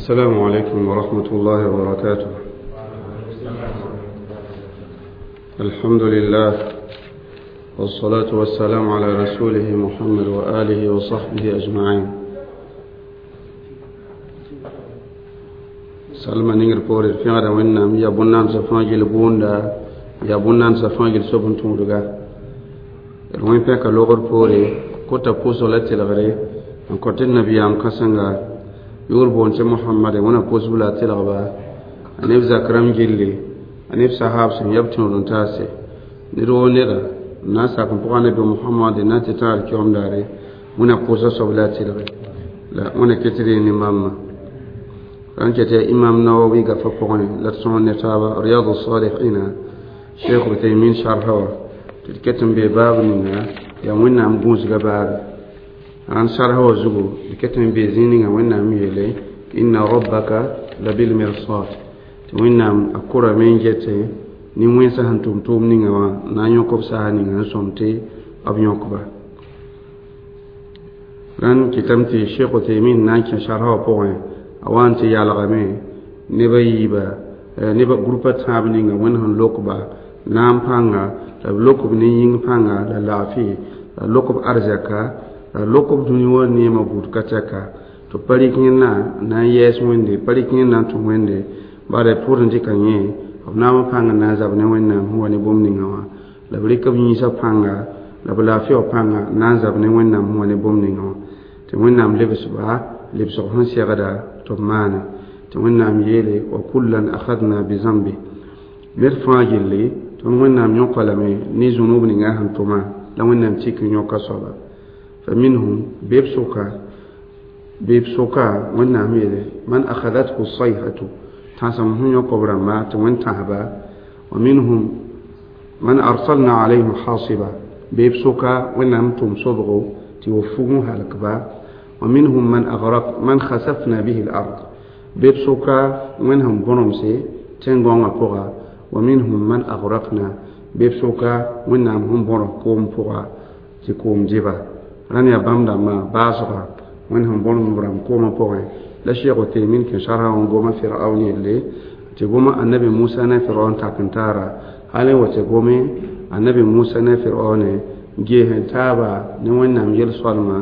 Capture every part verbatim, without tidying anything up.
السلام عليكم ورحمة الله وبركاته. الحمد لله والصلاة والسلام على رسوله محمد وآله وصحبه أجمعين. سلمى نينغر بوري في غدا وينام يا بنان سفاجل بوندا يا بنان سفاجل سوبن تودغا روين بيكا لوغر بوري كوتا بوسو لا تلغري ان كوتي النبي ام كاسنغا يور بونتي محمد ونا بوسو لا تلغبا انيف زكرم جيلي انيف صحاب سن يبتون تاسي نيرو نيرا ناسا كن بوغا نبي محمد ناتي تار كيوم داري ونا بوسو سوب لا تلغي لا ونا كتري ني ماما رانكت إمام نووي قفا بوغني لا تسون نتابا رياض الصالحين شيخ عثيمين شرحه تتكتم بباب نينا يا وين ام غوز غباب ران شرحه زغو تتكتم بزينين وين ام يلي إن ربك لبالمرصاد وين ام أكورا من جتي ni wẽnsa sẽn tʋm tʋʋm ninga wã na n yõk b saas ninga n sõm tɩ b yõkba rãnd kɩtame tɩ Sheikh Uthaymin na n kẽ sharha wã pʋgẽ a wa n tɩ yalgame neb a yiiba neb grupa tãab ninga wẽnd sẽn lokba naam pãnga la b lok b ne yĩng pãnga la laafɩ la lok b arzɛka la lok b dũni wã neemã buud ka tɛka tɩ pa rɩk yẽnna na n yɛɛs wẽnde pa rɩk yẽnna n tũ wẽnde bara pʋʋd n dɩka yẽ b naam pãng n na n zab ne wẽnnaam sẽn wa ne bũmb ninga wã la b rɩk b yĩnsã pãnga la b laafɩ wã pãnga n na n zab ne wẽnnaam sẽn wa ne bũmb ninga wã tɩ wẽnnaam lebsba lebsg sẽn segda tɩ b maane tɩ wẽnnaam yeele wa kullan akhadna bizambi ned fãa gilli tõnd wẽnnaam yõka lame ne zũnub ninga sẽn tʋma la wẽnnaam tik n yõka soaba fa minhum bɩ b sʋka bɩ b sʋka wẽnnaam yeele man akhadathu sayhatu tãsem sẽn yõk b rãmba tɩ wẽn tãsba wa minhum man arsalna alayhim hasiba bɩ b sʋka wẽnnaam tʋm sobgo tɩ wa fug n halkba wa minhum man aghraq man khasafna bihi al-ard bɩ b sʋka wẽnd sẽn bõnemse tẽn-gõngã pʋga wa minhum man aghraqna bɩ b sʋka wẽnnaam sẽn bõrg koom pʋga tɩ koom dɩba rãnd yaa bãmb dãmbã baasga wẽnd sẽn bõrg b rãmb koomã pʋgẽ la Sheikh Uthaymin kẽ sharha wã goma Firaun yelle tɩ goma annabi Musa ne Firaun tak n taara hal n wa tɩ gome annabi Musa ne Firaun gees n taaba ne wẽnnaam yel-soalmã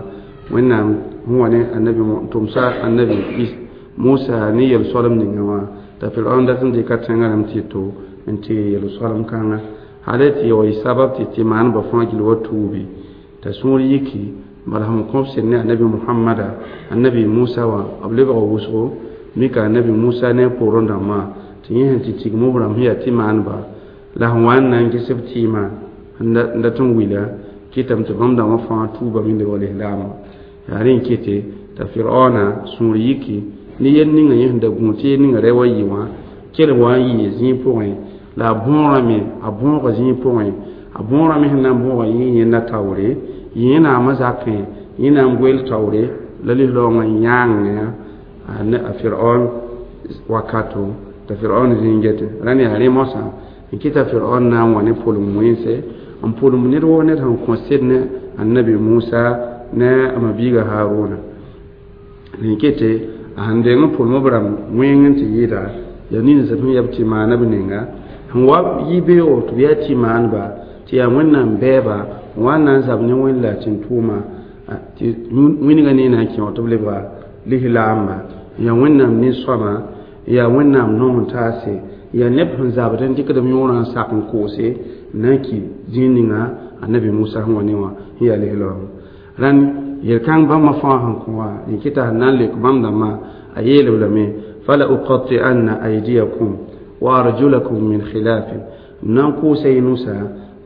wẽnnaam sẽn wa ne annabi tʋmsa annabi Musa ne yel-soalem ninga wã t'a Firaun dat n dɩka tẽngã rãmb tɩ to n tɩ yel-soalem kãnga hal tɩ wa y sabab tɩ tɩ maanbã fãa gill wa tuubi t'a sũur yiki bala sẽn kõb sed ne annabi Muhammada annabi Musa wã b lebga wʋsgo mika annabi Musa ne a poorẽ dãmbã tɩ yẽ sẽn tɩ tigim b rãmb sẽn yaa tɩ maanba la sẽn wa n na n ges b tɩɩmã n dat n wila kɩtame tɩ bãmb dãmbã fãa tuubame n lebg lislaamã yaa rẽ n kete t'a Firaona sũur yiki ne yel ninga yẽ sẽn da gũ tɩ yel ninga ra wa yɩ wã kell wa n yɩɩ zĩig pʋgẽ la a bõorame a bõoga zĩig pʋgẽ a bõorame sẽn na n bõoga yẽ yẽnda taoore yẽ naamã zakẽ yẽ na n goel taoore la lislaoongã yãang a Firaon wakato t'a Firaon zĩig gete rãnd yaa rẽ moasã n kɩta Firaon na n wa ne pʋlem wẽnse n pʋlem ned woo ned sẽn kõ sed ne annabi Musa ne a ma-biiga Haruna n kete a sẽn deng n pʋlem b rãmb wẽng n tɩ yɩɩda yaa nins sẽn yaa b tɩ maana b ninga sẽn wa yɩ beoogo tɩ b yaa tɩ maanba tɩ yaa wẽnnaam bɛɛba n wa n na n zab ne wẽnd la tẽn-tʋʋma tɩ wĩnga ne na n kẽ wã tɩ b lebga lislaamba yaa wẽnnaam nin-sõama yaa wẽnnaam nong n taase yaa neb sẽn zabd n dɩkd b yõorã n sak n koose n na n kɩ zĩig ninga annabi Musa sẽn wa ne wã sẽn yaa lislaoong rãnd yel-kãng bãmba fãa sẽn kõ wã n kɩta sẽn na n leok bãmb dãmbã a yeelb lame fala uqati'anna aydiyakum wa arjulakum min khilafin m na n kʋʋsa y nusa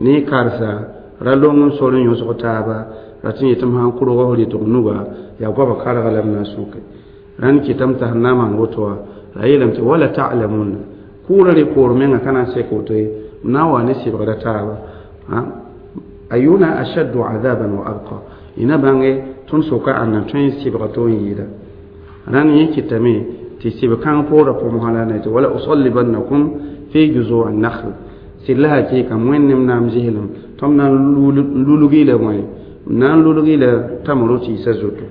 ne y karsa ra long n sor n yõsg taaba ra tɩ yetɩ m sãn kʋrg f rɩtg nuga yaa goaba karga la m na n sũke rãnd kɩtame t'a sẽn na n maan woto wã la a yeelame tɩ wala ta'lamunna kʋʋra rɩ poor menga ka na n sek woto ye m na n wa ne sɩbgra taaba ayuna ashaddu adaban wa abqa y na bãnge tõnd soka ãnda tõe n sɩbga to n yɩɩda rãnd yẽ kɩtame tɩ sɩb-kãng poorã pʋmsã la ne tɩ wala usallibannakum fi juzuu an-nakhl sɩd la hakɩɩka wẽnnem naam zɩslem tõm na n lulgi la wẽ m na n lulgi la tamro tɩɩsã zutu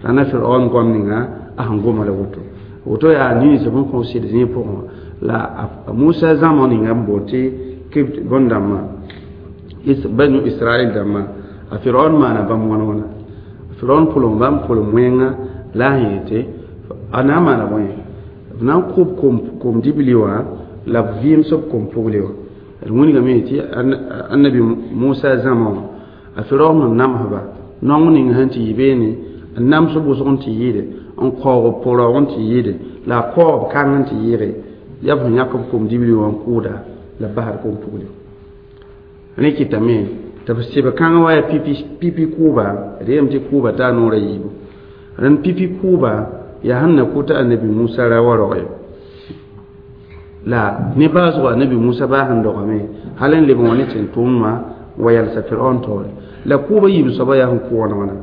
rãnda Firaon goam ninga a sẽn goma la woto Woto yaa nins b n kõ sɩd zĩig pʋgẽ la Musa zãma ninga n boond tɩ Kibt bõn-dãmbã Banu Israel dãmbã a Firaon maana bãmb wãn wãna Firaon pʋlem bãmb pʋlem wẽnga la a yeel tɩ a na n maana bõe b na n kʋb kom dibli wã la b vɩɩms b kom pugli wã d wilgame tɩ annabi Musa zãma wã a Firaon sẽn namsba naong ning sẽn tɩ yɩ beene n nams b wʋsg n tɩ yɩɩde n kaoog b pʋraoog n tɩ yɩɩde la a kaoog b kãng n tɩ yɩɩge yaa b sẽn yãk b kom dibli wã n kʋʋda la b basd kom pugli rẽ kɩtame tɩ b sɩb kãng wa yaa pipi pipi kʋʋba d yeelame tɩ kʋʋba taa noor a yiibu rẽnd pipi kʋʋba yaa sẽn na kʋ tɩ annabi Musa ra wa roge la ne baoosgo annabi Musa baa sẽn dogame hal n leb n wa ne tẽn-tʋʋmdmã n wa yalsa Firaon taoore la kʋʋba yiib soaba yaa sẽn kʋ wãna wãna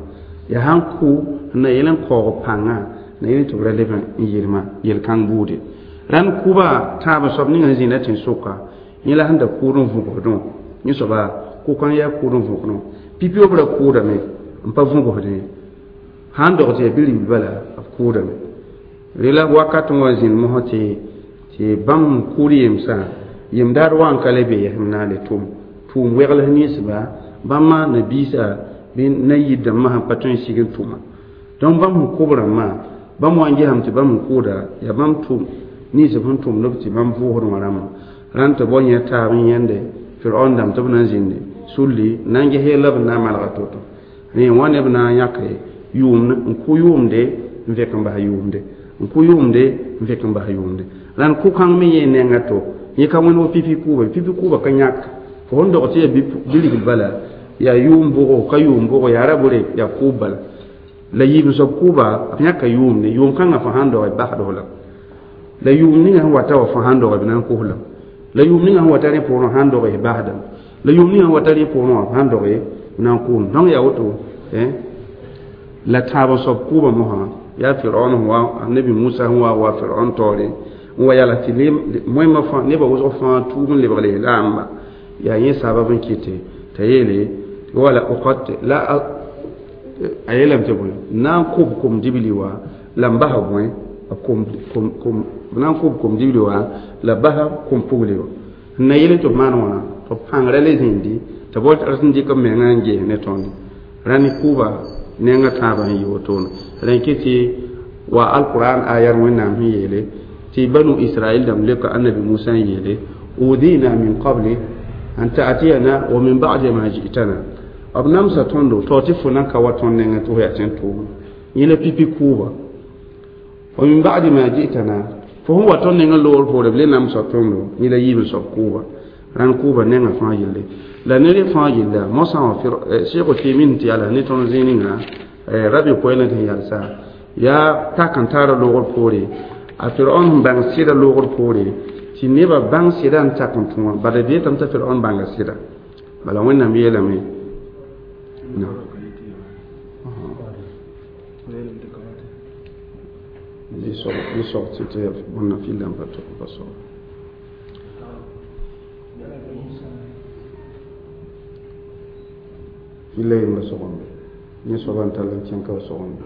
yaa sãn kʋ n na yel n kaoog pãngã na yel tɩ b ra leb n yelma yel-kãng buude rãnd kʋba tãab soab ning sẽn zĩnda tẽn-sʋka yẽ la sẽn da kʋʋd n vʋgsdẽ yẽ soaba kʋ-kãng yaa kʋʋd n vʋgsdẽ pipi b ra kʋʋdame n pa vʋgsdẽ sãn dog tɩ yaa bi-ribl bala b kʋʋdame rela wakat n wa zĩnd mosã tɩ tɩ bãmb kʋʋd yemsã yem-daar wa n ka le be yɛsem na n le tʋm tʋʋm wegls ninsba bãmba nabiisã bɩ na-yir dãmbã sẽn pa tõe n sig n tʋma donc bãmb sẽn kʋb rãmbã bãmb wa n gesame tɩ bãmb sẽn kʋʋda yaa bãmb tʋm nins sẽn tʋmd b tɩ bãmb vʋʋsd wã rãmbã rãnd tɩ bao yẽ taab n yẽnde Firaon dãmb tɩ b na n zĩndi sulli n na n ges yella b na n malga to-to rẽ wã neb na n yãke yʋʋmd n kʋ yʋʋmde n vẽk n bas yʋʋmde n kʋ yʋʋmde n vẽk n bas yʋʋmde rãnd kʋ-kãng me yẽ nenga to yẽ ka wẽnd wo pipi kʋʋba pipi kʋʋba ka yãk fo sẽn dog tɩ yaa bi-ribl bala yaa yʋʋm bʋgo ka yʋʋm bʋgo yaa ra bore yaa kʋʋb bala la yiib soab kʋʋba b yãka yʋʋmde yʋʋm kãngã fo sãn doge basd la la yʋʋm ninga sẽn wata wa fo sãn doge b na n kos la la yʋʋm ninga sẽn wata rẽ poorẽ sãn doge basdame la yʋʋm ninga sẽn wata rẽ poorẽ wã sãn doge b na n kos donc yaa woto la tãab soab kʋʋba mosã yaa Firaon sẽn wa annabi Musa sẽn wa wa Firaon taoore n wa yala tɩ moẽmã fãa nebã wʋsg fãa tuub n lebg lislaamba yaa yẽ sabab n kɩte t'a yeele wala oqat la a yeelame tɩ bõe na n kʋb kom dibli wã la n basa bõe kom kom kom na n kʋb kom dibli wã la basa kom pugli wã n na yel tɩ b maan wãna tɩ b pãngrã le zĩndi tɩ b wat sẽn dɩk b menga n ges ne tõnd rãnd kʋʋba nenga tãabã sẽn yɩ wotone rẽ kɩ tɩ wa alquran ayar wẽnnaam sẽn yeele tɩ banu israel dãmb leoka annabi Musa n yeele udina min qabli an ta'tiyana wa min ba'di ma ji'tana b namsa tõndo tao tɩ fo nan ka wa tõnd nengẽ tɩ fo yaa tẽn tʋʋm yẽ la pipi kʋʋba wa min ba'di ma ji'tana fo sẽn wa tõnd nengẽ loogr poore b le namsa tõndo yẽ la yiib n soab kʋʋba rãnd kʋʋba nengã fãa yelle la ne rẽ fãa yella mosã wã Sheikh Uthaymin tɩ yala ne tõnd zĩig ninga rabi koɛɛlã tɩ yalsa yaa tak n taara loogr poore a Firaon sẽn bãng sɩda loogr poore tɩ nebã bãng sɩda n tak n tũ wã bala d yetame t'a Firaon bãnga sɩda bala Wẽnnaam yeelame bɩ sog tɩ tɩ bõnna fɩlda n pa pa sog fɩlla yembra sogame yẽ soaba n tall n kẽn ka wa sogame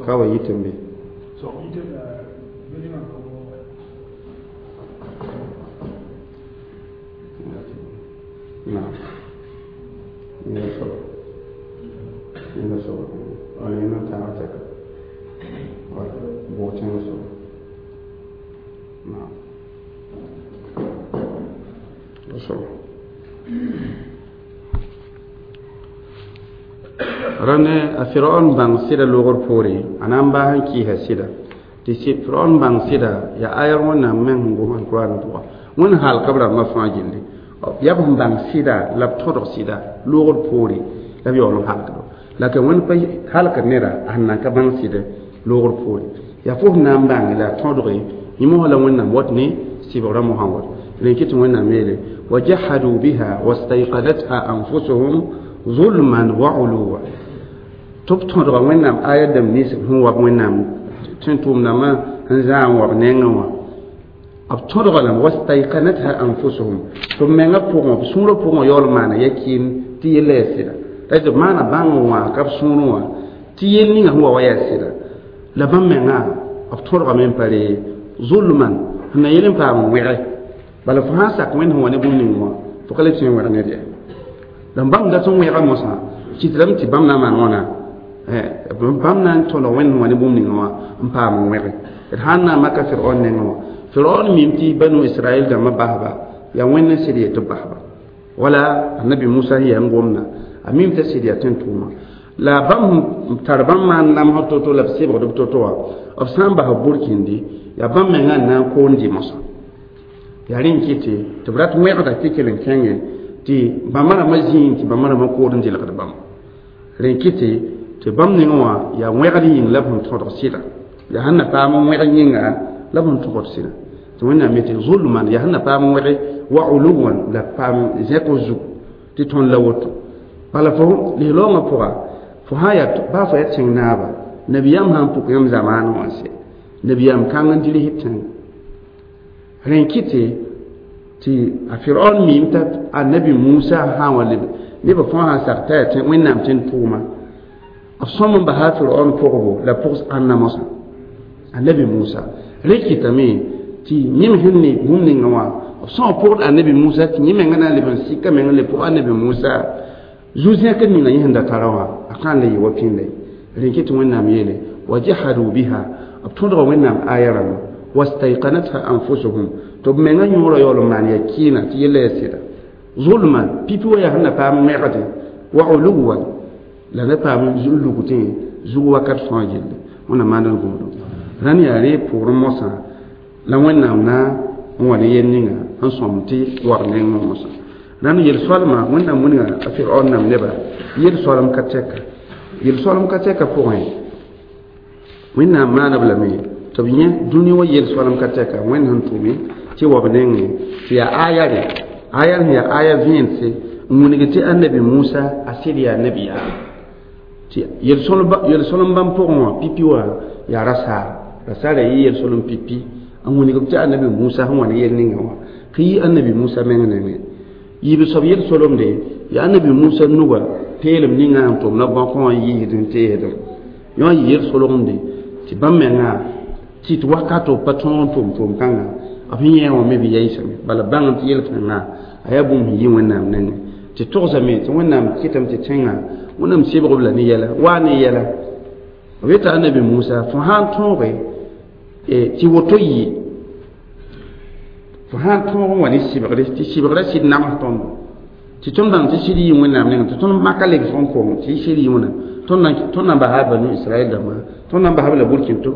ka wa yɩtẽ be naam yẽnda soaba yẽnda soaba wala yẽnda n tãag tɛka wala bʋg tẽng soaba naam soaba rãnd a Firaon bãng sɩda loogr poore a na n baas n kɩɩsa sɩda tɩ Firaon bãng sɩda yaa ayar Wẽnnaam meng sẽn gom alkuraan pʋga Wẽnd halka b rãmbã fãa gilli yaa b sẽn bãng sɩda la b tõdg sɩda loogr poore la b yaool n halkdo la ka Wẽnd pa halk neda a sẽn nan ka bãng sɩdɛ loogr poore yaa fo sẽn na n bãnge la a tõdge yẽ mosã la Wẽnnaam wat ne sɩbgrã mosã wat rẽ kɩ tɩ Wẽnnaam yeele wa jahadu biha wastayqanatha anfusuhum zulman wa uluwa tɩ b tõdga Wẽnnaam aya dãmb nins sẽn wa Wẽnnaam tẽn-tʋʋmdãmbã sẽn zãa n wa b nengẽ wã b tõdga lame wastayqanatha anfusuhum tɩ b mengã pʋgẽ b sũurã pʋgẽ yaool n maana yakɩɩn tɩ yella yaa sɩda la tɩ b maana bãng n wã ka b sũurẽ wã tɩ yell ninga sẽn wa wa yaa sɩda la bãmb mengã b tõdgame n pa re Zulman sẽn na yel n paam n wẽge bala fo sã n sak wẽnd sẽn wa ne bũmb ning wã fo ka le tõe n wẽg ned ye la bãmb dat n wẽga mosã kɩtdame tɩ bãmb na n maan wãna bãmb na n tõlg wẽnd sẽn wa ne bũmb ninga wã n paam n wẽge d sãn na n maka Firaon nengẽ wã Firaon mim tɩ banu Israɛl dãmbã basba yaa wẽnd n sɩd yet tɩ b basba wala annabi Musa sẽn yaa n gomda a mim t'a sɩd yaa tẽn-tʋʋma la bãmb tar bãmb maan namsg to-to la b sebgd b to-to wã b sã n bas b burkindi yaa bãmb mengã n na n koond dɩ mosã yaa rẽ n kɩte tɩ b rat wẽgda tɩ kell n kẽnge tɩ bãmba rãmbã zĩig tɩ bãmba rãmbã kood n dɩlgd bãmb rẽ kɩte tɩ bãmb nengẽ wã yaa wẽgd yĩng la b sẽn tõdg sɩda yaa sẽn na paam wẽg yĩnga la b sẽn tõgd sɩda tɩ wẽnnaam yetɩ zulman yaa sẽn na paam wẽge wa uluwan la paam zẽk zug tɩ tõnd la woto bala fo lislaoongã pʋga fo sã yaa baa fo yaa tẽng naaba nabiyaam sã n pʋk yãmb zamaanẽ wã sɛ nabiyaam kãng n dirist tẽnga rẽ n kɩte tɩ a Firaon miime t'a annabi Musa sã n wa leb nebã fãa sã n sak t'a yaa wẽnnaam tẽn-tʋʋma b sõm n basa Firaon pʋgbo la pʋgs ãnna mosã annabi Musa rẽ kɩtame tɩ yẽm sẽn ne bũmb ninga wã b sõs pʋgd annabi Musa tɩ yẽ menga na n leb n sika meng n le pʋg annabi Musa zu-zẽkr ninga yẽ sẽn da tara wã a kãn le yɩ wa pĩnda ye rẽ kɩ tɩ wẽnnaam yeele wa jahadu biha b tõdga wẽnnaam aya rãmba wastayqanatha anfusuhum tɩ b menga yõorã yaool n maan yaa kɩɩna tɩ yella yaa sɩda zulman pipi wa yaa sẽn na paam wẽgde wa uluwan la na paam lug tẽ zug wakat fãa gilli wẽnnaam maand n gũudum rãnd yaa rẽ pʋʋr mosã la wẽnnaam na n wa ne yel ninga n sõm tɩ wag neng mosã rãnd yel-soalma wẽnnaam wilga a Firaon nam neba yel-soalem ka tɛka yel-soalem ka tɛka pʋgẽ wẽnnaam maana b lame tɩ b yẽ dũni wã yel-soalem ka tɛka wẽnd sẽn tʋme tɩ wa b nengẽ tɩ yaa aya rẽ aya sẽn yaa aya vẽense n wilg tɩ annabi Musa a sɩd yaa nabiyaam tɩ yel-solem bãmb pʋgẽ wã pipi wã yaa rasaar rasaar yaa yɩ yel-solem pipi n wilg tɩ annabi Musa sẽn wa ne yel ninga wã kɩ yɩ annabi Musa meng nengẽ yiib soab yel-solemde yaa annabi Musa nuga peelem ninga sẽn tʋm na bãkõ wã n yiisd n teesdem yõ yɩ yel-solgemde tɩ bãmb menga tɩ tɩ wakato pa tõog n tʋm tʋʋm kãnga b sẽn yẽ wã me bɩ yaɩsame bala bãng tɩ yel-kãngã a yaa bũmb sẽn yɩ wẽnnaam nengẽ tɩ togsame tɩ wẽnnaam kɩtame tɩ tẽngã wẽnnaam sebg b la ne yɛla waa ne yɛla b yeta annabi Musa fo sã n tõoge tɩ woto yɩ fo sã n tõog n wa ne sɩbgre tɩ sɩbgrã sɩd nams tõndo tɩ tõnd bãng tɩ sɩd yɩ wẽnnaam nengẽ tɩ tõnd maka lebsg n kong tɩ sɩd yɩ wẽnnaam tõnd na n basa banu Israɛl dãmbã tõnd na n basa b la burkĩnto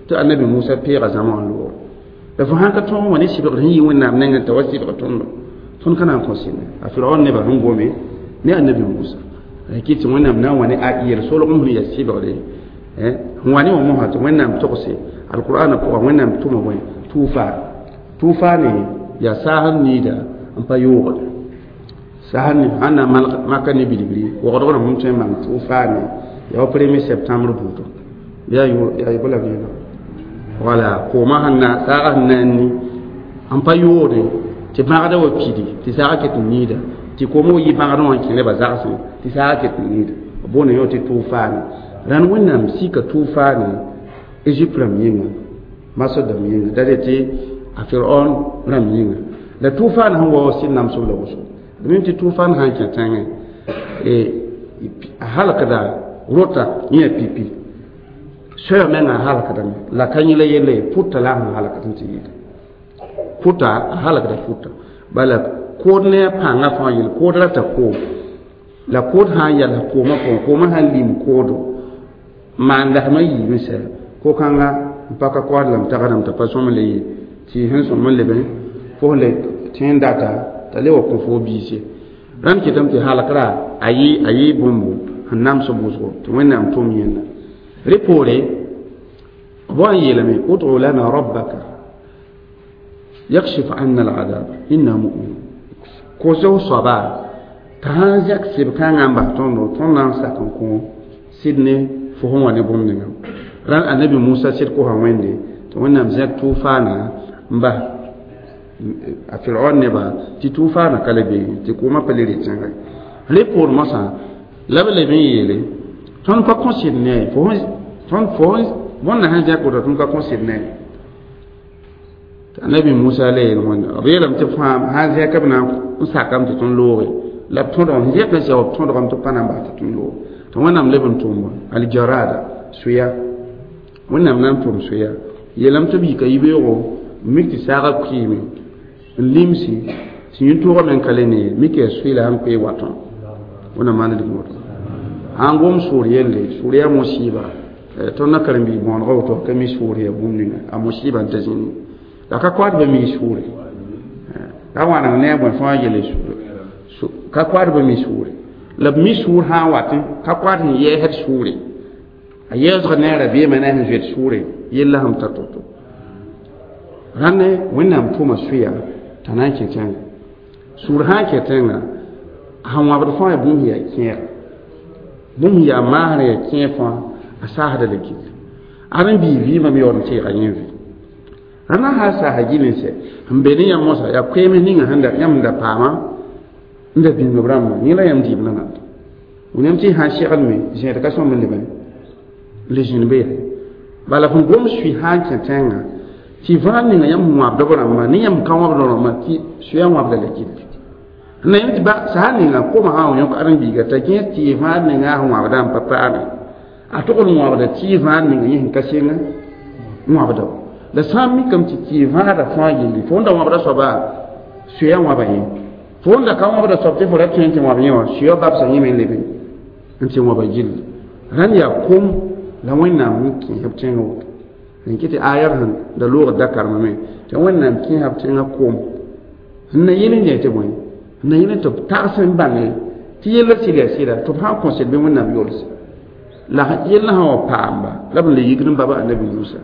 tɩ annabi Musa peega zãma wã loogre la fo sãn ka tõog n wa ne sɩbgr sẽn yɩ wẽnnaam nengẽ t'a wa sɩbg tõndo tõnd ka na n kõ sɩnde a Firaon nebã sẽn gome ne annabi Musa kɩ tɩ wẽnnaam na n wa ne a yel-solgem sẽn yaa sɩbgre sẽn wa ne wã mosã tɩ wẽnnaam togse alqur'ana pʋga wẽnnaam tʋma bõe tuufa tuufa ne yaa saas n niida n pa yoogde saas n sãn na maka ne bilgri wogdg rãmb sẽn tõe n maan tuufa ne yaa wa premier septembre buudg yaa yaa bla vẽeneg wala koomã sẽn na saagã sẽn na n ni n pa yoode tɩ bãgda wa pidi tɩ saagã ket n niida tɩ koomã wa yɩ bãgdẽ wã n kẽ nebã zagsẽ tɩ saagã ket n niida b boonda yõ tɩ tʋʋfaane rãnd wẽnnaam sika tʋʋfaane Égypte rãmb yĩnga Masr dãmb yĩnga da tɩ a Firaon rãmb yĩnga la tʋʋfaan sẽn wa wa sɩd namsb la wʋsgo d mim tɩ tʋʋfaan sã n kẽ tẽngẽ a halkda rota yẽ pipi soɛɛg menga a halkdame la ka yẽ la yelle pʋta la a sẽn halkd n tɩ yɩɩda pʋta a halkda pʋta bala kood ne a pãngã fãa yel kood rata koom la kood sã n yals koomã pʋgẽ koomã sã n lim koodo maan lasmã yiime sɛ ko-kãnga n pa ka koasd lame tagsdame t'a pa sõm le ye tɩ sẽn sõm n lebe fo sẽn le tẽen data t'a le wa kõ fo biise rãnd kɩtame tɩ halkra a yɩ a yɩ bũmbo sẽn nams wʋsgo tɩ wẽnnaam tʋm yẽnda rẽ poore b wa n yeelame ud'u lana rabbaka yakshif anna al'adab inna mu'minun kos f soaba t'a sãn zɛk sɩb-kãngã n bas tõndo tõnd na n sak n kõ sɩd ne fo sẽn wa ne bũmb ninga rãnd annabi Musa sɩd kosa wẽnde tɩ wẽnnaam zẽk tʋʋfaana n bas a Firaon neba tɩ tʋʋfaana ka le be tɩ koomã pa le rɩ tẽnga rẽ poor mosã la b leb n yeele tõnd pa kõ sɩd ne tõnd fo bõnda sẽn zẽk woto tõnd ka kõ sɩd ne Annabi Musa la yeel wẽnda b yeelame tɩ fãa sã n zẽk b na n sakame tɩ tõnd looge la b tõdgame zẽk n sɛ b tõdgame tɩ b pa na n bas tɩ tõnd loog tɩ Wẽnnaam leb n tʋm aljarada soya Wẽnnaam na n tʋm soya yeelame tɩ b yika yibeoogo n mik tɩ saagã kʋɩɩme n limsi tɩ yĩn-toogã me n ka le ne mik yaa soe la sẽn koe watõ Wẽnnaam maan d woto sãn gom sʋʋr yelle sʋʋr yaa mosiiba tõnd na karen-biig bõonega woto ka mi sʋʋr yaa bũmb ninga a mosiiba n ta zĩni la ka koat bɩ mi sʋʋre ka wãneng ne a bõe fãa yele sʋʋre ka koat bɩ mi sʋʋre la b mi sʋʋr sã n watẽ ka koat sẽn yɛɛsd sʋʋre a yɛɛsg ne a rabeemã ne a sẽn zoet sʋʋre yella sẽn ta to-to rãnde Wẽnnaam tʋma soya t'a na n kẽ tẽnga sũur sã n kẽ tẽnga sẽn wãbd fãa yaa bũmb sẽn yaa kẽer bũmb sẽn yaa maasrã yaa kẽer fãa a saasda la gill ad n bii vɩɩmã me yaood n teega yẽ vɩ rãndã sã saasa gill n sɛ sẽn be ne yãmb mosã yaa koeems ninga sẽn da yãmb da paama n da bĩng b rãmbã yẽ la yãmb dɩɩb nananda wẽnnaam tɩ sã n segl me zẽed ka sõmb n leb n le zĩnd be yaa bala fõn gom sui sã n kẽ tẽngã tɩ vãag ninga yãmb sẽn wãbd b rãmbã ne yãmb ka wãbd rãmbã tɩ soya wãbda la gill na yãmb tɩ ba sã ninga koma sã n yõk ãdem-biiga t'a gẽes tɩ vãag ninga sẽn wãbda n pa paame a tog n wãbda tɩ vãag ninga yẽ sẽn ka seng n wãbda la sã n mikame tɩ tɩ vãagda fãa gilli fo n da wãbda soaba soya wãba yẽ fo n da ka wãbda soab tɩ fo ra tõe n tɩ wãb yẽ wã soya babsã yẽ me n leb n tɩ wãba gilli rãnd yaa kom la Wẽnnaam n kẽesb tẽngã woto n kɩ tɩ ayar sẽn da loogd da karemame tɩ Wẽnnaam kẽesb tẽngã kom n na yel n yẽ tɩ bõe n na yel tɩ b tags n bãnge tɩ yella sɩd yaa sɩda tɩ b sã n kõsd bɩ Wẽnnaam yolse la yella sã wa paamba la b n le yikd n baba annabi Musa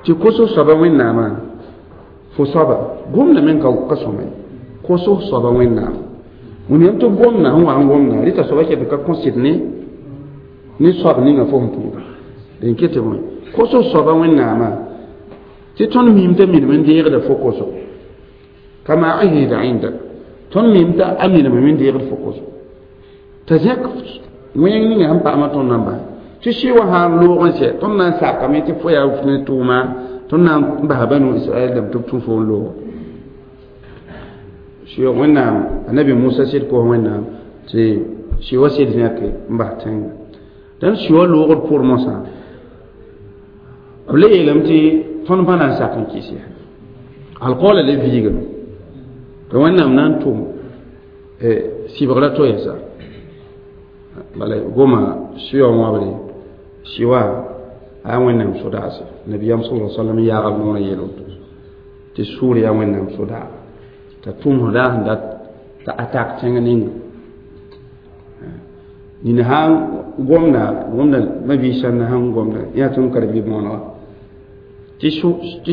tɩ koso soaba Wẽnnaamã fo soaba gomda me ka ka sõma ye koso soaba Wẽnnaam wẽnnaam tɩ gomda sẽn wa n gomda rɩta soaba ket ka kõsd ne ne soab ninga fo sẽn tũuda d ket tɩ bõe koso soaba Wẽnnaamã tɩ tõnd miim t'a minim n deegda fo koso kama ahida indak tõnd miim t'a a minime me n deegd fo koso t'a zẽk wẽng ninga sẽn paama tõnd na n bas tɩ sɩ wã sã n loog n sɛ tõnd na n sakame tɩ fo yaa ne tʋʋma tõnd na n basa banu Israɛl dãmb tɩ b tũ fo n loog sɩ Wẽnnaam annabi Musa sɩd kos Wẽnnaam tɩ sɩ wa sɩd zẽke n bas tẽnga dãn sɩ wa loogd pʋr mosã b le yeelame tɩ tõnd pa na n sak n kɩs ya alkaoola le viigame tɩ Wẽnnaam na n tʋm sɩbgra to yɛsa bala goma sɩwa wãbre sɩwa a Wẽnnaam sodaase nabiyam sala sallam yaagb noorã yeel woto tɩ sʋʋr yaa Wẽnnaam sodaa t'a tʋm sẽn daa sẽn dat t'a atak tẽng ninga nina sã n gomda gomda ma-biis sãnda sẽn gomda yaa tõnd karen-bi bõonega tɩ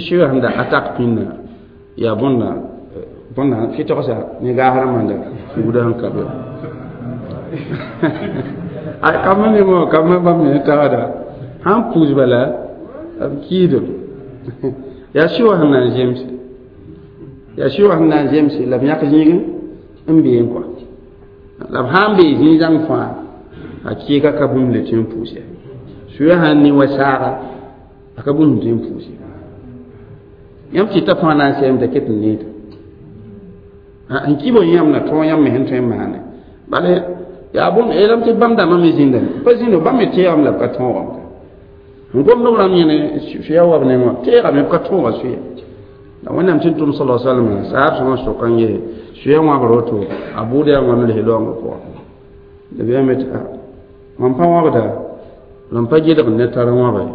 sɩwa sẽn da atak pĩnda yaa bõnda bõnda fɩtgsa ne gaas rãmbã da buda sẽn ka be a kamba ne mo kamba bãmb me tagsda sãn pʋʋs bala b kiidem yaa sɩwa sẽn na n zemse yaa sɩwa sẽn na n zemse la b yãk zĩig n bee kɔa la b sã n bee zĩig-zãng fãa a kɩɩga ka bũmb le tɩ n pʋʋs ya soya sã n ne wa saaga a ka bũmb tɩ n pʋʋs ya yãmb tɩ t'a fãa na n sɛɛm t'a ket n needa n kɩ bo yãmb na tõog yãmb me sẽn tõe n maane bala yaa bõn yeelame tɩ bãmb dãmbã me zĩnda pa zĩndo bãmb me teegame la b ka tõogame n gomd b rãmb yẽne soya wa b neng wã teegame b ka tõoga soya la Wẽnnaam tɩ n tʋm sala salma saab sõma sʋk n yee soya wãbr woto a bʋʋd yaa wãn les laoongã pʋgã la b yame tɩ mam pa wãbda la m pa gɩdg ne tar wãba ye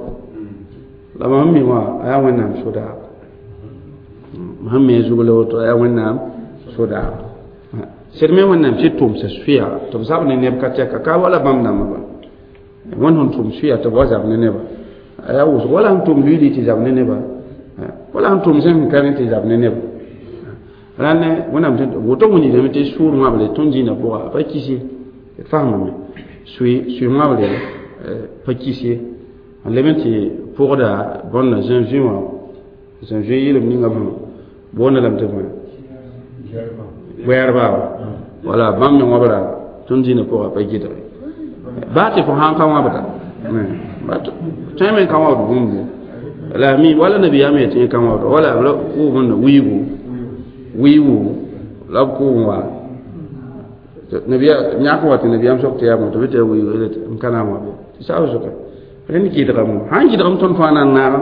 la mam mi wã a yaa Wẽnnaam sodaag mam sẽn mi a zug la woto a yaa Wẽnnaam sodaag sed me Wẽnnaam tɩ tʋmsa sʋya tɩ b zab ne neb ka tɛka ka wala bãmb dãmbã ba Wẽnd sẽn tʋm sʋya tɩ b wa zab ne neba a yaa wʋsg wala sẽn tʋm luiili tɩ zab ne neba wala sẽn tʋm sẽn ka rẽ tɩ zab ne neba rãnd Wẽnnaam tɩ woto wilgame tɩ sʋʋr wãble tõnd zĩnã pʋga pa kis ye d faamame sʋɩ sʋɩ wãble pa kis ye n leb n tɩ pʋgda bõnda zẽn-zũi wã zẽn-zũi yɩlem ninga bãmb boonda lame tɩ bõe wɛɛrba wala bãmb me wãbra tõnd zĩnã pʋga pa gɩdge baa tɩ fo sãn ka wãbda tõe me ka wãbd bũmb La mi wala nabiyaam yetẽ kan wabda wala la kʋʋm wiigu wiigu la b kʋʋm wa nabiya yãk wa tɩ nabiyaam sok tɩ yaa bõe tɩ b tɩ yaa wiigu n ka na n wa be tɩ saab soka rẽnd gɩdgame sãn gɩdgame tõnd fãa na n naaga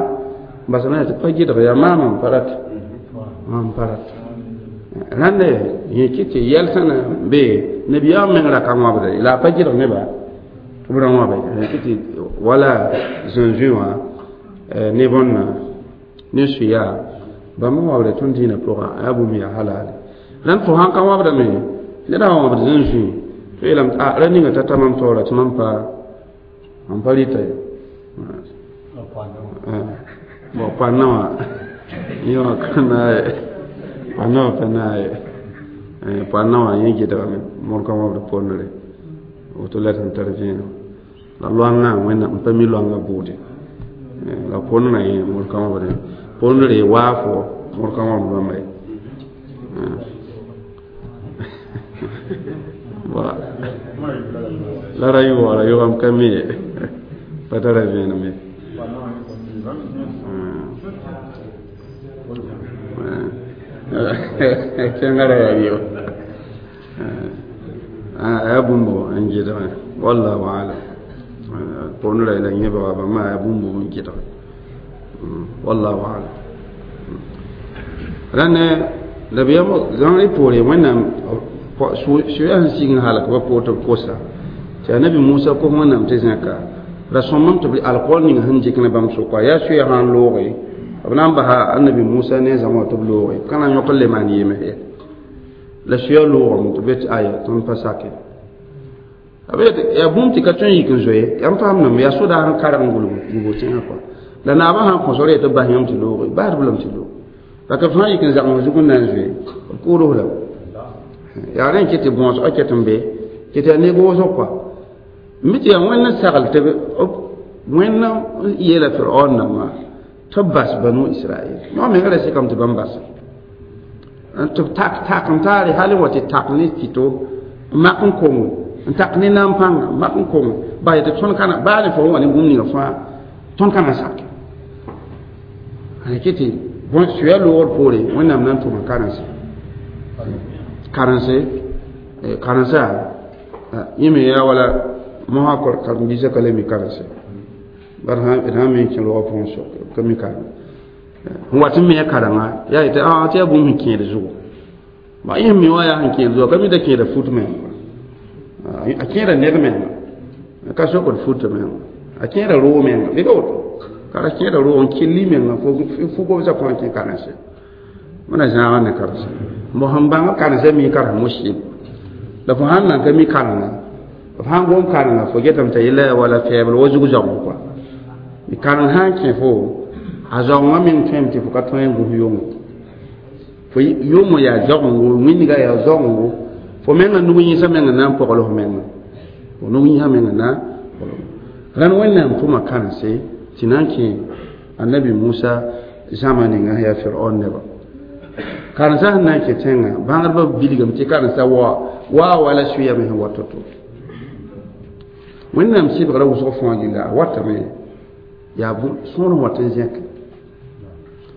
basame tɩ pa gɩdg yaa maam n pa rat n pa rat rãnda yẽ kɩ tɩ yɛlsã na be nabiyaam meng ra ka wãbda la a pa gɩdg neba tɩ b ra wãbe kɩ tɩ wala zũnzũi wã ne bõnna ne suya bãmb n wabda tõnd dĩinã pʋgã a yaa bũmb yaa halal rãnd fo sãn ka wabdame ned sã wãbd zũnzũi tɩ yeelame a ra ninga ta ta mam taoora tɩ mam pa mam pa rɩta ye bon poanã wã yẽ wã ka naag ye poanã wã pa naag ye poanã wã yẽ gɩdgame modg ka wãbd pondre woto la sẽn tar vẽenem la loangã wẽnnaam n pa mi loangã buude la pondrã yẽ modg ka wãbd pondre waafo modg ka wãbd bãmba ye la ra yʋgra yʋgam ka mi ye pa tara vẽenem ye tẽngã ra yaa rɩɩb a yaa bũmb n gɩdgẽ wallahu alam pondra la yẽ ba bãmba yaa bũmb n gɩdgẽ wallahu alam rãnd nabiyaam zãng poore wẽnnaam soya sẽn sig n halk ba poor tɩ b kosa tɩ anabi musa kos wẽnnaam tɩ zẽka ra sõmam tɩ b alkool ning sẽn dɩk ne bãmb sʋka yaa soya sã n looge b na n basa anabi musa ne zãma wã tɩ b looge ka na n yõk n le maan yemes ye la soya loogame tɩ b tɩ aya tõnd pa sake yaa bũmb tɩ ka tõe n yik n zoe yãmb faamdame yaa sodaag n karg n gulg tẽngã kɔa la naabã sãn kõsg re tɩ b bas yãmb tɩ looge basd b lame tɩ loog la ka fãa yik n zagms zug n na n zoe b kʋʋds lame yaa rẽ kɩ tɩ bõosgã ket n be kɩ tɩ yaa neg wʋsg kɔa mi tɩ yaa wẽnd n sagl tɩ wẽnd n yeela firaon nambã tɩ b bas banu israɛl yõ menga ra sɩkame tɩ bãmb bas tɩ b tak tak n taare hal n wa tɩ tak ne tɩto n mak n kongo n tak ne naam pãnga n mak n kongo bas tɩ tõnd kana baa ne fo wa ne bũmb ninga fãa tõnd kana sake a kɩ tɩ suya loogr poore wẽnnaam na n tʋma karense karense karensa yẽ me yaa wala mosã karen-biisã ka le mi karense bar d sã me n kẽ roogã pʋgẽ sok ka mi kareng n wat n me a karenga yaa yetɩ a tɩ yaa bũmb sẽn kẽed zugu ba yẽ mi wã yaa sẽn kẽed zugu ka mi da kẽeda fut menga a kẽeda ned menga ka sokd fut menga a kẽeda roog menga bɩ ka woto ka ra kẽeda roog n kelli menga fo gobsã pʋgẽ kẽ karense wẽna zãaga ne karense bõ sẽn bãng karense mi karem mushkil la fo sãn nan ka mi karenga f sãn gom karenga fo getame t'a yella yaa wala fɛɛbl wa zug zaoong kɔa kareng sã n kẽ fo a zaoongã meng tõeme tɩ fo ka tõe n gũs yongo fo yʋʋmõ yaa zaoongo wĩndgã yaa zaoongo fo menga nug yĩsã menga na n pogl f menga fo nug yĩsã menga na pogl rãnd wẽnnaam tʋma karense tɩ na n kẽ annabi musa zãma ninga yaa firaon neba karensã sẽn na n kẽ tẽngã bãngdbã bilgame tɩ karensã wa waa wala sʋyame sẽn wa to-to wẽnnaam sɩbgrã wʋsg fãa gilla a watame yaa sõor wat n zẽk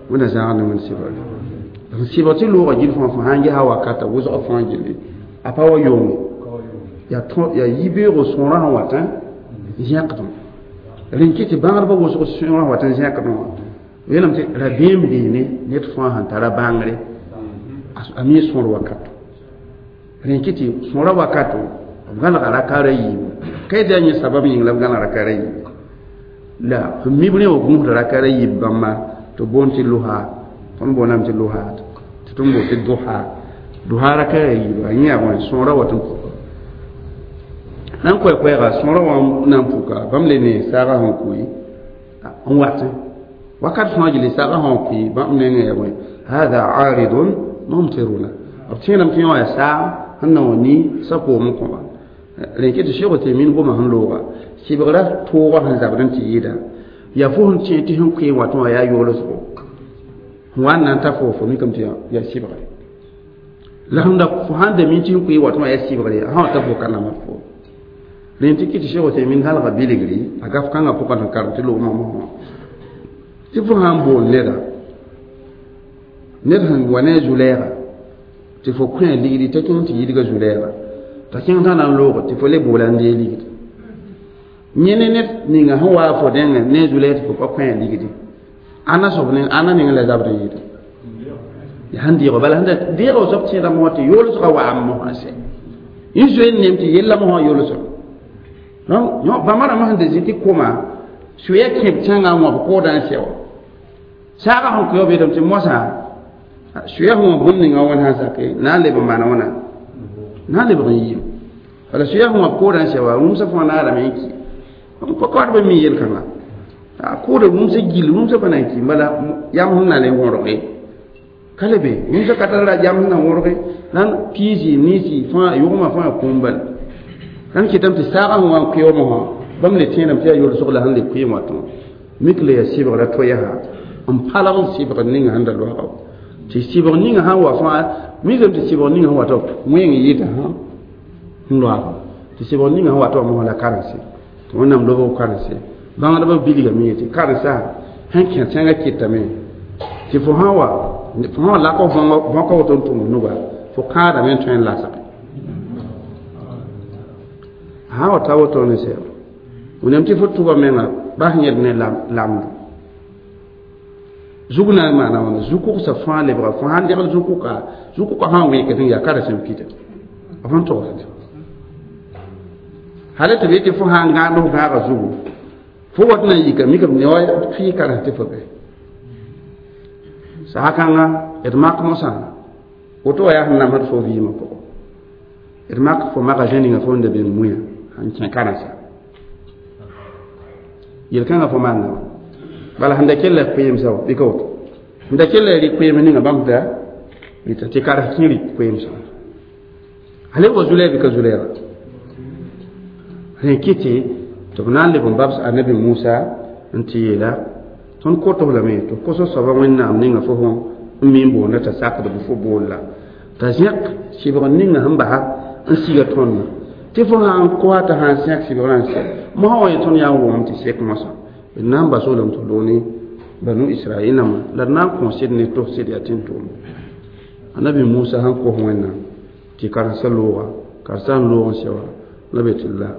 wẽnna zãag ne wẽnd sɩbgre n sɩbg tɩ loogã gill fãa fo sãn gesa wakata wʋsg fãa gilli a pa wa yonge yaa yibeoogo sõorã sẽn wat n zẽkdẽ rẽn kɩ tɩ bãngdbã wʋsg sõorã sẽn wat n zẽkdẽ wã yeelame tɩ rabeem beene ned fãa sẽn tara bãngre a mi sõor wakato rẽn kɩ tɩ sõora wakato b gãlga rakaara yiibu ka yetɩ yaa yẽ sabab yĩng la b gãlg rakaara yiibu la f mib rẽ wã gũusda rakaara yiib bãmba tɩ boond tɩ losa tõnd boondame tɩ losa tɩ tõnd boond tɩ dosa dosa rakaara yiiba yẽ yaa bõe sõora wat n puka na n koɛɛ-koɛɛga sõora wã na n puka bãmb le ne saagã sẽn kʋɩ n watẽ wakat fãa gilli saagã sẽn kʋɩ bãmb nengẽ yaa bõe hada aridun mumtiruna b tẽedame tɩ yẽ wã yaa saag sẽn na wã ni sa-koom n kõba rẽn kɩ tɩ Sheikh Uthaymin goma sẽn looga sɩbgrã toogã sẽn zabd n tɩ yɩɩda yaa fo sẽn tẽ tɩ sẽn koe watẽ wã yaa yoolsgo sẽn wa n na n ta fo fo mikame tɩ yaa sɩbgre la sẽn da fo sãn da mi tɩ sẽn koe watẽ wã yaa sɩbgre sã wa ta fo ka namd fo rẽn tɩ kɩ tɩ Sheikh Uthaymin halga bilgri a gaf kãngã pʋgã sẽn karem tɩ loogmã mosã Tɩ fo sã n bool neda ned sẽn wa ne a zu-lɛɛga tɩ fo kõ a ligdi t'a kẽng tɩ yidga zu-lɛɛga t'a kẽng t'a na n loog tɩ fo le boola n dee ligdi yẽ ne ned ninga sẽn waa fo dẽngẽ ne a zu-lɛɛg tɩ fo pa kõ a ligdi ãnna soab ne ãnna ning la zabd n yɩɩda yaa sẽn deego bala sẽn da deega soab tẽeda mosã tɩ yoolsgã waam mosã sɛ yẽ zoe n nem tɩ yella mosã yoolsg donc bãmba rãmbã sẽn da zĩ tɩ koma suya kẽb tẽngã n wãb koodã n sɛ wã saagã sẽn kʋɩ beetame tɩ mosã suya sẽn wã bũmb ninga wẽnd sã n sake na n leb n maana wãna na n lebg n yiim bala suya sẽn wã koodã n sɛ wã rũmsã fãa naarame n ki pa kaoodbã mi yel-kãnga a kooda rũmsã gill rũmsã pa na n ki bala yam sẽn na le wõrge ka le be rũmsã ka tar ra yam sẽn na wõrge la piisi ninsi fãa yʋgmã fãa kũum bala rãnd kɩtame tɩ saagã sẽn wa n kʋɩ mosã bãmb le tẽedame tɩ yaa yolsg la sẽn le kʋɩ wã tõe mik la yaa sɩbgra to yaa n palg n sɩbgr ninga sẽn da loaga tɩ sɩbg ninga sãn wa fãa mikame tɩ sɩbg ninga sẽn wa tɩ wẽng yɩɩda sã n loaga tɩ sɩbg ninga sẽn wa tɩ mosã la karense tɩ wẽnnaam lobg karense bãngdbã bilgame yetɩ karensa sẽn kẽ tẽngã kɩtame tɩ fo sã wa fo sã wa lak bõka woto n tʋm nuga fo kãadame n tõe n lasge sã wa ta woto ne sɛ wẽnnaam tɩ fo tʋba menga bas yẽd ne lamdo zug na n maana wãna zu-kʋgsa fãa lebga fo sãn degl zu-kʋka zu-kʋka sã n wẽkd n yaa karensẽn pida b sẽn togsd hal tɩ b yetɩ fo sã n gãand f gãagã zugu fo wat na n yika mikame ne wa fɩ karens tɩ fo bɛ sasa-kãnga d mak mosã woto wa yaa sẽn namsd fo vɩɩmã pʋgẽ d mak fo magasin ninga fo n da beng mũyã sẽn kẽ karensa yel-kãngã fo maanda wã bala sẽn da kell koeemsã wã bɩ ka woto sẽn da kell rɩ koeem ninga bãmb da rɩta tɩ karens kẽ rɩ koeemsã hal wa zu-lɛɛg bɩ ka zu-lɛɛga rẽ kɩtɩ tɩ b na n leb n babs annabi musa n tɩ yeela tõnd kot f lame tɩ f kos soaba wẽnnaam ninga fo sẽn n mi n boonda t'a sakd bɩ fo boolla t'a zẽk sɩbg ninga sẽn basa n siga tõndã tɩ fo sã n koa t'a sã n sẽk sɩbgrã n sɛ mosã wa yẽ tõnd yaa n wʋgem tɩ sek mosã d na n bas wolame tɩ loog ne banu israɛl nãmba la d na n kõ sɩd ne tos sɩd yaa tẽn-tʋʋmda annabi musa sẽn kos wẽnnaam tɩ karensã looga karensã n loog n sɛ wã la be tɩ la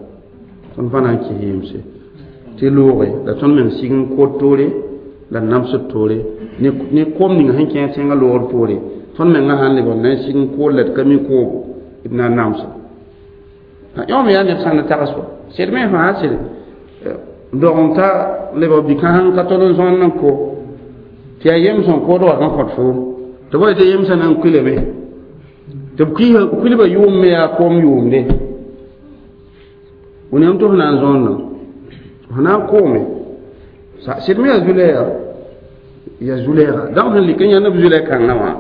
tõnd pa na n kɩs yemse tɩ looge la tõnd meng sig n kot toore la namsd toore ne kom ning sẽn kẽ tẽngã loogr poore tõnd mengã sãn lebg n na n sig n kool la d ka mi koobo d na n namsa yõ me yaa neb sãn na tags wa sed me fãa sed dog n ta lebg bi-kãseng ka tol n zõnd n ko tɩ yaa yems n kood wat n kõt foom tɩ b wa tɩ yemsã na n kuilame tɩ b kuilbã yʋʋm me yaa koom yʋʋmde wẽnnaam tɩ f na n zõondã f na n koome sɩd me yaa zu-lɛɛga yaa zu-lɛɛga dãmb sẽn lik n yãnd b zu-lɛ-kãngã wã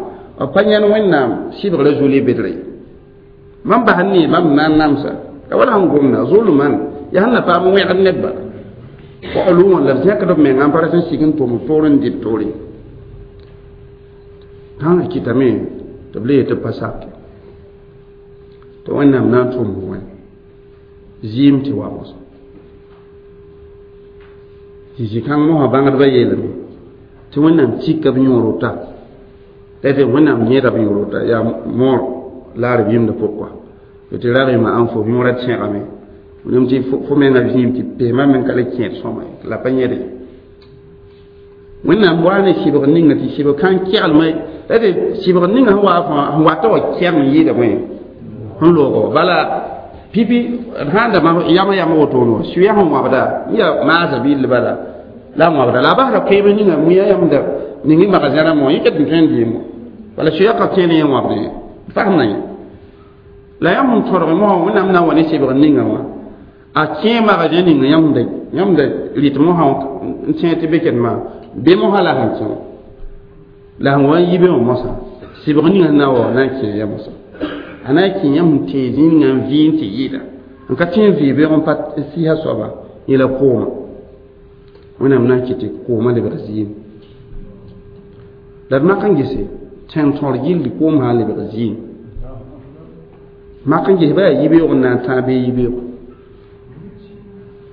b pa yãnd wẽnnaam sɩbgrã zu-le bedre mam bas n nee bãmb na n namsa la wala sẽn gomda zulman yaa sẽn na paam wẽgd nebba wa la b zẽkd b menga n pa sẽn sig n tʋm toor n dɩ b toore tãngã kɩtame tɩ b le yetɩ b pa sake tɩ wẽnnaam na n tʋm wẽ zɩɩm tɩ wa mosã tɩ zĩ-kãng mosã bãngdbã yeelame tɩ wẽnnaam tika b yõor ta la tɩ wẽnnaam yẽeda b yõor ta yaa moor laar b yĩmdã pʋgã tɩ ragɩma ãn fo yõorã tẽgame wẽnnaam tɩ fo menga zĩim tɩ pesmã meng ka le kẽed sõma ye la pa yẽde wẽnnaam waa ne sɩbg ninga tɩ sɩbg kãn keglmã la tɩ sɩbg ninga sẽn waa fãa sẽn wata wa kɛg n yɩɩda bõe sẽn loogo bala pipi sãn da yama yama wotone wa suya sẽn wãbda n yaa maasa bill bala la wãbda la a basda koeem ninga muya yãmda ning y magasin rãmbã wã yẽ ket n tõe n dɩɩm bala suya ka kẽen yẽ wãbdẽ fasem na yẽ la yãmb sẽn tõdg mosã wẽnnaam na n wa ne sɩbg ninga wã a kẽ magasin ninga yãmb da yãmb da rɩt mosã n tẽeg tɩ be ket-maa be mosã la sẽn kẽ la sẽn wa n yi be wã mosã sɩbg ninga sẽn na n wa na n kẽ ya mosã a na n kẽ yãmb sẽn tee zĩnigã n vɩ n tɩ yɩɩda n ka tẽ n vɩ beoog n pa sɩsa soaba yẽ la kooma wẽnnaam na n kɩt tɩ koomã lebg zɩɩm la d mak n gese tẽn tõr gilli koom sã n lebg zɩɩm mak n ges ba yaa yibeoog n na n tãag bee yibeoog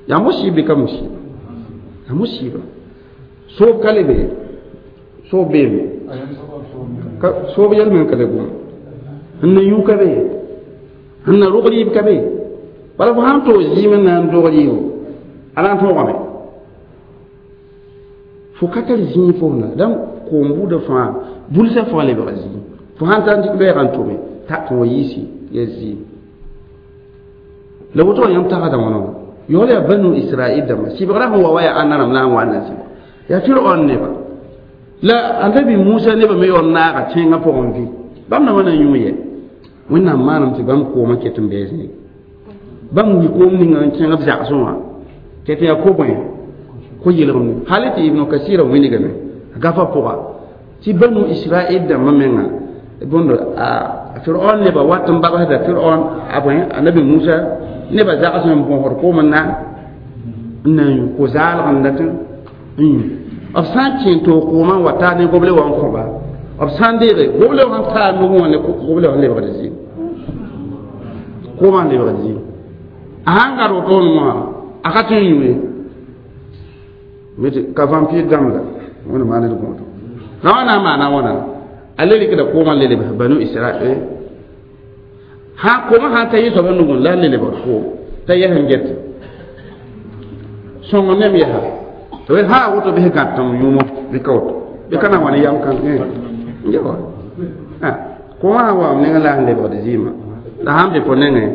yaa musiib bɩ ka musiiba yaa musiiba Soob ka le be soob beeme soob yɛl me ka le gom sẽn na yũ ka be sẽn na rog rɩɩb ka be bala fo sãn toog zɩɩm n na n dog rɩɩbo a na n tõogame fo ka tar zĩig fo na dãmb koom buudã fãa bulsã fãa lebga zĩig fo sãn tar n dɩk loɛɛgã n tome ta tɩ wa yiisi ya zĩig la woto wã yãmb tagsda wãna wã yaool yaa banu israil dãmba sɩbgrã sẽn wa wa yaa ãnna rãmb la n wa n na sɩbg yaa firaon neba la annabi musa nebã me yaool naaga tẽngã pʋgẽ vɩ bãmb na wa na n yũ yɛ wẽnnaam maanam tɩ bãmb koomã ket n bɩ zĩig bãmb wi koom ninga n kẽng b zagsẽ wã tɩ tɩ yaa ko-bõe ko yelgemde hal tɩ ibnu kasira wilgame gafa pʋga tɩ banu israil dãmbã menga bõndo a firaon neba wat n babsda firaon a bõe annabi musa neba zags n bõsd koom n na n na n yũ ko-zaalg n dat n yũ b sã n kẽ toog koomã n wa taa ne goble wã n kõba b sã n deege goble wã n taa nugẽ wã ne goble wã n lebgd zĩig koomã n lebgd zĩig a sãn gad wotoone wã a ka tõe n yũ ye ka vampire dãmb la wẽnd maan d gõodo la wã na n maana wãna a le rɩkda koomã le lebs banu israel sã koomã sãn ta yɩ soabã nugẽ la a le lebgd koom t'a yɛs n get sõng nem yɛsa tɩ sã a woto bɩs gãtem yũmo bɩ ka woto bɩ ka na n wa ne yam kãng yawa koomã sã n waam nengẽ la a sẽn lebgd zɩɩmã la sãn be fo nengẽ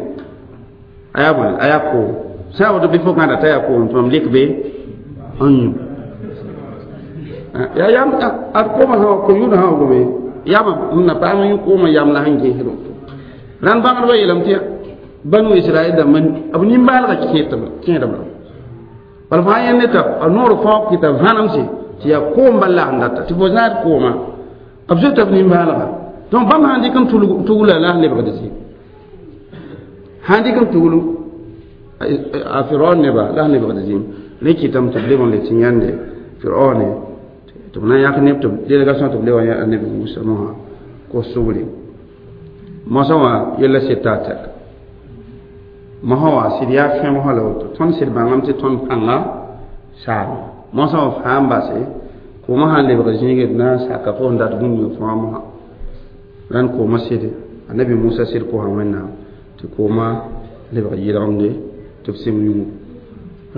a yaa bõe a yaa koom sã a woto bɩ fo gãda t'a yaa koom tɩ mam lɩk be n yũ yaa yam ad koomã sã ko yũudã sã wa gome yama m na paam yũ koomã yam la sẽn gẽsd woto rãnd bãngdbã yeelame tɩ banu israɛl dãmbã b nimbaalgã kẽedb la bala fo sã yẽ ne t'a a noor fãa kɩta vãnemse tɩ yaa koom bal la sẽn data tɩ fo zãad koomã b zoeta b nimbaalga donc bãmb sãn dɩk n tugla la sẽn lebgd zĩ sãn dɩk n tuglu a firaon neba la sẽn lebgd zĩm rẽ kɩtame tɩ b leb n le tɩ yãnde firaone tɩ b na n yãk neb tɩ délégation tɩ b le wa yã annabi musa mosã kos sugre mosã wã yella seta a tɛka mosã wã sɩd yaa fẽ mosã la woto tõnd sɩd bãngame tɩ tõnd pãnga saame mosã wã fãa n base koomã sãn lebg zĩige d na n saka fo sẽn dat bũmb ning fãa mosã rãnd koomã sɩd annabi musa sɩd kosa wẽnnaam tɩ koomã lebg yɩlgemde tɩ b sɩm yũngu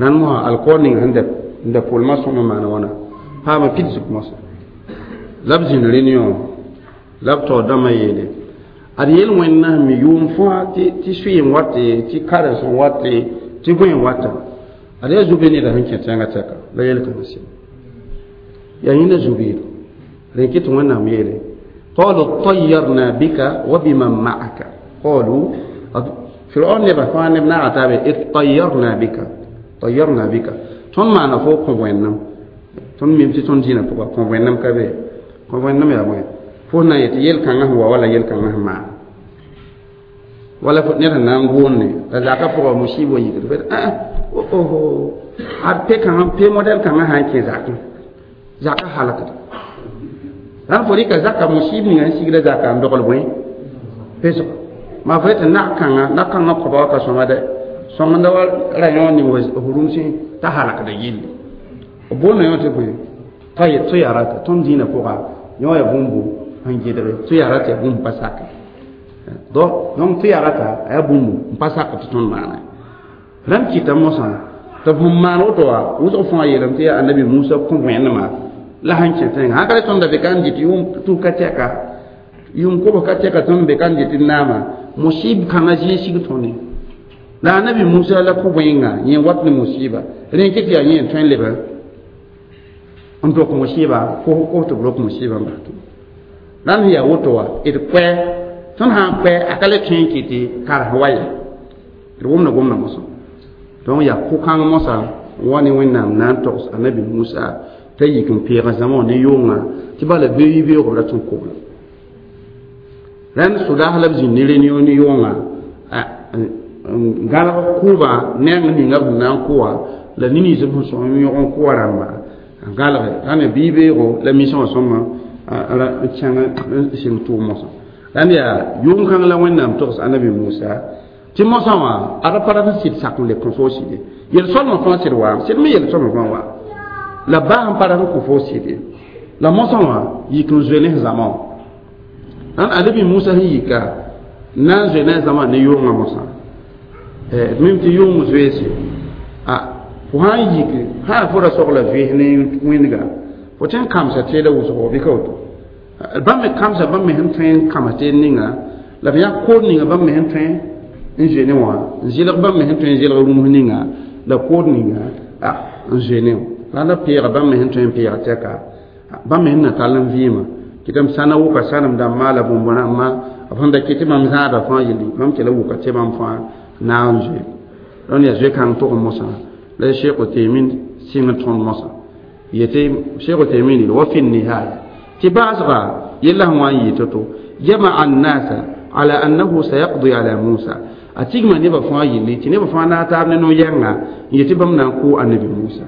rãnd mosã alkoor ning sẽn n da pʋlmã sõm n maana wãna paama pidsg mosã la b zĩnd réunion la b taoor dãmbã yeele ad yel wẽnna sẽn mi yʋʋm fãa tɩ sʋɩ n wate tɩ karens n wate tɩ bõe n wata ad yaa zu-be neda sẽn kẽ tẽngã tɛka la yel kãngã sɩm yaa yẽnda zu-biid rẽ kɩ tɩ wẽnnaam yeele qalu tayyarna bika wa biman ma'aka qalu firaun neba fãa neb naaga taabe ittayyarna bika tayyarna bika tõnd maana fo kõ wẽnnam tõnd mim tɩ tõnd dĩinã pʋga kõ wẽnnam ka be kõ wẽnnam yaa bõe fo na n yetɩ yel-kãngã sẽn wa wala yel-kãngã sẽn maan wala ned sẽn na n gʋʋnne la zaka pʋga musiib wa yikd oho ad pe kãngã pe modɛl kãngã sã n kẽ zakẽ zaka halkda rãnd fo rɩka zaka musiib ninga sẽn sigda zaka n dogl bõe pesg maa fo yetɩ nag kãngã nag kãngã kõba wa ka sõma dɛ sõngenda wa ra yõ ning f rũmsẽ t'a halkda yelle b boonda yõ tɩ bõe tɩ tõnd dĩinã pʋga yõ yaa bũmbu sẽn gɩdge tɩ yaa tɩ yaa bũmb pa sake donc tɩ yaa rata a yaa bũmbu n pa sak tɩ tõnd maana rãmb kɩta mosã tɩ b sẽn maan woto wã wʋsg fãa yeelame tɩ yaa annabi musa kõ wẽnemã la sẽn kẽ tẽngã sãn ka le tõnd da be ka n dɩt yʋʋm tus ka tɛka yʋʋm kobs ka tɛka tõnd be ka n dɩt d naama musib kãngã zĩig sig tõne la annabi musa la kõ wẽnga yẽ wat ne musiba rẽ kɩ tɩ yaa yẽ n tõe n leb n dok musiba kos tɩ b rok musiba n bas tʋ rãnd sẽn yaa woto wã d koɛ tõnd sã n koɛ a ka le tõe n kɩ tɩ karens wa ye d wʋmda gomda mosã donc yaa ko-kãng mosã wa ne wẽnnaam na n togs annabi musa t'a yik n peegã zãma wã ne yʋnga tɩ bala beoog beoog b rat n kobla rãnd sodaas la b zĩnd ne réunion ne yʋnga gãlg kʋʋbã neng ninga b sẽn na n kʋ wã la nins b sẽn sõm yõg n kʋ wã rãmba n gãlge rãnd bii beoogo la mission wã sõma n kẽng n sɩng tʋʋm mosã rãnd yaa yʋng-kãng la wẽnnaam togs annabi musa tɩ mosã wã ad pa rat n sɩd sak n le kõ fo sɩde yel-solmã fãa sɩd waam sɩd me yel-solmã fãa waam La baa sẽn pa rat n kõ fo sɩd ye la mosã wã yik n zoe ne zãma wã ãn annabi Musa sẽn yika na n zoe ne a zãma ne yʋngã mosã d mim tɩ yʋng zoeese a fo sã n yik sã fo ra sogla zoees ne wĩndga fo tõe n kãmsa teeda wʋsgo bɩ ka woto bãmb me kãmsa bãmb me sẽn tõe n kãms teed ninga la b yã kood ninga bãmb me sẽn tõe n zoe ne wã n zɩlg bãmb me sẽn tõe n zɩlg rũms ninga la kood ninga a n zoe ne wã la la peega bãmb me sẽn tõe n peega tɛka bãmb me sẽn na tall n vɩɩmã kɩtame sãna wʋka sãnem dãmbã la bũmb rãmbã b sẽn da kɩ tɩ mam zãada fãa yelli mam kela wʋka tɩ bãmb fãa na n zoe rõnd yaa zoe-kãng tʋg mosã la Cheikh Uthaymin sɩng tõnd mosã yetɩ Cheikh Uthaymin wa fi nihaya tɩ baasga yella sẽn wa n yɩ to-to jama'a an-nasa ala annahu sayaqdi ala Musa a tigma nebã fãa yelli tɩ nebã fãa na taab ne no-yɛnga n yetɩ bãmb na n kʋ annabi Musa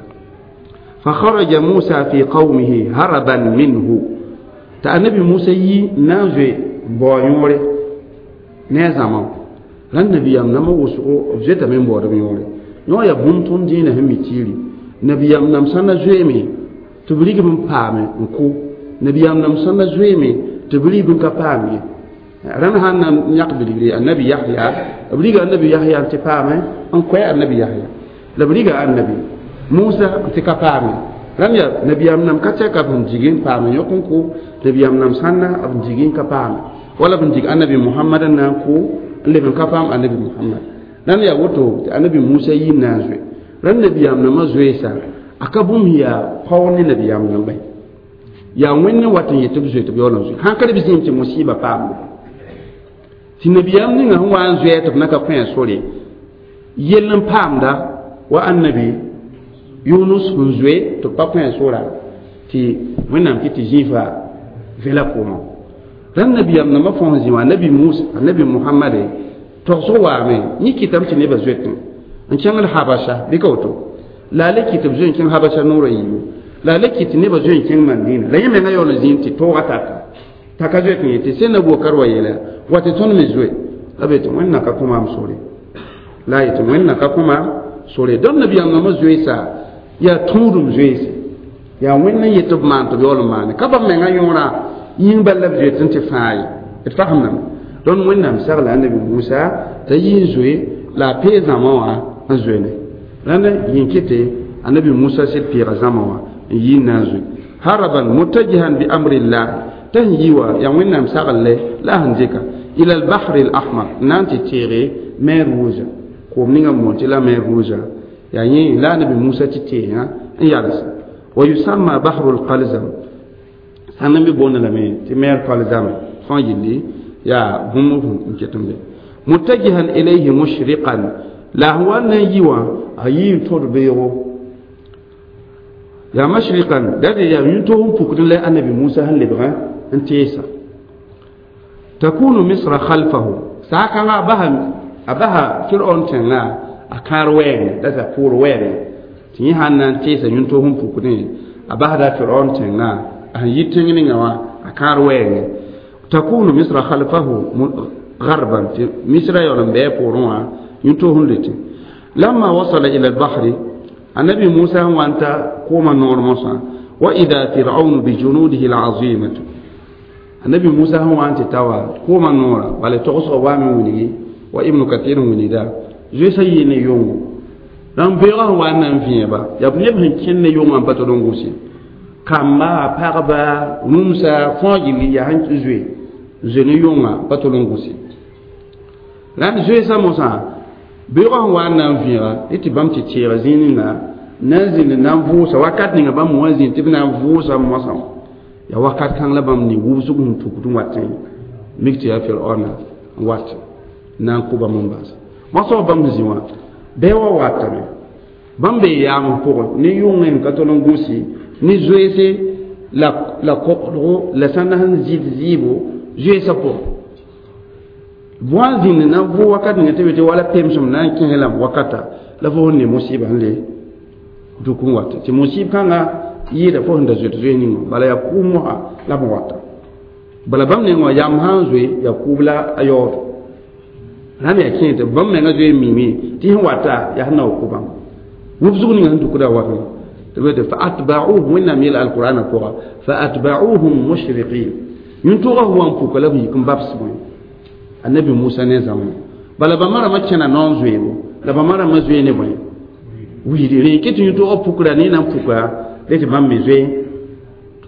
فخرج موسى في قومه هربا منه t'a annabi Musa yi n na n zoe bao yõore ne a zãma rãnd nabiyaam nambã wʋsgo b zoetame n baood b yõore yõ yaa bũmb tõnd dĩinã sẽn mi tiiri nabiyaam nam sã na zoeeme tɩ b rigb n paame n kʋ nabiyaam nam sã na zoeeme tɩ b rigb n ka paam ye rãnd sã n na n yãk bilgre annabi Yahya b riga annabi Yahya n tɩ paame n koɛ annabi Yahya la b riga annabi Musa n tɩ ka paame rãnd yaa nabiyaam nam ka tɛka b sẽn dig n paame yõk n kʋ nabiyaam nam sãnna b dig n ka paame wala b dig annabi Muhammad n na n kʋ n leb n ka paam annabi Muhammad rãnd yaa woto tɩ annabi Musa yi n na n zoe rãnd nabiyaam nambã zoeesa a ka bũmb yaa paoog ne nabiyaam nambã yaa wẽnd n wat n yet tɩ b zoe tɩ b yaool n zoe sãn ka d b zĩim tɩ musiba paambe tɩ nabiyaam ninga sẽn wa n zoɛɛ tɩ b na ka kõ a sore yell n paamda wa annabi Yunus sẽn zoe tɩ b pa kõ a sora tɩ wẽnnaam kɩ tɩ zĩifa vela koomã rãnd nabiyaam nambã fãa sẽn zĩ wã annabi Musa annabi Muhammade togsg waame yẽ kɩtame tɩ nebã zoetẽ n kẽngd Habasha bɩ ka woto la a le kɩ tɩ b zoe n kẽng Habasha noorã yiibu la a le kɩ tɩ nebã zoe n kẽng Mandina la yẽ menga yaool n zĩnd tɩ toogã taka t'a ka zoet n yetɩ sẽn na Abubakar wa yeela wa tɩ tõnd me zoe la b yetɩ wẽnna ka kõ maam sore la a yetɩ wẽnna ka kõ maam sore dõnd nabiyaam nambã zoeesa yaa tũudum zoeese yaa wẽnd n yet tɩ b maan tɩ b yaool n maane ka bãmb menga yõorã yĩng bal la b zoet n tɩ fãa ye d fagemdame dõnd wẽnnaam sagla annabi Musa t'a yi n zoe la a pee zãma wã n zoe ne rãnd yĩn kɩtɩ annabi Musa sɩd peega zãma wã n yi n na n zoe haraban mutajihan bi amrillah t'a sẽn yi wã yaa wẽnnaam sagl-le la a sẽn dɩka ila al-bahr al-ahmar n na n tɩ teege mer rouge koom ninga n boond tɩ la mer rouge yaa yẽ la annabi Musa tɩ teesã n yals wa yusamma bahru al-qalzam sãn n be boonda lame tɩ mer qalzam fãa yelli yaa bũmb n ket n be mutajihan ilayhi mushriqan la sẽn wa n na n yi wã a yii n tõd beoogo yaa mashriqan date yaa yũn-toog n pukd la annabi Musa sẽn lebgã n teesa takunu misra khalfahu saa-kãngã a basa a basa Firaon tẽngã a kãar wɛɛngẽ la t'a pʋʋr wɛɛngẽ tɩ yẽ sãn na n teesa yũn-toog n pukdẽ a basda Firaon tẽngã a sẽn yi tẽng ninga wã a kãar wɛɛngẽ takunu misra khalfahu garban tɩ misra yaool n bɩ a poorẽ wã yũn-toog n le tẽ lamma wasala ila albahri annabi Musa sẽn wa n ta koomã noor mosã wa ida firaun bijunudihi alazimatu annabi Musa sẽn wa n tɩ ta wa koomã noorã bala togsgã waame wilgi wa Ibnu Katir n wilgda zoeesã yɩ ne yʋngo rãmb beoogã sẽn wa n na n vẽeba yaa neb sẽn kẽnd ne yʋngã n pa tol n gʋse kamba pagba rũmsa fãa yɩl yaa sẽn zoe zoe ne yʋngã pa tol n gʋse rãnd zoeesã mosã beoogã sẽn wa n na n vẽega dɩ tɩ bãmb tɩ teega zĩig ninga na n zĩnd n na n vʋʋsa wakat ninga bãmb wã zĩnd tɩ b na n vʋʋsa mosã yaa wakat kãng la bãmb ne wubsg sẽn tukd n wat n mik tɩ yaa Firaona n wat n na n kʋ bãmb n baasa mosã bãmb sẽn zĩ wã bɩ wa watame bãmb bee yaam pʋgẽ ne yʋngẽ n ka tol n gũsi ne zoeese la la koglgo la sãn na sẽn zɩd zɩɩbo zoeesã pʋgẽ bõa n zĩnd na n vʋʋ wakat ninga tɩ be tɩ wala pemsem na n kẽes lame wakata la fo sẽn ne musɩɩbã sẽn le duk n wata tɩ musɩɩb kãngã yɩɩda fo sẽn da zoet zoe ninga bala yaa kʋʋm mosã la b wata bala bãmb neng wã yam sã n zoe yaa kʋʋb la a yaood rãnd yaa kẽe tɩ bãmb menga zoe n mime tɩ sẽn wata yaa sẽn na wa kʋ bãmb wubsg ninga sẽn dukda wakã tɩ fa atba'uhum wẽnnaam yel alqur'ana pʋga fa atba'uhum mushriqin yũntʋgã wa n puka la b yik n babs bõe annabi musa ne zãma bala bãmba rãmbã kẽna noon zoeebo la bãmba rãmbã zoe ne bõe wiidi rẽ kɩ tɩ yũtʋgã pukra ne na n puka re tɩ bãmb me zoe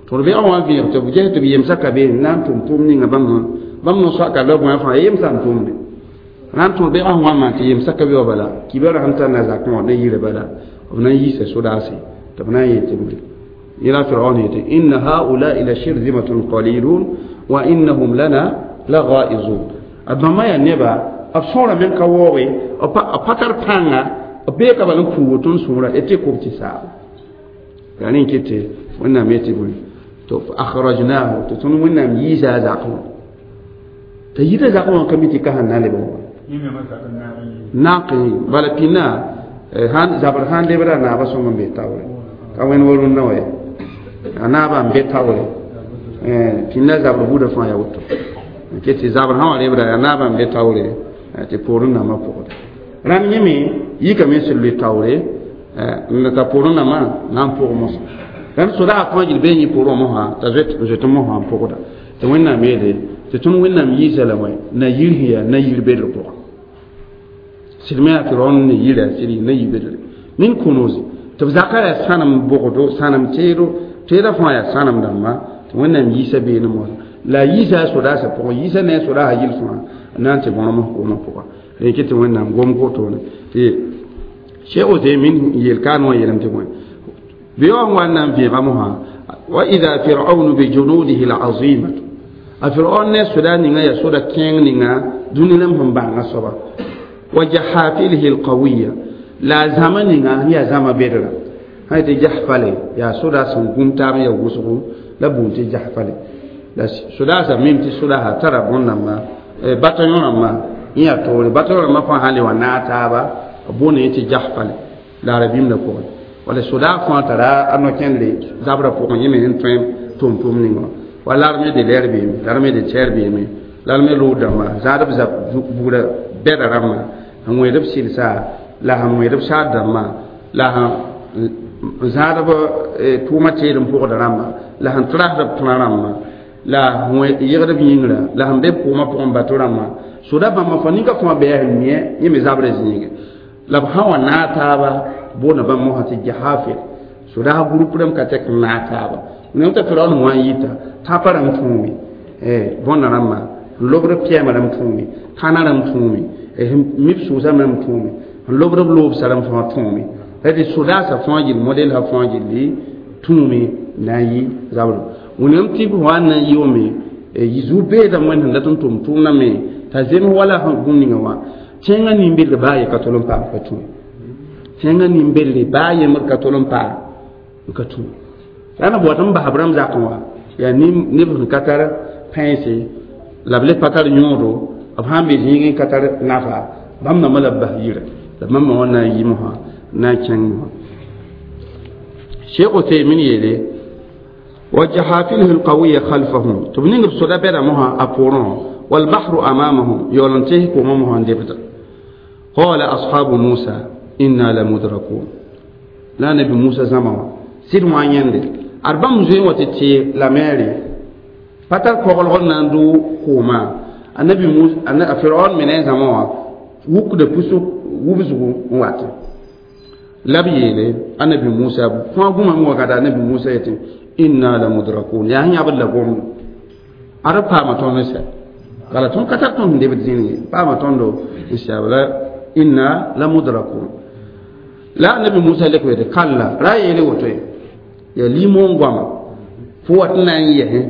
tɩ d beoogã wã vẽeg tɩ b ges tɩ b yemsã ka be n na n tʋm tʋʋm ninga bãmb bãmb no-soaka la bõe fãa yemsã n tʋmde na n tõd beoogã sẽn wa n maan tɩ yemsã ka be wa bala kibra sẽn tar na zakẽ wã ne yirã bala b na n yiisa sodaase tɩ b na n yet tɩ yẽla firaun yetɩ inna haulai la shirzimatun qalilun wa innahum lana la ghaizun a bãmba yaa neba b sõorame n ka waooge b pa tar pãnga b beeka bal n puu woto n sõora d tɩ kob tɩ saaba yaa rẽ n ket tɩ wẽnnaam yetɩ bõe to akhrajnahu tɩ tõnd wẽnnaam yiisa a zakẽ wã t'a yita zakẽ wã ka mi tɩ ka sẽn na leb wã naak n bala pĩnda zabr sã n lebda naabã sõng n be taoore ka wẽnd wa rũndã wa ye a naabã n be taoore pĩnda zabr buudã fãa yaa woto ket tɩ zabr sã wa lebda yaa naabã n be taoore tɩ poorẽ nambã pʋgda rãmb yẽ me yikame sẽn loe taoore t'a poorẽ nambã na n pʋg mosã rãmb sodaag fãa gil bee yẽ poorẽ mosã t'a zoet mosã n pʋgda tɩ wẽnnaam yeele tɩ tõnd wẽnnaam yiisa la wã na yir sẽn yaa na yir bedr pʋga sɩd me yaa firaon ne yira sɩd na yir bedre min kunuzi tɩ b zakã yaa sãnem bogdo sãnem teedo teedã fãa yaa sãnem dãmba tɩ wẽnnaam yiisa beene mosã la a yiisa a sodaasã pʋgẽ yiisa ne a sodaasã yil fãa na n tɩ bõrem koomã pʋga rẽ kɩ tɩ wẽnnaam gom wotone tɩ cheikh Uthaymin yel kaan wã yeelame tɩ bõe beoog wa n na n vẽega mosã wa ida firaunu bijunudihi lazimatu a firaun ne soda ninga yaa soda kẽeng ninga dũni rãmb sẽn bãnga soaba wa jahafilihi alqawiya la a zãma ninga yaa zãma bedra sã tɩ jahfale yaa soda sẽn gũm taab n yaa wʋsgo la buun tɩ jahfale la sodaasã mim tɩ sodaasã tara bõn-dãmba bataillon rãmbã yẽ yaa toore bataillon rãmbã fãa sã le wa naag taaba b boonda yẽ tɩ jahfale la arabĩmdã pʋgẽ wala sodaag fãa tara a no-kẽndre zabrã pʋgẽ yẽ me sẽn tõe tʋm-tʋʋm ninga wa l'armée de l'air beeme l'armée de terre beeme l'armée lood dãmba zaad b zab bugrã bɛda rãmbã sẽn wẽed b sɩlsa la sẽn wẽed b saad dãmbã la sẽn zãad b tʋʋmã teed n pʋgda rãmbã la sẽn trasd b tẽna rãmbã la yegd b yĩngrã la sẽn be b koomã pʋgẽ bato rãmbã soda bãmba fãa ninka fãa bɩ sẽn mia yẽ me zabrã zĩige la b sã wa naag taaba boonda bãmb mosã tɩ jahafir sodaas group rãmb ka tɛk n naag taaba nem t'a firaun wã n yita tãpã rãmb tõome bõnda rãmbã n lobd b pɛɛmã rãmb tõome tãna rãmb tõome mib sʋʋsã rãmb tõome n lobd b loobsã rãmb fãa tõome tɩ sodaasã fãa gill model sã fãa gilli tũume na n yɩ zabr wẽnnaam tɩ b wa n na n yɩʋme zu-beedã wẽnd sẽn dat n tʋm tʋʋmdã me t'a zems wala bũmb ninga wã tẽngã nin-bedr baa ye ka tol n paam ka tũ tẽngã nin-bedre baa yembr ka tol n paam n ka tũ la na bot n bas b rãmb zakẽ wã yaa neb sẽn ka tar pãense la b le pa tar yõodo b sãn be zĩigẽ ka tar nafa bãmb nambã la b bas yira la bãmb wã na n yɩ mosã na n kẽng mosã cheikh Uthaymin yeele wa jahafilihi alqawiya khalfahum tɩ b ning b soda bɛda mosã a poorẽ walbahru amamahum yaool n tees koomã mosã n debda qala ashabu musa inna lamudrakun la nabi musa zãma wã sɩd wã yẽnde ad bãmb zoe wã tɩ tɩ la meere pa tar koglg n na n dʋ koomã anabi musa a firaun me ne a zãma wã wukda pusg wubsgu n watẽ la b yeele anabi musa fãa gũmame wakata anabi musa yetɩ inna lamudrakun yaa sẽn yãbd la gomdo ad b paama tõnd n sɛ bala tõnd ka tar tõnd sẽn debd zĩnig ye paama tõndo n sɛb la inna lamudrakun la anabi musa lek wete kalla ra yeele woto ye yaa limon goama fo wat n na n yɛsẽ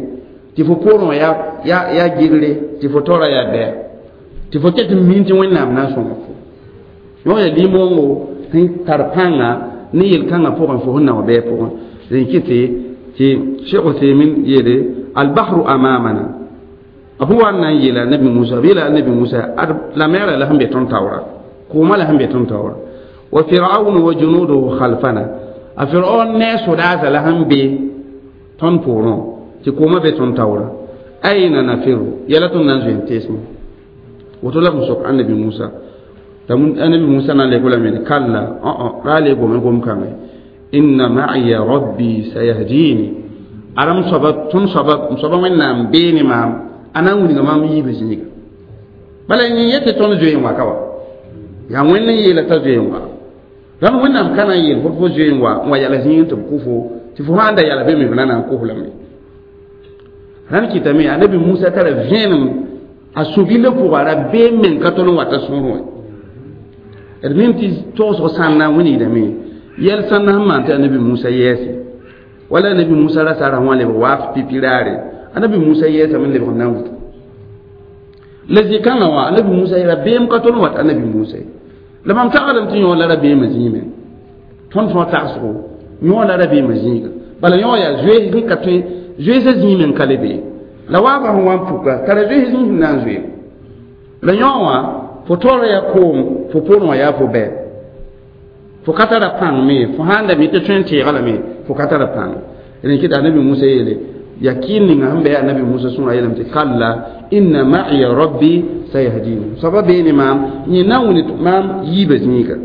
tɩ fo poorẽ wã yaa gɩgle tɩ fo taoora yaa bɛɛ tɩ fo ket n min tɩ wẽnnaam na n sõnga fo yõ yaa limongo sẽn tar pãnga ne yel-kãngã pʋgẽ fo sẽn na wa bɛɛ pʋgẽ rẽ kɩtɩ tɩ cheikh Uthaymin yeele albahru amamana b wa n na n yeela nabi musa b yeela nabi musa ad la meerã la sẽn be tõnd taoora koomã la sẽn be tõnd taoora wa firaunu wa junuduhu khalfana a firaun ne a sodaasã la sẽn be tõnd poorẽ tɩ koomã be tõnd taoora aina nafiru yɛla tõnd na n zoe n teesmã woto la b sẽn sok annabi musa t'a annabi musa na n lek lame kalla ra le gome gom kãngẽ Inna ma'iya rabbi sayahdini. Aram soaba tõnd soaba m soaba Wẽnnaam bee ne maam, a na n wilga maam yiibã zĩiga. Bala yẽ yetɩ tõnd zoe n wa ka wa, yaa Wẽnd n yeela t'a zoe n wa. Rãmb Wẽnnaam ka na n yeel fo fo zoe n wa n wa yala zĩig tɩ b kʋ fo, tɩ fo sã n da yala be me b na na n kos lame. Rãnd kɩtame anabi Musa tara vẽenem a sũ-gillã pʋga, rabeem meng ka tõnd n wata sũurẽ wã. D mim tɩ togsg sãnna wilgdame yɛl sãnna sẽn maan tɩ anabi Musa yɛɛse wala anabi Musa ra sara wã lebg waaf pipi raare. Anabi Musa yɛɛsame n lebg n na n wuto la zĩ-kãngã wã. Anabi Musa rabeem ka tõnd wat anabi Musa ye. La mam tagsdame tɩ yõ la rabeemã zĩime tõnd fãa tagsgo yõ la rabeemã zĩiga. Bala yõ yaa zoees sẽn ka tõe, zoeesã zĩime n ka le bee la waafã sẽn wa n puka tara zoees zĩig sẽn na n zoe la yõ wã. Fo taoora yaa koom, fo poorẽ wã yaa fo bɛ, fo ka tara pãng me. Fo sãn da mi tɩ tõe n teega lame, fo ka tara pãng. Rẽn kɩta anabi Musa yeele yakin ninga sẽn bɩ anabi Musa sũurã yeelame tɩ kalla inna ma'iya rabbi sayahdini, soaba bee ne maam, yẽ na n wilg maam yiibã zĩiga.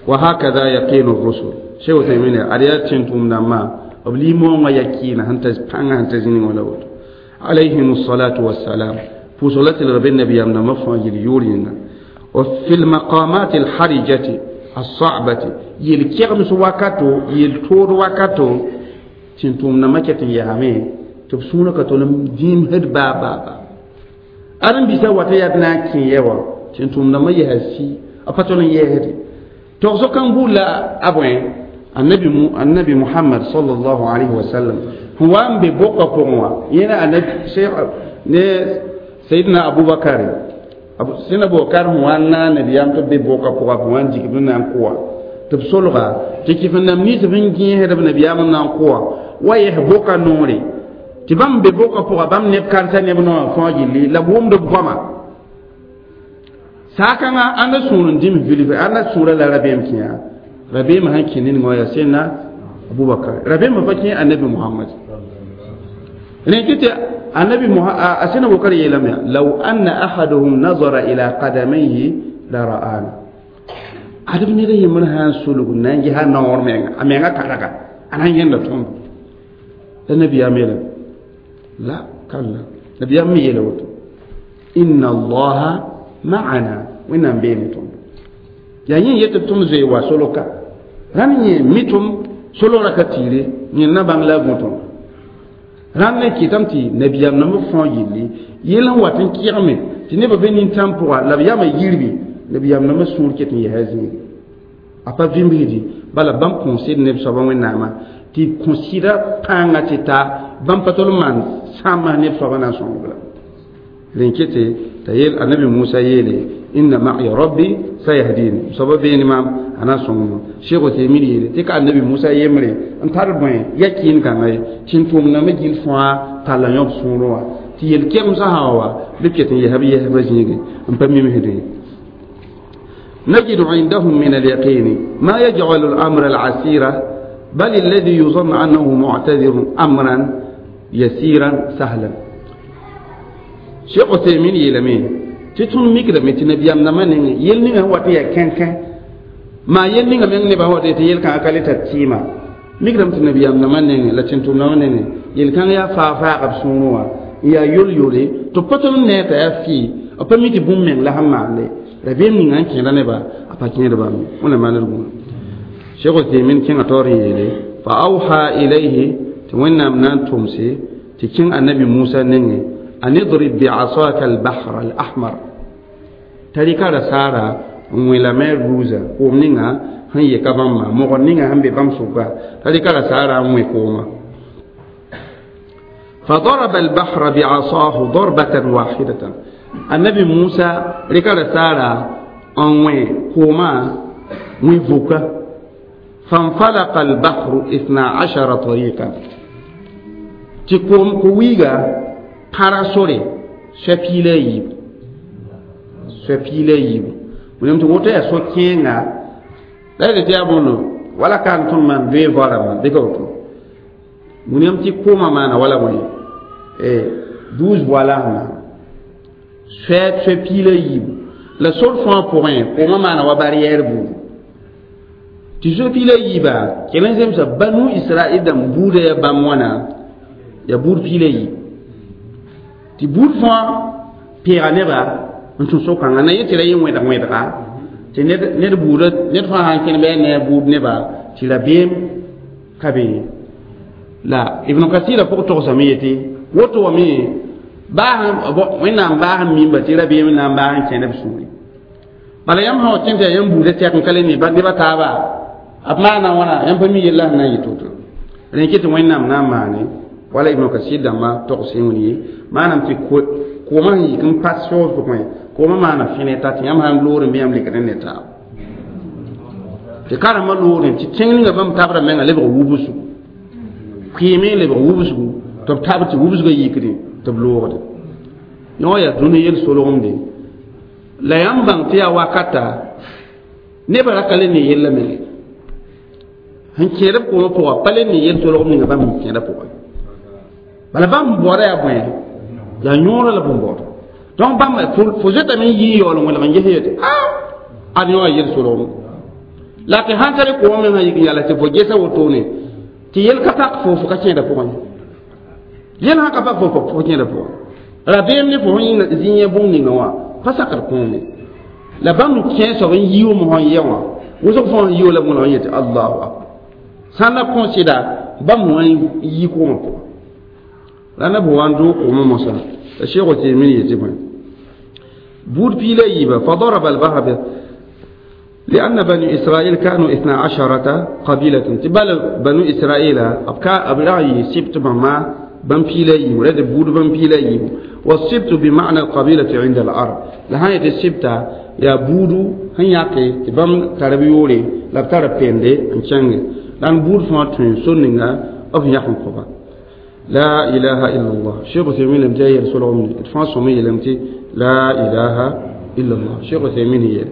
Wa hakada yaqinu rusul. Sheikh Uthaymin ad yaa tẽn-tʋʋm dãmbã b lim-moongã yakiina sẽn ta pãngã sẽn ta zĩnig wã la woto, alayhim salatu wassalam. Pʋʋsg la tɩlg be nabiyaam dãmbã fãa yel yʋʋr yẽnga. Wa fi lmaqamat alharijati alsabati, yel-kɛgems wakato, yel-tood wakato, tẽn-tʋʋm dãmbã ket n yaame tɩ b sũurã ka tol n dĩimsd baa baa baa. Ãdem-biisã wat n yaa tɩ na n kẽ yɛ wã, tẽn-tʋʋm dãmbã yɛsa si a pa tol n yɛɛsde togsg kãng buud la a bõe. Annabi annabi Muhammad sallallahu alaihi wasallam sẽn wa n be bʋka pʋgẽ wã, yẽna anabi cheikh ne sayidna Abubakar, sẽn Abubakar sẽn wa n naag nabiyaam tɩ b be bʋka pʋga, b wa n dikb n na n kʋwa tɩ b solga tɩ kɩf n nam nins b n gẽesd b nabiyaam n na n kʋwa wa yɛs bʋka noore tɩ bãmb be bʋka pʋga, bãmb neb kãnsã neb noã fãa gilli la b wʋmd b goama saakãngã. Ãnda sũur n dĩms vilf, ãnda sũurã la rabeem kẽa. Rabeemã sẽn kẽ ned wã yaa sẽnna Abubakar, rabeemã pa kẽ anabi Muhammad. Rẽ kɩ tɩ anabi a sẽn Abubakar yeelame: law anna ahaduhum nazara ila qadamayhi la ra'ana. Adb ned yembr sã n sulg n na n ges a naoor menga, a menga karaga, a na n yẽnda tõndo la nabiyaam yeela la kalla. Nabiyaam me yeela woto: inna allaha ma'ana, Wẽnnaam bee ne tõndo. Yaa yẽ yetɩ tõnd zoe wa soloka rãnd yẽ mitʋm solgrã ka tiire, yẽ na bãng la a gõ tõndo rãnd ne kɩtame tɩ nabiyaam nambã fãa gilli yell n wat n kɩgme tɩ nebã be nintãm pʋga la b yama yirbi. Nabiyaam nambã sũur ket n yɛsa zĩigi, a pa vĩmbsdi bala bãmb kõsd neb soabã Wẽnnaamã tɩ kõ-sɩda pãangã tɩ ta bãmb pa tol n maan sãambã neb soabã na n sõng la. Rẽn kete t'a yeel anabi Musa yeele: inna ma'iya rabbi sayahdini, soaba beene maam, a na n sõng. Cheikh Uthaymin yeele tɩ ka anabi Musa yembre n tar bõe yakiin kãnga ye tẽn-tʋʋm nambã gill fãa talla yõb sũurẽ wã tɩ yel-kɛgemsã sã wa bɩ ket n yɛsb yɛsbã zĩige n pa mimsdẽ. نجد عندهم من اليقين ما يجعل الأمر العسير بل الذي يظن أنه معتذر أمرا يسيرا سهلا. Cheikh Uthaymin yeelame tɩ tõnd mikdame tɩ nabiyaam nambã nengẽ yel ninga sẽn wat n yaa kẽnkẽ maa yel ninga meng nebã sẽn wat tɩ yel-kãngã ka le tar tɩɩma. Mikdame tɩ nabiyaam nambã nengẽ la tẽn-tʋm nambã nengẽ yel-kãng yaa faag-faag b sũurẽ wã n yaa yol-yole tɩ b pa tol n nee t'a yaa fɩ, b pa mi tɩ bũmb meng la sẽn maande rabeem ninga n kẽeda neba, a pa kẽed bãmb ye. Wẽnnaam maand d gũudum. Cheikh Uthaymin kẽngã taoor n yeele: fa awha ilayhi, tɩ Wẽnnaam na n tʋmse tɩ kẽng annabi Musa nengẽ: an idrib biasaka albahra alahmar, t'a rɩka rasaara n wẽ la mer ruuza, koom ninga sẽn yeka bãmba, mogr ninga sẽn be bãmb sʋka, t'a rɩka rasaara n wẽ koomã. فضرب البحر بعصاه ضربة واحدة. النبي موسى rɩka rasaara n wẽ koomã wẽ vuka. فانفلق البحر اثنا عشر طريقا, tɩ koom ko-wiiga pãrg sore soa piila a yiibu, soa piila a yiibu. Wẽnnaam tɩ woto yaa so-kẽenga la d tɩ yaa bõndo wala ka n tõnd maan doe voarame bɩ ka woto. Wẽnnaam tɩ koomã maana wala bõe douze voies la sẽn maana soa soa piila a yiibu la sor fãa pʋgẽ koomã maana wa barrière buudu. Tɩ zoe piila yiiba kell n zemsa banu israel dãmb buudã yaa bãmb wãna yaa buud piila yiib tɩ buud fãa peega neba n tũ so-kãngã na yẽ tɩ ra yẽ wẽdg wẽdga tɩ ned buudã ned fãa sãn kẽn bɩ a ne a buud neba tɩ rabeem ka be ye la ibn kasira pʋg togsame yetɩ woto wame baa wẽnnaam baa sẽn mimba tɩ rabeem n na n baa n kẽnd b sũuri bala yãmb sã wa kẽn tɩ yaa yãmb buudã tɛk n ka le ne neba taaba b maana wãna yãmb pa mi yella sẽn na n yɩ to-to rẽ kɩ tɩ wẽnnaam na n maane wala ibn kasir dãmba togs wẽn ye maanam tɩ koomã sẽn yik n pas soos pʋgẽ koomã maana fẽne ta tɩ yãmb sãn loor n bɩ yãmb lekd n ne taaba tɩ karembã loorẽ tɩ tẽng ninga bãmb tabra menga lebg wubsgu kɩɩme lebg wubsgu tɩ b tab tɩ wubsgã yikdẽ tɩ b loogde yõ yaa dũni yel-solgemde la yãmb bãng tɩ yaa wakata nebã ra ka le ne yella menge sẽn kẽed b koomã pʋga pa le ne yel-solgem ninga bãmb sẽn kẽeda pʋgẽ bala bãmb baooda yaa bõe yaa yõorã la bõn-baooda donc bãmb fo zoetame n yɩ n yaool n wẽlg n ges yetɩ a ad yõ a yel-solgem la tɩ sãn tare koomã meng sã yik n yala tɩ fo gesa wotone tɩ yel ka pak fo fo ka kẽeda pʋgẽ yel sã ka pak fo fo kẽeda pʋgẽ rabeem ne fo sẽn zĩ yẽ bũmb ninga wã pa sakd kõome la bãmb kẽ soab n yium sẽn yɛ wã wʋsg fãa n yio la b wẽlg n yetɩ allahu akbar sã n na kõ sɩda bãmb wã n yi koomã pʋgã la na b wa n doog koomã mosã la sheekh Uthaymin yetɩ bõe buud piila yiiba فضرب البحر لأن بني إسرائيل كانوا اثنا عشرة قبيلة تبال بنو إسرائيل أبكا أبرأي سبت بما بن بيلا يبو رد بود بن بيلا يبو والسبت بمعنى القبيلة عند العرب لهاية السبت يا بودو هنياكي تبام تربيولي لا تربيندي انشانغ لأن بود فاتن سننغا أب يحن قبا لا إله إلا الله شيخ عثيمين لم تأي رسول الله إدفان سمي لم تي لا إله إلا الله شيخ عثيمين هي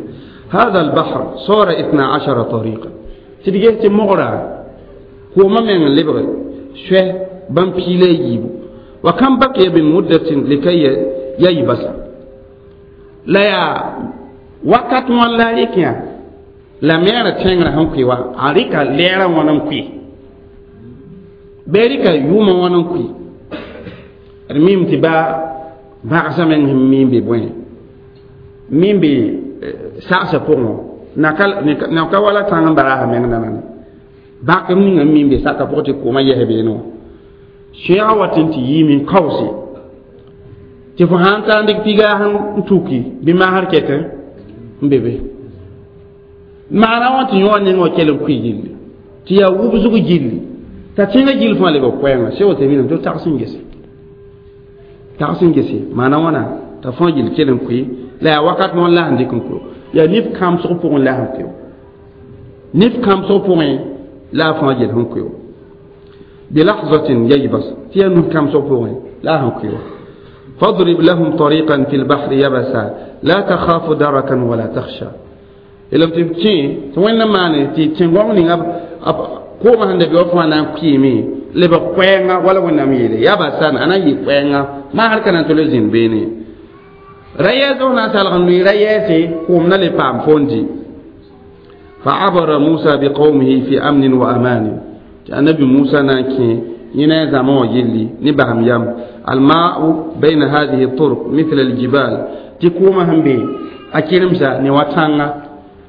هذا البحر صار اثنا عشر طريقا تدقيه مغرى هو ما من لبغي شوه بان بيلي يجيبو وكم بقي من مدة لكي ييبس لا يا وقت ولا ريكيا لا ميرا تشنغرا هم كيوا أريكا ليرا ونم كي بيريكا يوما ونم كي الميم تبا باغسا من ميم بي بوين ميم بي sagsã pʋgẽ na ka wala tãng n bara meng nana bak n ninga min be saka pʋgẽ tɩ koomã yɛs beene wã sẽega wat n tɩ yiime n kaoose tɩ fo sãn tar n dɩk piga n tuki bɩ masr ket n be be maana wã tɩ yõ neng wã kell n kʋɩ gilli tɩ yaa wubsg gilli t'a tẽngã gill fãa leb koɛɛngã sẽn woto miname tɩ tags n gese tags n gese maana wãna t'a fãa gill kell n kʋɩ la yaa wakat noor la sẽn dɩk n kʋ yaa nif kãmsg pʋgẽ la sẽn kʋ nif kãmsg pʋgẽ la a fãa gel sẽn kʋ بلحظة ييبس تي نف كم سوفوين لا هنكيو فاضرب لهم طريقا في البحر يبسا لا تخاف دركا ولا تخشى إلم تبكي توين ماني تي تنغون نيغا كوما هند بيو فانا كيمي لبا كوينغا ولا وين ميلي يبسا انا يي كوينغا ما هل كان تولزين بيني ريازو نا سالغن ني رياسي كوم نا لي بام فوندي فعبر موسى بقومه في أمن وأمان النبي موسى ناكي ينا زمان يلي نبهم يم الماء بين هذه الطرق مثل الجبال تكوما هم بي أكيرمسا نواتانا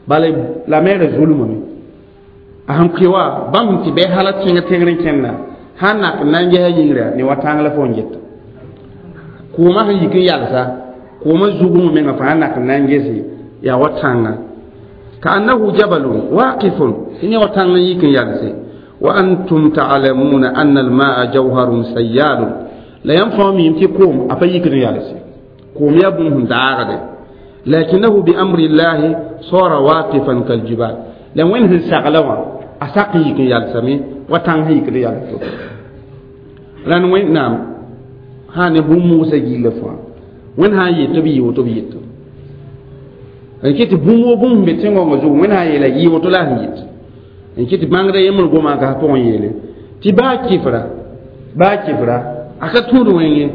بل لا مير ظلم مي أهم كيوا بام تي بي حالة تينغ تينغ كنا هانا نانجي ينغرا نواتانا لا فونجت كوما هن يكن يالسا كوما زوغم مينغا فانا نانجي سي يا واتانا كأنه جبل واقف إني واتانا يكن يالسي وأنتم تعلمون أن الماء جوهر سيال لا ينفع ميم تقوم أفيك ريالسي قوم يبنهم داغد لكنه بأمر الله صار واقفا كالجبال لأن وين هن ساقلوا أساقيك يالسمي وتنهيك ريالسي لأن وين نعم هاني بو موسى جيل فوا وين هاي تبي وتبي يتو ان كنت بومو بوم بتنغو غزو وين هاي لا يوتو لا هيت n kɩ tɩ bãngda yembr goma ka pʋgẽ yeele tɩ baa kɩfra baa kɩfra a ka tũud wẽnge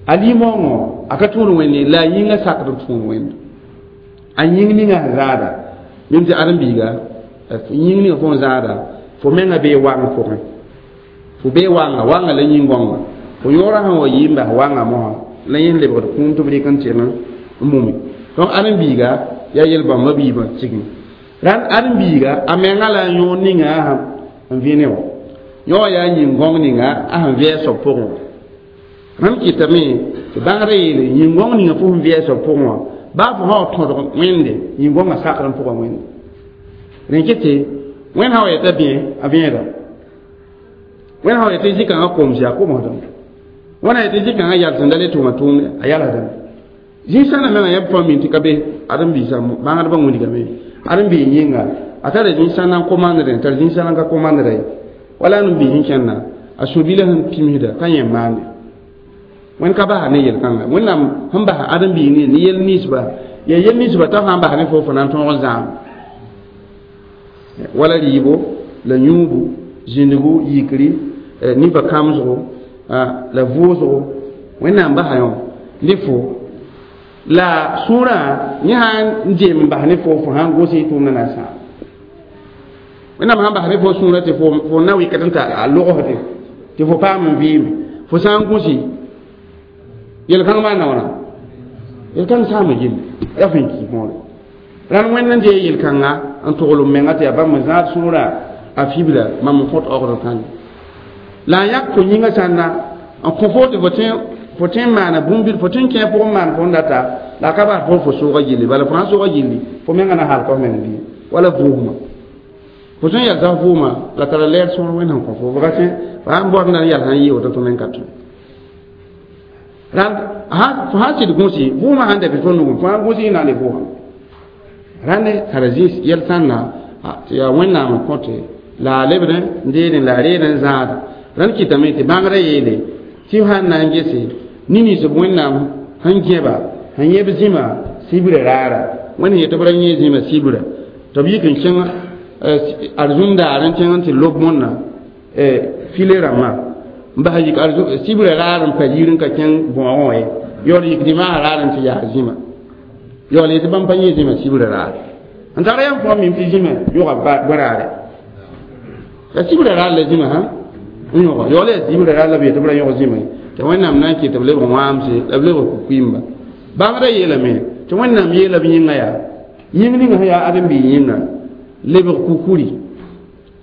a limoongõ a ka tũud wẽnde la a yĩngã sakd n tũud wẽnd a yĩng ninga sẽn zaada mim tɩ ãdem-biiga Yĩng ninga fo n zãada fo menga bee wang pʋgẽ fo bee wanga wanga la yĩn-gõnga fo yõorã sẽn wa yɩ n bas wanga mosã la yẽ lebgd kũum tɩ b rɩk n tɩng n mume donc ãdem-biiga yaa yel-bãmba biibã tigim rãnd ãdem-biiga a menga la a yõor ninga sẽn vẽ ne wã yõ yaa yĩn-gõng ninga a sẽn vɩ a soab pʋgẽ wã rãnd kɩtame tɩ bãngrã yeele yĩn-gõng ninga fo sẽn vɩ a soab pʋgẽ wã baa fo sã wa tõdg wẽnde yĩn-gõngã sakd n pʋga wẽnde rẽ kɩ tɩ wẽnd sã wa yeta bẽ a vẽeda wẽnd sã wa yetɩ zĩ-kãngã komsɩ a komsdame wẽnd sã yetɩ zĩ-kãngã yals n da le tʋma tʋʋmde a yalsdame zĩ-sãnda menga yãmb fãa min tɩ ka be ãdem-biisã bãngdbã wilgame ãdem-biig yĩnga a tara zĩ-sãnda n komandrẽ n tar zĩ-sãnda n ka komandra ye wala ãdem-biig sẽn kẽnna a sũ-bilã sẽn pimsda ka yẽ maande wẽnd ka basa ne yel-kãnga wẽnnaam sẽn basa ãdem-biig ne ne yel ninsba yaa yel ninsba t'a sã n bas ne fo fo na n tõog n zãam wala rɩɩbo la yũubu zĩndgu yikri ninpa kãmsgo la vʋʋsgo wẽnnaam basa yõ ne fo la sũurã yẽ sã n jem n bas ne fo fo sã n gos y tʋʋmdã na n sãam wẽnnaam sã n bas ne fo sũurã tɩ fo na wɩkd n ta a logsde tɩ fo paam n vɩɩme fo sã n gũsi yel-kãng maana wãna yel-kãng saama gilli yaa fẽn ki võore rãnd wẽnd n dee yel-kãnga n togl m menga tɩ yaa bãmb n zãad sũurã a fibla mam n kõt aogd kãnge la a yãk fo yĩngã sãnna n kõ fo tɩ fo tẽ fo tõe n maana bũmb fo tõe n kẽ pʋgẽ maan fo n data la a ka bas fo fo soogã gilli bala fo sã n soogã gilli fo menga na halka f meng bɩ wala vʋʋsmã fo tõe n yalsa f vʋʋmã la tara lɛɛr sõor wẽnd sẽn kõ fo fo ka tõe fo sã n baood na n yals n yɩ woto tɩ meng ka tõe rãnd fo sã n sɩd gũsi vʋʋmã sãn da bɩ fo nugẽ fo sã n gũsi y na n le vʋʋsame rãnd tara zĩis yɛl sãnna tɩ yaa wẽnnaam n kõte la a lebd n deedẽ la a reed n zãada rãnd kɩtame tɩ bãngrã yeele tɩ sãn na n gese ne-ninsb wẽnnaam sẽn gẽba sẽn yẽb zĩma sibra raara wẽnd sẽn yet tɩ b ra yẽ zĩma sibra tɩ b yik n kẽng arzũndaar n kẽng n tɩ lob mõnna file rãmbã n bas yik sibra raar n pa yir n ka kẽng bõogẽ wã ye yaool yik dimaas raar n tɩ yaa zĩma yaool yetɩ bãmb pa yẽ zĩma sibra raar n tara yãmb fõa mim tɩ zĩma yʋga bõraare la sibra raar la zĩma sã n yõga yaool yaa sibra raar la b yetɩ b ra yõg zĩma ye tɩ wẽnnaam na n kɩt tɩ b lebg wãamse la b lebg ku-kuiimba bãngrã yeelame tɩ wẽnnaam yeela b yĩnga yaa yĩng ninga sẽn yaa ãdem-biig yĩnga lebg kukuri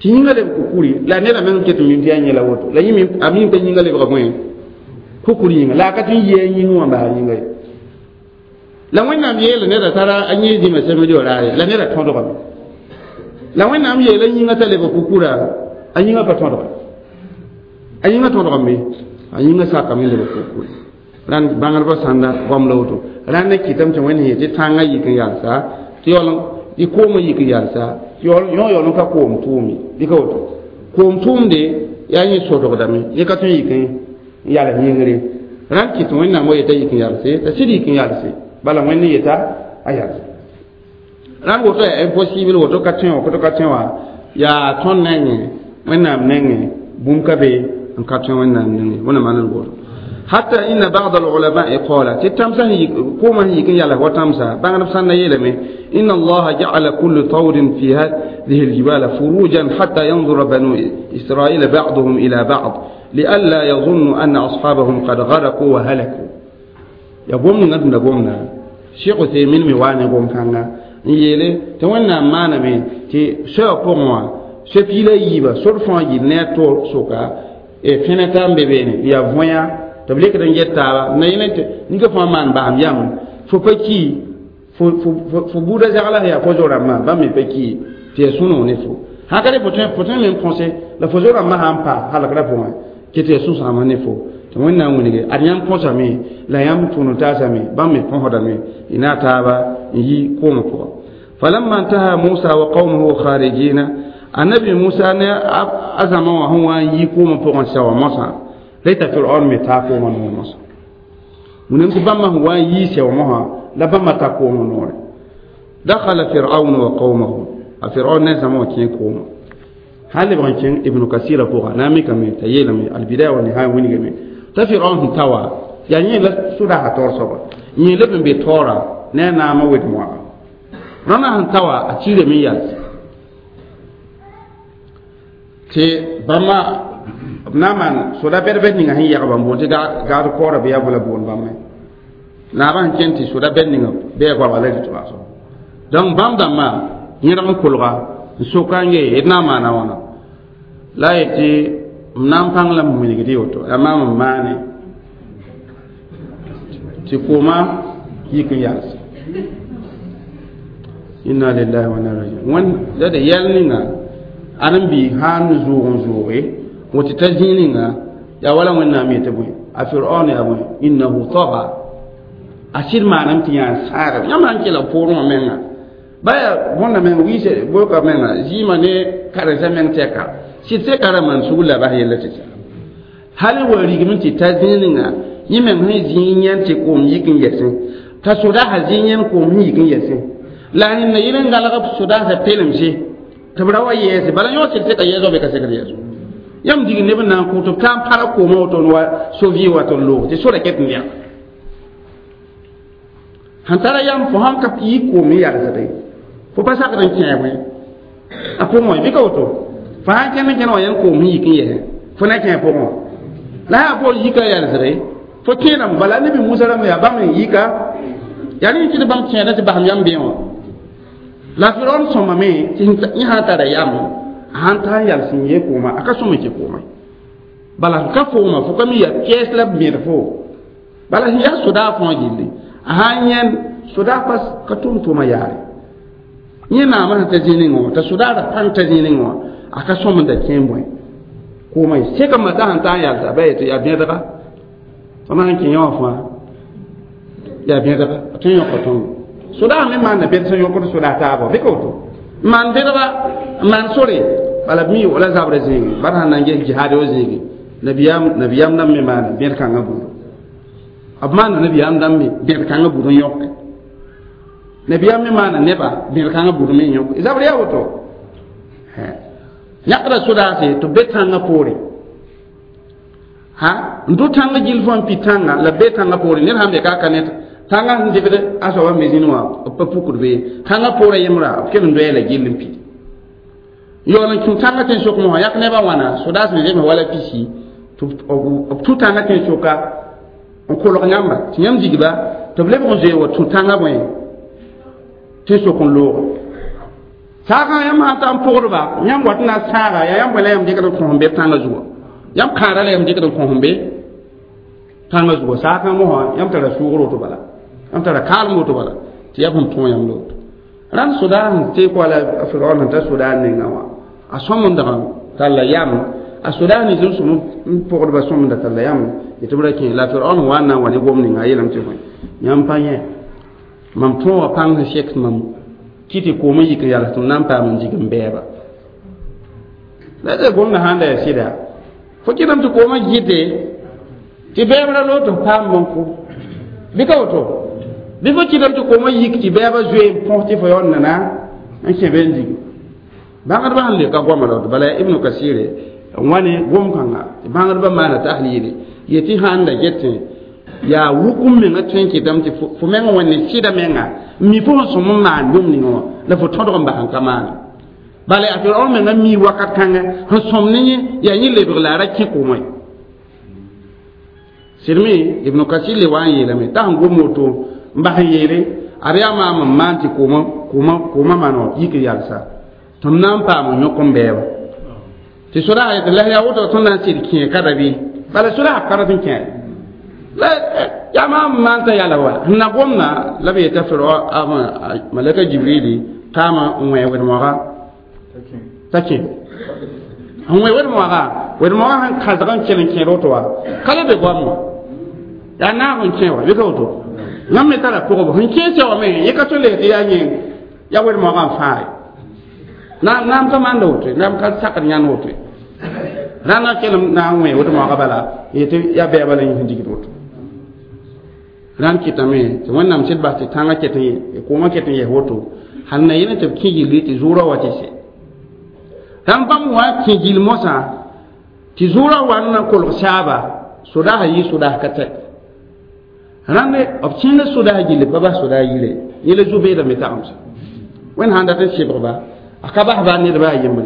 tɩ yĩnga lebg kukuri la neda meng ket n mim tɩ yaa yẽ la woto la yẽ a mim t'a yĩnga lebga bõe kukuri yĩnga la a ka tɩ n yɩ a yĩng wã bas a yĩnga ye la wẽnnaam yeela neda tara a yẽ zĩma sẽmd raare la neda tõdgame la wẽnnaam yeela yĩnga t'a lebg kukura a yĩnga pa tõdga a yĩnga tõdgame a yĩnga sakame lebg kukuri rãnd bãngdbã sãnda goam la woto rãnd n kɩtame tɩ wẽnd sẽn yetɩ tãngã yik n yalsa tɩ yaool tɩ koomã yik n yalsa tɩ yõ yaool n ka koom tʋʋm ye bɩ ka woto koom tʋʋmde yaa yẽ sodgdame yẽ ka tõe n yik n yals yĩngre rãnd kɩt wẽnnaam wa yeta yik n yalse t'a sɩd yik n yalse bala wẽnd n yeta a yalse rãnd woto yaa impossible woto ka tõe wã koto ka tõe wã yaa tõnd nengẽ wẽnnaam nengẽ bũmb ka be n ka tõe wẽnnaam nengẽ wẽnnaam maan woto حتى إن بعض العلماء قال تتمسا كوما هي كن يلا وتمسا بان سنة يلمي إن الله جعل كل طور في هذه الجبال فروجا حتى ينظر بنو إسرائيل بعضهم إلى بعض لئلا يظنوا أن أصحابهم قد غرقوا وهلكوا يقوم ندم قومنا شيخ عثيمين ميواني قوم كان يلي تونا ما نمي تي شو قوموا شو بيلا يبا سرفا يلنا تور سوكا fẽne n be beene yaa võya tɩ b lekd n get taaba na yẽne tɩ ninga fãa maan basem yam fo pa ki fo buudã zagla sẽn yaa fo zo-rãmbã bãmb me pa ki tɩ yaa sũ-noog ne fo sã ka re fo tõe me n põse la fo zo-rãmbã sã n pa halgrã pʋgẽ kɩ tɩ yaa sũ-sãamã ne fo tɩ wẽnnaam wilge ad yãmb põsame la yãmb tʋʋn taasame bãmb me põsdame y na taaba n yi koomã pʋga فلما انتهى موسى وقومه خارجين النبي موسى ne a zãma wã sẽn wa n yi koomã pʋgẽ sɛ wã mosã la Fir'aun me taa koomã noor mosã wẽnnaam tɩ bãmba sẽn wa n yii sɛo mosã la bãmba ta koomã noore دخل فرعون وقومه فرعون ne zãma wã kẽ koomã sã lebg n kẽng ibnu kasira pʋga na n mikame t'a yeelame albidaya wa nihaya wilgame t'a Fir'aun sẽn ta wã yaa yẽ la sʋdasa taoor soaba yẽ leb n be taoora ne a naamã wed-moaga rãndã sẽn ta wã a tiirame n yals Tɩ bãmba b na n maan soda bɛd-bɛd ninga sẽn yɛg bãmb boond tɩ gad kaoora bɩ yaa bõe la boond bãmb me naabã sẽn kẽn tɩ soda bɛd ninga bɩ a goabga la rɩt baasgo donc bãmb dãmbã yẽdg n kolga n soka n yee d na n maana wãna la a yetɩ m na n pãng la m wilgd y woto la maam n maane tɩ kooma yik n yals inna lillahi wa inna ilaihi rajiun wẽn la d yɛl ninga ãdem-biig sãn n zʋʋg n zʋʋge woto t'a zĩig ninga yaa wala wẽnnaam yetɩ bõe a firaon yaa bõe innahu taga a sɩd maaname tɩ yaa n sãagb yãmb sãn kela poorẽ wã menga baya bõnda meng wiise boka menga zɩɩmã ne karen-saã meng tɛka sɩd seka ra maan sugr la bas yella tɩ sa hal wa rigame tɩ ta zĩig ninga yẽ meng sẽn zĩig yẽn tɩ koom yik n yɛsẽ t'a sodaasã zĩig yẽn koom sẽn yik n yɛsẽ la rẽnda yel n galg b sodaasã pelemse tɩ b ra wa yɛɛse bala yõ sɩd seka yɛɛsg bɩ ka sekd yɛɛso yãmb dig neb n na n kʋ tɩ b taa n para koomã woto n wa so-vɩ wa tɩ n loog tɩ sora ket n lɛg sẽn tara yam fo sãn ka yi koom n yalsde fo pa sakd n kẽe bõe a pʋgẽ wã bɩ ka woto fo sãn kẽnd n kẽnd wã yẽn koom sẽn yik n yɛsẽ fo na kẽe pʋgẽ wã la yaa bool yika yalsde fo kẽedame bala nebi musa rãmb yaa bãmb n yika yaa rẽ tɩ bãmb kẽeda tɩ basem yam bẽ wã la firaon sõmame tɩ yẽ sã n tara yam sãn ta n yals n yee kooma a ka sõm n kẽ kooma bala ka fooma fo ka mi yaa kɛɛs la b bẽd fo bala sẽn yaa sodaa fãa gilli a sãn yẽnd sodaa pa ka tʋm tʋʋma yaare yẽ naamã sẽn ta zĩ ning wã t'a sodaa ra pãng ta zĩ ning wã a ka sõm n da kẽ n bõe kooma ye sẽka mata sẽn ta n yalsa ba yetɩ yaa bẽdga tõnd sãn kẽ yẽ wã fãa yaa bẽdga a tõe n yõka tõndo sodaa me maanda bẽd sẽn yõkd sodaa taaba bɩ ka woto n maan bẽdga n maan sore bala b mi wala zabrã zĩigi bara sãn na n ges jihaad wa zĩigi nabiyaam nabiyaam dãmb me maana bẽd kãngã buud b maanda nabiyaam dãmb me bẽd kãngã buud n yõke nabiyaam me maana neba bẽd kãngã buud me n yõke zabr yaa woto yãkda sodaase tɩ be tãngã poore ha n tʋ tãngã gill fãa n pi tãnga la be tãngã poore ned sãn be ka ka ne tãngã sẽn dɩbd a soabã me zĩni wã b pa pukd be tãngã poorã yembrã b kell n doya la gill n pi yaool n kẽ tãngã tẽn sok mosã yãk nebã wãna sodaas me zemse wala pisi tɩ b tũ tãngã tẽn soka n kolg yãmba tɩ yãmb digba tɩ b lebg n zoe wa tũ tãngã bõe tẽn sok n looge saagã yãmb sãn ta n pʋgdba yãmb wat n na n sãaga yaa yãmb bõe la yãmb dɩkd n kõs n be tãngã zuga yãmb kãara la yãmb dɩkd n kõs n be tãngã zuga saakã mosã yãmb tara sʋʋgr woto bala yãmb tara kaalem woto bala tɩ yaa sẽn tõo yãmb la woto rãnd sodaa sẽn teek wala firaon sẽn ta sodaa nengã wã a sõm n dag talla yam a sodaa nins n sõm n pʋgdba sõm n da talla yam tɩ b ra kẽ la firaon wa n na n wa ne gom ninga a yeelame tɩ bõe yãmb pa yẽ mam tõo wã pãng sẽn sek mam kɩ tɩ koom n yik n yals tɩ m na n paam n dig n bɛɛba la d gomdã sãn da yaa sɩda fo kɩtame tɩ koomã gɩte tɩ bɛɛb ra loog tɩ f paam bõn-kʋ bɩ ka woto bɩ fo kɩtame tɩ koomã yik tɩ bɛɛbã zoe n põs tɩ fo yaool nana n kẽ be n dig bãngdbã sẽn le ka goama la woto bala yaa ibnu kasire n wa ne gom-kãnga tɩ bãngdbã maana tahlile yetɩ sãn da getẽ yaa wukum menga tõe n kɩtame tɩ fo meng wẽnde sɩda menga n mi fo sẽn sõm n maan bũmb ning wã la fo tõdg n bas n ka maana bala yaa firaon menga mi wakat kãngã sẽn sõm ne yẽ yaa yẽ lebg la a ra kẽ koomã ye sɩdme ibnu kasir le wa n yeelame t'a sẽn gom woto n bas n yeele ad yaa maam n maan tɩ koomã koomã koomã maan wã yik n yalsa tɩ m na n paam n yõk n bɛɛba tɩ sodaag yetɩ la yaa woto tõnd na n sɩd kẽe ka ra bɩ bala sodaag ka rat n kẽe la yaa maam n maan t'a yala wa sẽn na gomda la b yeta firo malaka jibrili taama n wẽ wed-moaga t'a kẽ n wẽ wed-moaga wed-moaga sẽn kãsg n kell n kẽed woto wa ka la be goam wã yaa naag n kẽ wa bɩ ka woto yãmb me tara pʋgb sẽn kẽesã wã me yẽ ka tõe n tɩ yaa yẽ yaa wed-moagã n fãage naam ka maanda woto naam ka sakd yãnd woto rãndã kell n na n wẽ wed-moagã bala yetɩ yaa bɛɛba la yẽ sẽn digd woto rãnd kɩtame tɩ wẽnnaam sɩd bas tɩ tãngã ket n koomã ket n yɛs woto hal na yẽl tɩ b kẽ gilli tɩ zʋʋrã wa tɩ sɛ rãmb bãmb wã kẽ gill mosã tɩ zʋʋrã wa n na kolg saaba sodaasã yɩ sodaas ka tɛ rãnd b kẽnga sodaas gilli pa bas sodaas yire yẽla zu-beedame tagemsa wẽnd sãn dat n sɩbgba a ka bas baa nedba a yembre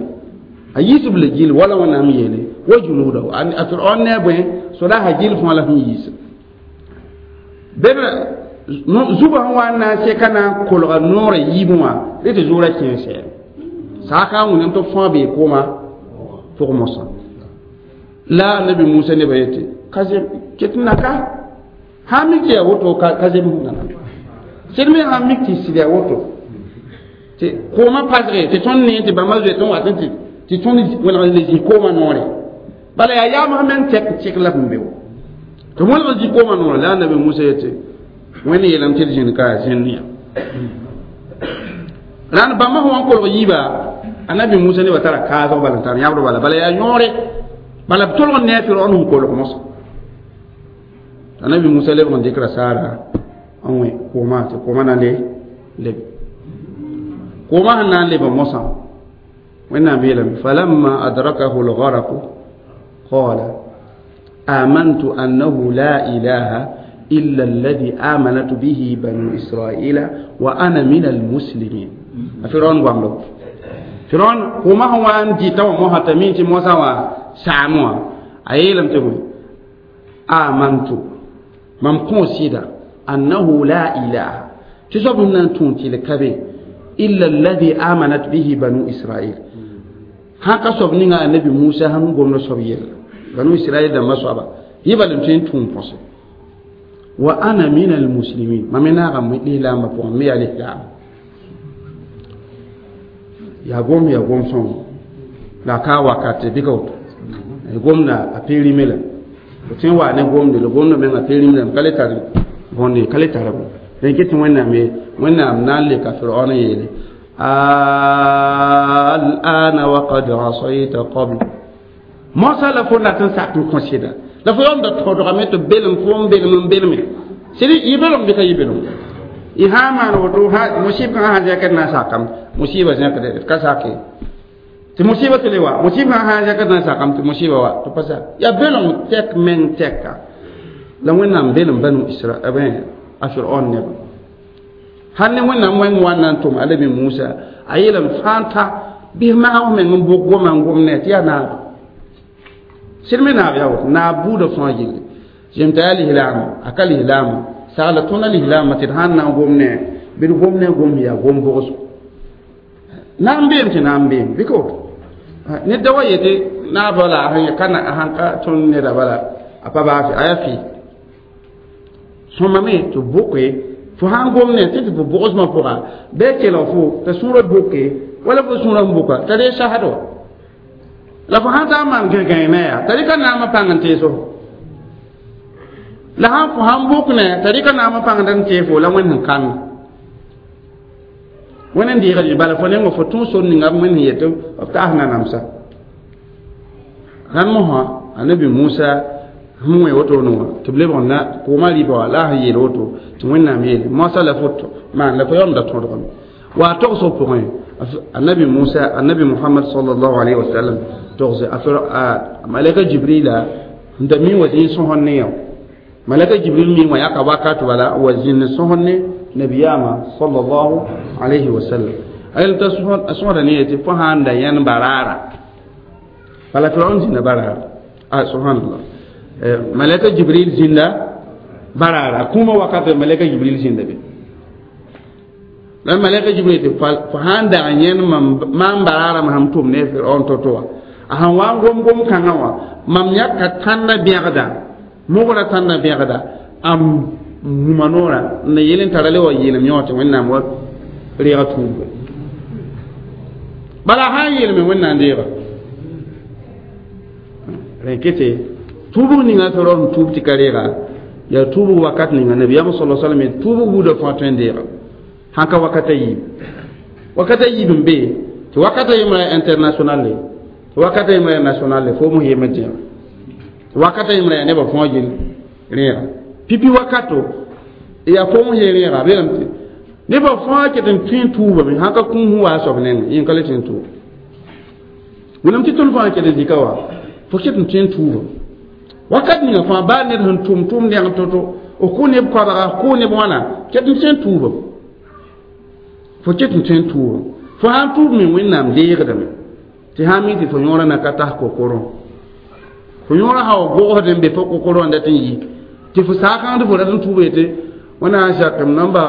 A yiisb la gill wala Wẽnnaam yeele wa junuudahu a Firaon ne a bõe sodaasã gill fãa la sẽn yiis bed zugã sẽn wa n na n seka na n kolga noorã yiibẽ wã rẽ tɩ zʋʋrã kẽe sɛɛm saaka n wẽnnaam tɩ b fãa bee kooma pʋg mosã la Anabi Musa nebã yetɩ ka zem ket n na ka sã n mik tɩ yaa woto ka zem nana sed me sã n mik tɩ sɩd yaa woto tɩ koomã pasge tɩ tõnd nee tɩ bãmba zoe tõnd wat n tɩ tɩ tõnd wẽlg le zĩ koomã noore bala yaa yaamsã meng tɛk tɩk la sẽn be wa tɩ wẽlg zĩ koomã noore la Anabi Musa yetɩ Wẽnd yeelame tɩ d zĩnd ka yaa zẽnd yã rãnd bãmba sẽn wa n kolg yiiba Anabi Musa nebã tara kaasg bala n tar yãbr bala bala yaa yõore bala b tolg n ne a Firaon sẽn kolg mosã Anabi Musa lebg n dɩkra saara n wẽ koomã tɩ koomã na n le lebe koomã sẽn na n leba mosã Wẽnnaam yeelame falamma adrakahu lgaraqu qala amantu annahu la ilaha illa alladhi amanat bihi banu israila wa ana min almuslimin a Firaon goamdo Firaon koomã sẽn wa n dɩta wã mosã t'a mi tɩ mosã wã saam wã a yeelame tɩ bõe amantu mam kõ sɩda annahu la ilaha tɩ soab sẽn na n tũud tɩ ka be illa alladhi amanat bihi banu israil sã ka soab ninga Anabi Musa sẽn gomd soab yella banu Israil dãmbã soaba yẽ bal n tõe n tũum põse wa ana min almuslimin mam me naagame lislaambã pʋgẽ me yaa lislaam yaa gom yaa gom sõng la ka wakate bɩ ka woto gomda a perime la fo tõe n wa ne gomde la gomda meng a perime lame ka le tar bõnde ka le tar rẽn ket tɩ Wẽnnaam ye Wẽnnaam na n leka Firaon n yeele al'ana waqad asayta qabl mosa la fo dat n sak n kõ sɩda la fo yaoomda tõdgame tɩ belem fo n belem n belme sɩd yɩ belem bɩ ka yɩ belem y sã n maan woto musib kãngã sã zẽkd na n sakame musiba zẽkd ka sake tɩ musiba tɩ le wa musib kãngã sã n zẽkd na n sakame tɩ musiba wa tɩ pa sak yaa belem tɛk meng tɛka la Wẽnnaam belem banu Isra a Firaon nebã sãn ne Wẽnnaam wẽng wa na n tʋm Anabi Musa a yeelame fãa ta bɩs maag meng n bʋk goma n gom ne tɩ yaa naaba sɩd me naab yaa woto naab buudã fãa gilli zem t'a yaa lislaam a ka lislaam sagla tõnd a lislaamã tɩ d sãn na n gom ne bɩ d gom ne gom yaa gom bʋgsgo na n beem tɩ na n beem bɩ ka woto ned da wa yetɩ naabã la a ka sãn ka tõnd neda bala a pa baa a yaa fɩ sõmame tɩ bʋke fo sãn gom ne tɩ tɩ fo bʋgsmã pʋga bɩ a kelg fo t'a sũurã bʋke wala fo sũurã n bʋka t'a ree sasd wa la fo sãn taa n maan gãe-gãe ne yaa t'a rɩka naamã pãng n tees fo la sãn fo sãn bʋk ne t'a rɩka naamã pãngd n tee fo la Wẽnd sẽn kãng Wẽnd n deegd bala fo nengã fo tũ sor ninga b Wẽnd sẽn yet b taas nanamsa rãnd mosã Anabi Musa sẽn wẽ wotone wã tɩ b lebg n na koomã rɩba wã la a sẽn yeel woto tɩ Wẽnnaam yeele moasã la fo maan la fo yaoomda tõdgame wa a togsg pʋgẽ Anabi Musa Anabi Muhammad sallallahu alaihi wasallam togse a malaka Jibrila n da mi wa zĩig sõsd ne yã malaka Jibril mi wã yaka wakat bala wa zĩnd sõsd ne nabiyaamã sallallahu alaihi wasallam a yel t'a sõsda ne yetɩ fo sã n da yãnd baraara bala Firaon zĩnda baraara a subhanallah malaka Jibril zĩnda baraara kũumã wakat malaka Jibril zĩnda be la malaka Jibril tɩ fo sã n dag yẽnd maam baraarã sãn tʋm ne Firaon to-to wã a sẽn wa n gom gom kãngã wã mam yãka tãnda bẽgda mogrã tãnda bẽgda a muma noorã n na yel n tara le wa yeelem yõ tɩ Wẽnnaam wa reega tuubga bala a sã n yeelme Wẽnnaam deega rẽn kete tuubg ninga Firaon tuub tɩ ka reega yaa tuubg wakat ninga nabiyaam sala sallam tuubg buudã fãa tõe n deega sãn ka wakata yiib wakata yiib n be tɩ wakata yembra international le tɩ wakata yembra national le fo mos yem n dẽega tɩ wakata yembra yaa nebã fãa gill rẽega pipi wakato yaa fo mos ye rẽega belame tɩ nebã fãa ket n tõe n tuubame sãn ka kũum sẽn wa a soab nengẽ yẽ ka le tõe n tuub wẽnnaam tɩ tõnd fãa ket n zika wa fo ket n tõe n tuuba wakat ninga fãa baa ned sẽn tʋm tʋʋm neng to-to f kʋ neb koabga f kʋ neb wãna ket n tõe n tuubame fo ket n tõe n tuubame fo sãn tuub me Wẽnnaam deegdame tɩ Tɩ sã n mi tɩ fo yõorã na ka tas kokorõ fo yõorã sã wa gogsd n be fo kokorõ n dat n yi tɩ fo saakãng tɩ fo rat n tuub yetɩ wẽnnaam sã sak m namba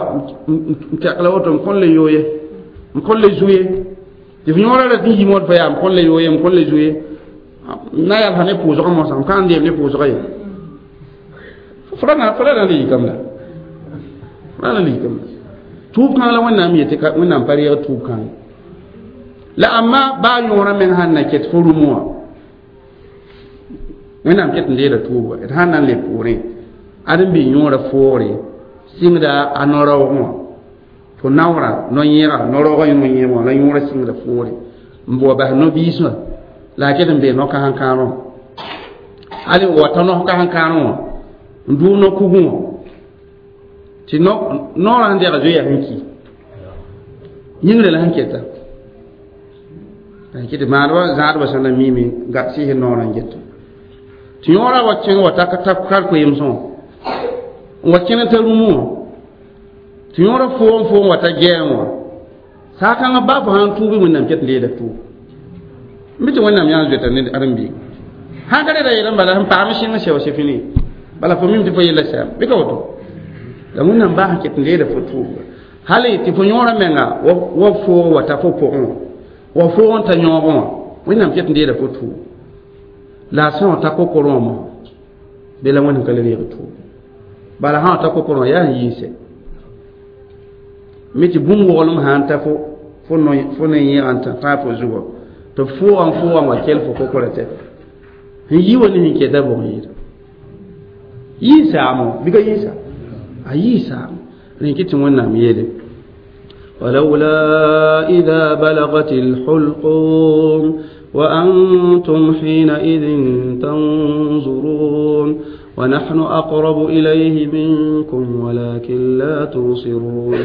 n tɛk la woto m kõn le yo ye m kõn le zu ye tɩ fo yõorã rat n yi mod fa yaa m kõn le yo ye m kõn le zu ye na yalsa ne pʋʋsgã mosã m ka n deem ne pʋʋsgã ye fo ra na le yikame la fo ra na le yikame la tuub kãng la wẽnnaam yetɩ wẽnnaam pa reeg tuub kãng la amma baa yõorã meng sãn na ket fo rũmũ wã wẽnnaam ket n leeda tuuba d sãn na n le poorẽ ad n bɩ yõorã foogre sɩngda a no-raoogẽ wã fo naoorã no-yẽega no-raoogã no-yẽem wã la yõorã sɩngda foore n bʋa bas no-biis wã la a ket n bee no-kãsen-kãadẽ wã hal n wa ta no-kãsen-kãadẽ wã n dʋʋg no-kugẽ wã tɩ noorã sẽn dɛga zoeya sẽn ki yĩngre la sẽn keta tɩ maadbã zãadbã sẽn na miime sɩɩs noorã n geta tɩ yõorã wa kẽng wa ta kar koeemsẽ wã n wa kẽne t'a rũmũ wã tɩ yõorã foom foom wa ta gɛɛm wã saakãngã baa fo sãn tuubi wẽnnaam ket n leeda tuub n bɩ tɩ wẽnnaam yãa zoeta ne ãdem-biiga sãn ka reda yeelã bala sẽn paam sɩng sɛo sɩ fini bala fo mim tɩ fo yella sɛam bɩ ka woto la wẽnnaam baa sẽn ket n leeda fo tuubga hal tɩ fo yõorã menga wa foog wa ta fo pʋgẽ wã wa foog n ta yõogẽ wã wẽnnaam ket n leeda fo tuub la a sã wa ta kokorõ wã mosã bɩ la wẽnd ka le reeg tuub bala sã wa ta kokorõ yaa n yiise mi tɩ bũmb woglem sã n ta fo fo ne yẽega n tã fo zugɔ tɩ foogã n foogã wa kell fo kokorã tɛka sẽn yi wa ne sẽn keta bʋg n yɩɩda yii saamo bɩ ka yii saam a yii saamo rẽ kɩ tɩ wẽnnaam yeele ولولا إذا بلغت الحلقوم وأنتم حينئذ تنظرون ونحن أقرب إليه منكم ولكن لا تبصرون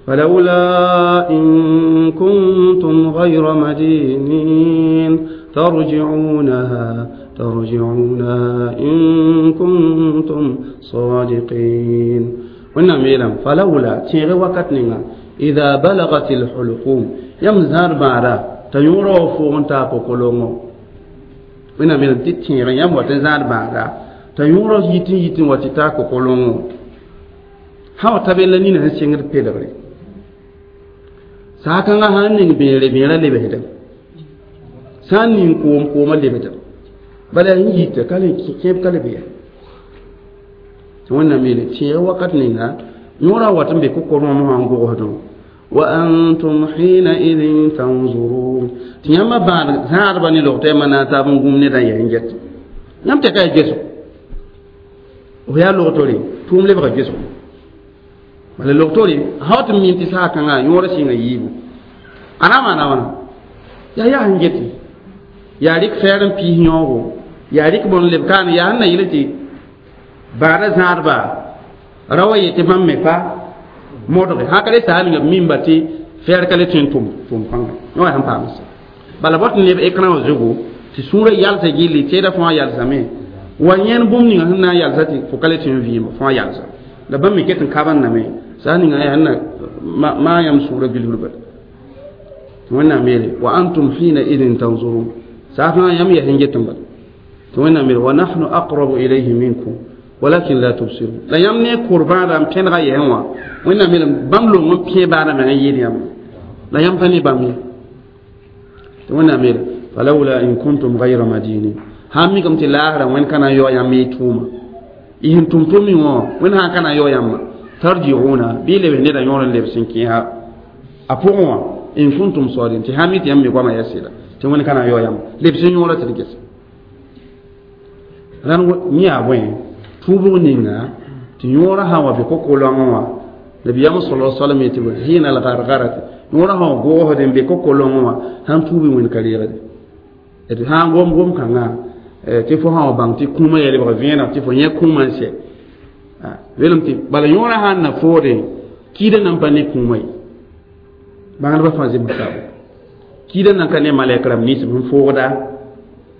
فلولا إن كنتم غير مدينين ترجعونها ترجعونها إن كنتم صادقين ونعم يلم فلولا تيغي وقت نينا إذا بلغت الحلقوم يم زار بارا تيورو فوغن تا كوكولونغو ونعم يلم تيغي يم وتزار بارا تيورو يتين يتين وتتا كوكولونغو hawa tabe la nina sẽn sɩngd pelgre saakãngã sã n ning bẽere bẽerã lebsdame sã n ning koom koomã lebdame bala n yita ka le kẽeb ka le be ya tɩ wẽnnaam yeele tẽeg wakat ninga yõorã wat n be kokorẽ wã n gogsdẽ wa antum hinaidin tanzurun tɩ yãmba bãad zãadba ne log tɩ yãmba na n taab n gũm nedã yaa n get yãmb tɛka yaa gesgo f yaa logtore tʋʋm lebga gesgo bala logtore sã tɩ mim tɩ saakãngã yõorã sɩnga yiibu a na maana wãna yaa yaa sẽn gete yaa rɩk fɛɛr n piis yõogo yaa rɩk bõn leb kaan yaa sẽn na yɩl tɩ baada zãadba ra wa yetɩ bãmb me pa modge sã ka le saa ninga b mimba tɩ fɛɛr ka le tõe n tʋm tʋʋm kãnga yõ sẽn paam sã bala bot n leb écran wã zugu tɩ sũurã yalsa gilli teeda fãa yalsame wa yẽn bũmb ninga sẽn na n yalsa tɩ fo ka le tõe n vɩɩm fãa yalsa la bãmb me ket n kabanname saa ninga yaa na maa yãmb sũurã bilfr tɩ wẽnnaam yeele wa antum hina idin tanzurun saa fãa yãmb yaa sẽn get n bala tɩ wẽnnaam yeele wa nahnu aqrabu ilayhi minkum walakin la tubsirun la yãmb ne kʋr-bãada n pẽdga yɛsẽ wã wẽnnaam yeele bãmb long n pẽ baada meng n yɩɩd yãmb la yãmb pa ne bãmb ye tɩ wẽnnaam yeele falawla in kuntum gayra madinin sãn mikame tɩ laasra wẽnd ka na n yao yãmb y tʋʋma y sẽn tʋm tʋm wã wẽnd sã n ka na n yao yãmba tarji'una bɩ lebs nedã yõor n lebs n kẽesa a pʋgẽ wã in kuntum sadiqin tɩ sãn mi tɩ yãmb me goamã yaa sɩda tɩ wẽnd ka na n yao yãmb lebs n yõora tɩ d gesa rãn yẽ yaa bõe tuubg ninga tɩ yõorã sã n wa bɩ ko-kolongẽ wã nabiyam sala sallam yetɩ hina al-gargarati yõorã sã n goosd n be ko-kolongẽ wã sãn tuubi wẽnd ka reegde d sã n gom gom kãngã tɩ fo sã wa bãng tɩ kũumã yaa lebg vẽeneg tɩ fo yẽ kũumã n sɛ welem tɩ bala yõorã sãn na foode kiidã nan pa ne kũumã ye bãngdbã fãa zems taabo kiidã nan ka ne malɛk rãmb nins sẽn foogda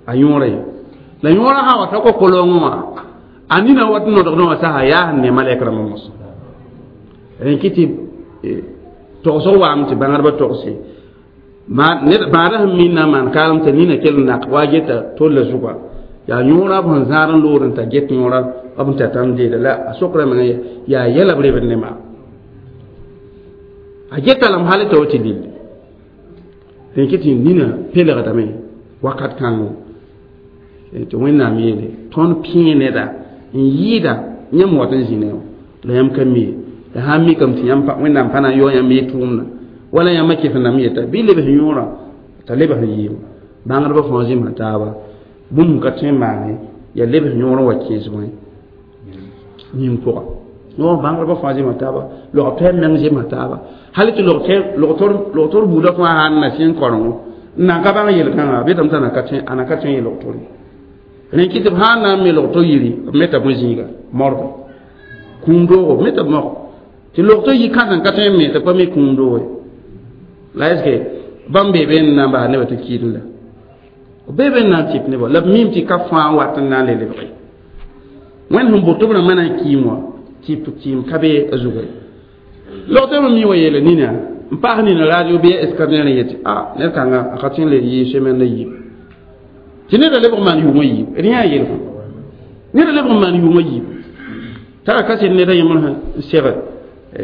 a yõorã ye la yõorã sã wa ta ko-kolongẽ wã a nina wat n nodgdẽ wã sasa yaa sẽn ne malɛk rãmbã mosã rẽ kɩ tɩ togsg waame tɩ bãngdbã togse Bãada sẽn min na n maan kaalem t'a nina kell n nak wa a geta tolla zʋga yaa yõora b sẽn zãad n lood n t'a get yõora b n tata n deeda la a sokra menga yaa yɛla b rebd ne maam a geta lame hal t'a wa tɩ lille rẽn kɩ tɩ nina peelgdame wakat kãngo tɩ wẽnnaam yeele tõnd pẽe neda n yɩɩda yãmb wat n zĩ ne wã la yãmb ka mi ye la sã n mikame tɩ yãmb wẽnnaam pa na n yao yãmb y tʋʋmdã wala yãmb kɩs n nam yeta bɩ lebs yõorã t'a lebs n yɩɩm bãngdbã fãa zĩmsã taaba bũmb ka tõe n maane yaa lebs yõor n wa kẽes bõe yĩng pʋga no bãngdbã fãa zĩmsã taaba log tɛm meng zĩmsã taaba hal tɩ log-tor buudã fãa sãn na sẽn korengo n nan ka bãng yel-kãngã betame t'a a na ka tõe n yel log-tore rẽn kɩ tɩ b sã n na n me log-to yiri b meta bõe zĩiga morga kũum doogo b meta b mog tɩ log-to yi kãsem ka tõe n me tɩ pa mi kũum doogo la est ce que bãmb bee be n na n bas nebã tɩ kiidẽ la b bee be n na n tɩp nebã la b miime tɩ ka fãa wat n na n le lebge wẽnd sẽn boto b rãmbã na n kiim wã tɩp tɩɩm ka be a zuga ye log-tɩ mi wa yeele nina n paas nina radio bɩ scanner n yetɩ a ned kãnga a ka tõe n le yɩ semaine la yiib tɩ neda lebg n maan yʋʋmã yiib d yã yelg neda lebg n maan yʋʋmã yiib tara kaset neda yẽmr sẽn seg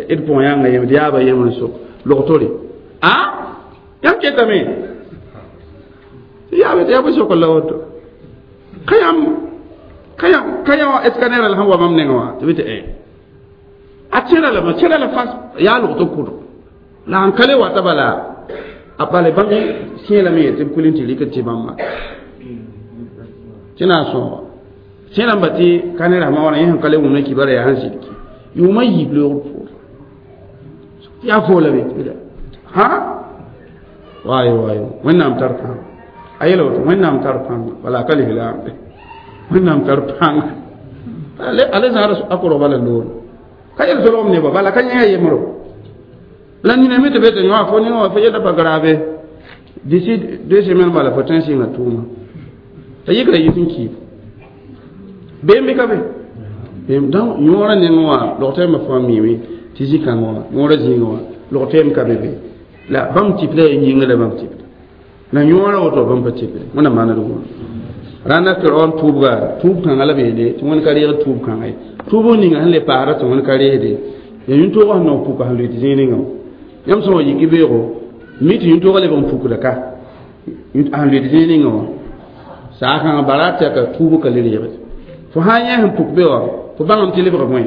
d pʋgẽ yãnga yem d yaaba yemr n sok log-tore a yãmb ketame tɩ yaa bõe sokr la woto ka yãmb ka yãmb ka yã scanner la sẽn wa mam nengẽ wã tɩ bɩ tɩ a tẽra lame tẽra la fas yaa log-to kʋdg la sẽn ka le wata bala a bala bãmb sẽelame ye tɩ b kul n tɩ rɩk tɩ bãmba tɩ na n sõoga sẽn rãmba tɩ ka ne rasmã wãna yẽ sẽn ka le wʋmna kibara yaa sẽn sɩd ki yʋʋmã yiib loogr poor yaa foola be ha waayo waayo wẽnnaam tar pãng a yela woto wẽnnaam tar pãng wala a ka lislaamde wẽnnaam tar pãng a le zãad a korg bala loor ka yel solgem nebã bala ka yẽ a yemro la nina me tɩ be tɩ yõ fo nengã wã fo yella pa grave d'ici deux semaines bala fo tõe n sɩnga tʋʋma t'a yikra yit n kiib beem bɩ ka be beem donc yõorã nengẽ wã log-tɛɛmã fãa miime tɩ zĩ-kãngã wã yõorã zĩigã wã log-tɛɛm ka be be la bãmb tɩp la yaa yĩnga la bãmb tɩpda la yõorã woto bãmb pa tɩpde wẽnnaam maana d wʋʋda rãnda firaon tʋʋbga tʋʋb kãngã la b yeele tɩ wẽnd ka reeg tʋʋb kãngã ye tʋʋb ninga sẽn le paasda tɩ wẽnd ka reesde yaa yĩn-toogã sẽn na n puka sẽn lʋɩ tɩ zĩig ninga wã yãmb sẽn wa yik beoogo mi tɩ yĩn-toogã lebg n pukda ka sẽn lʋɩ tɩ zĩig ninga wã saa kãngã bara tɛka tʋʋb ka le reegde fo sã n yẽ sẽn puk be wã fo bãngame tɩ lebg bõe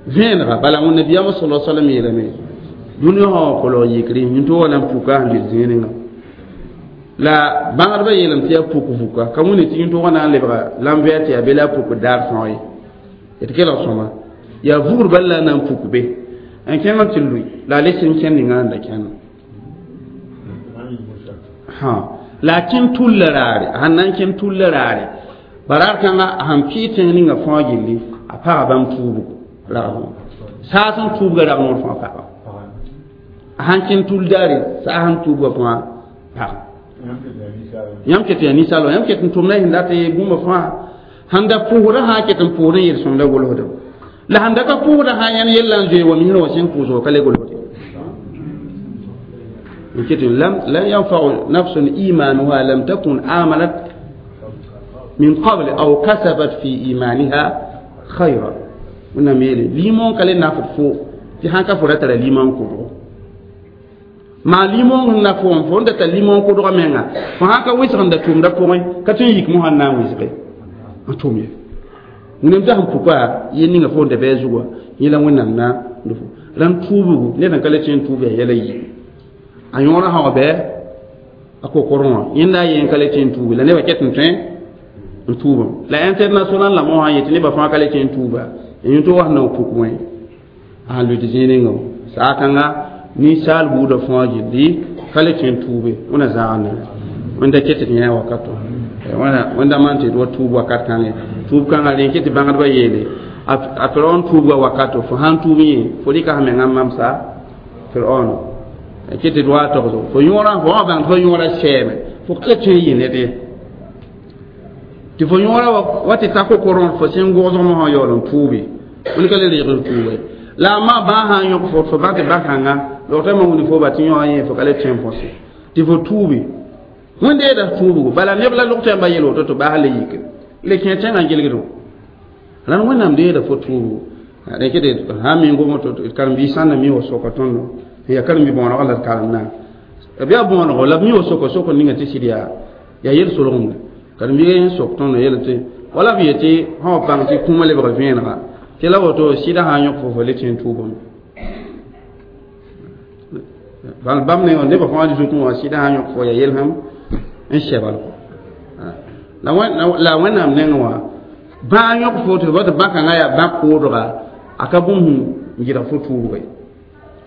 vẽenega bala wẽnnabiyaamã sala salam yeelame dũniyã sã wã kolg yikri yĩn-toogã na n puka sẽn lʋɩ zĩig ninga la bãngdbã yeelame tɩ yaa puk vuka ka wẽne tɩ yĩn-toogã na n lebga lam-vɛɛr tɩ yaa be la a puk daar sõo ye d kelg sõma yaa vugr bal la a na n puk be n kẽng n tɩ lʋɩ la a le sẽn kẽnd ninga sẽn da kẽnd la a kẽn tulla raare a sẽn na n kẽn tulla raare baraar kãnga a sẽn pɩɩ tẽng ninga fãa gilli a paga bãmb tuubgo ragf saas n tuubga rag noor fãa paga a sãn kẽn tul daare saa sẽn tuubga fãa paga yãmb ket yaa ninsaal wã yãmb ket n tʋmda sẽn dat bũmba fãa sẽn da pʋʋsda sã ket n pʋʋsd n yel-sõmda golsdem la sẽn da ka pʋʋsda sã yãn yella n zoe wa misrã wã sẽn pʋʋsg ka le golsde n ket lan yanfau nafsun imanuha lam takun amanat min qabl aw kasabat fi imaniha khayra wẽnnaam yeele limon ka le nafd fo tɩ sãn ka fo ra tara limon kʋdgo maa limon sẽn na fo fo n da tar limon kʋdgã menga fo sãn ka wɩsg n da tʋmda pʋgẽ ka tõe n yik mosã n na n wɩsge n tʋm ye wẽnnaam t'a sẽn puka yel ninga fo n da bɩ a zugã yẽ la wẽnnaam na n fo rãmb tuubgu ned n ka le tõe n tuub yaa yɛla yiib a yõorã sã wa bɩ a kokorẽ wã yẽnda a yen ka le tõe n tuubi la nebã ket n tõe n tuubame la international la mosã yetɩ nebã fãa ka le tõe n tuuba yĩn-toogã sẽn na n puk wẽ a sẽn lʋɩ tɩ zĩig ninga wã saa kãnga ninsaal buudã fãa gilli ka le tõe n tuube wẽna zãag ne wẽnda ket tɩ yã wakato wẽnda maan tɩ d wa tuub wakat kãngẽ tuub kãngã rẽ ket tɩ bãngdbã yeele a firaon tuubga wakato fo sãn tuub yẽ fo rɩka sã mengã mamsa firaon ket tɩ d wa togso fo yõorã fo wã bãng tɩ fo yõorã sɛɛme fo ka le tõe n yɩ ned ye tɩ fo yõorã wa tɩ ta kokorõ fo sẽn gogsg mosã yaool n tuubi wẽnd ka le reeg n tuuba la a ma bãa sã n yõk fo fo bã tɩ bã-kãnga logtã ma wuni fo ba tɩ yõ yẽ fo ka le tõe n põse Tɩ fo tuubi wẽndeeda tuubgo bala neb la log tɩ yãmba yel woto tɩ baas le yike le kẽ tẽngã gilgdo rãnd wẽnnaam deeda fo tuubgo rẽkɩ tɩ sã n mi n gom woto karen-biis sã n na mi wa soka tõndo n yaa karen-bi-bõonegã la d karemdã b yaa bõonego la b mi wa soka sokr ninga tɩ sɩd yaa yaa yel-solgemde karen-biigã yẽ sok tõndo yel tɩ wala b yetɩ sã wa bãng tɩ kũumã lebg vẽenega tɩ la woto sɩdã sã n yõk fo fo le tẽ n tuubame bal bãmb ne nebã fãa zutẽ wã sɩdã sã n yõk fo yaa yel-sẽm n sɛbal la la wẽnnaam nengẽ wã bãag yõk fo tɩ tɩ bã-kãngã yaa bã koodga a ka bũmb n gɩdg fo tuubga ye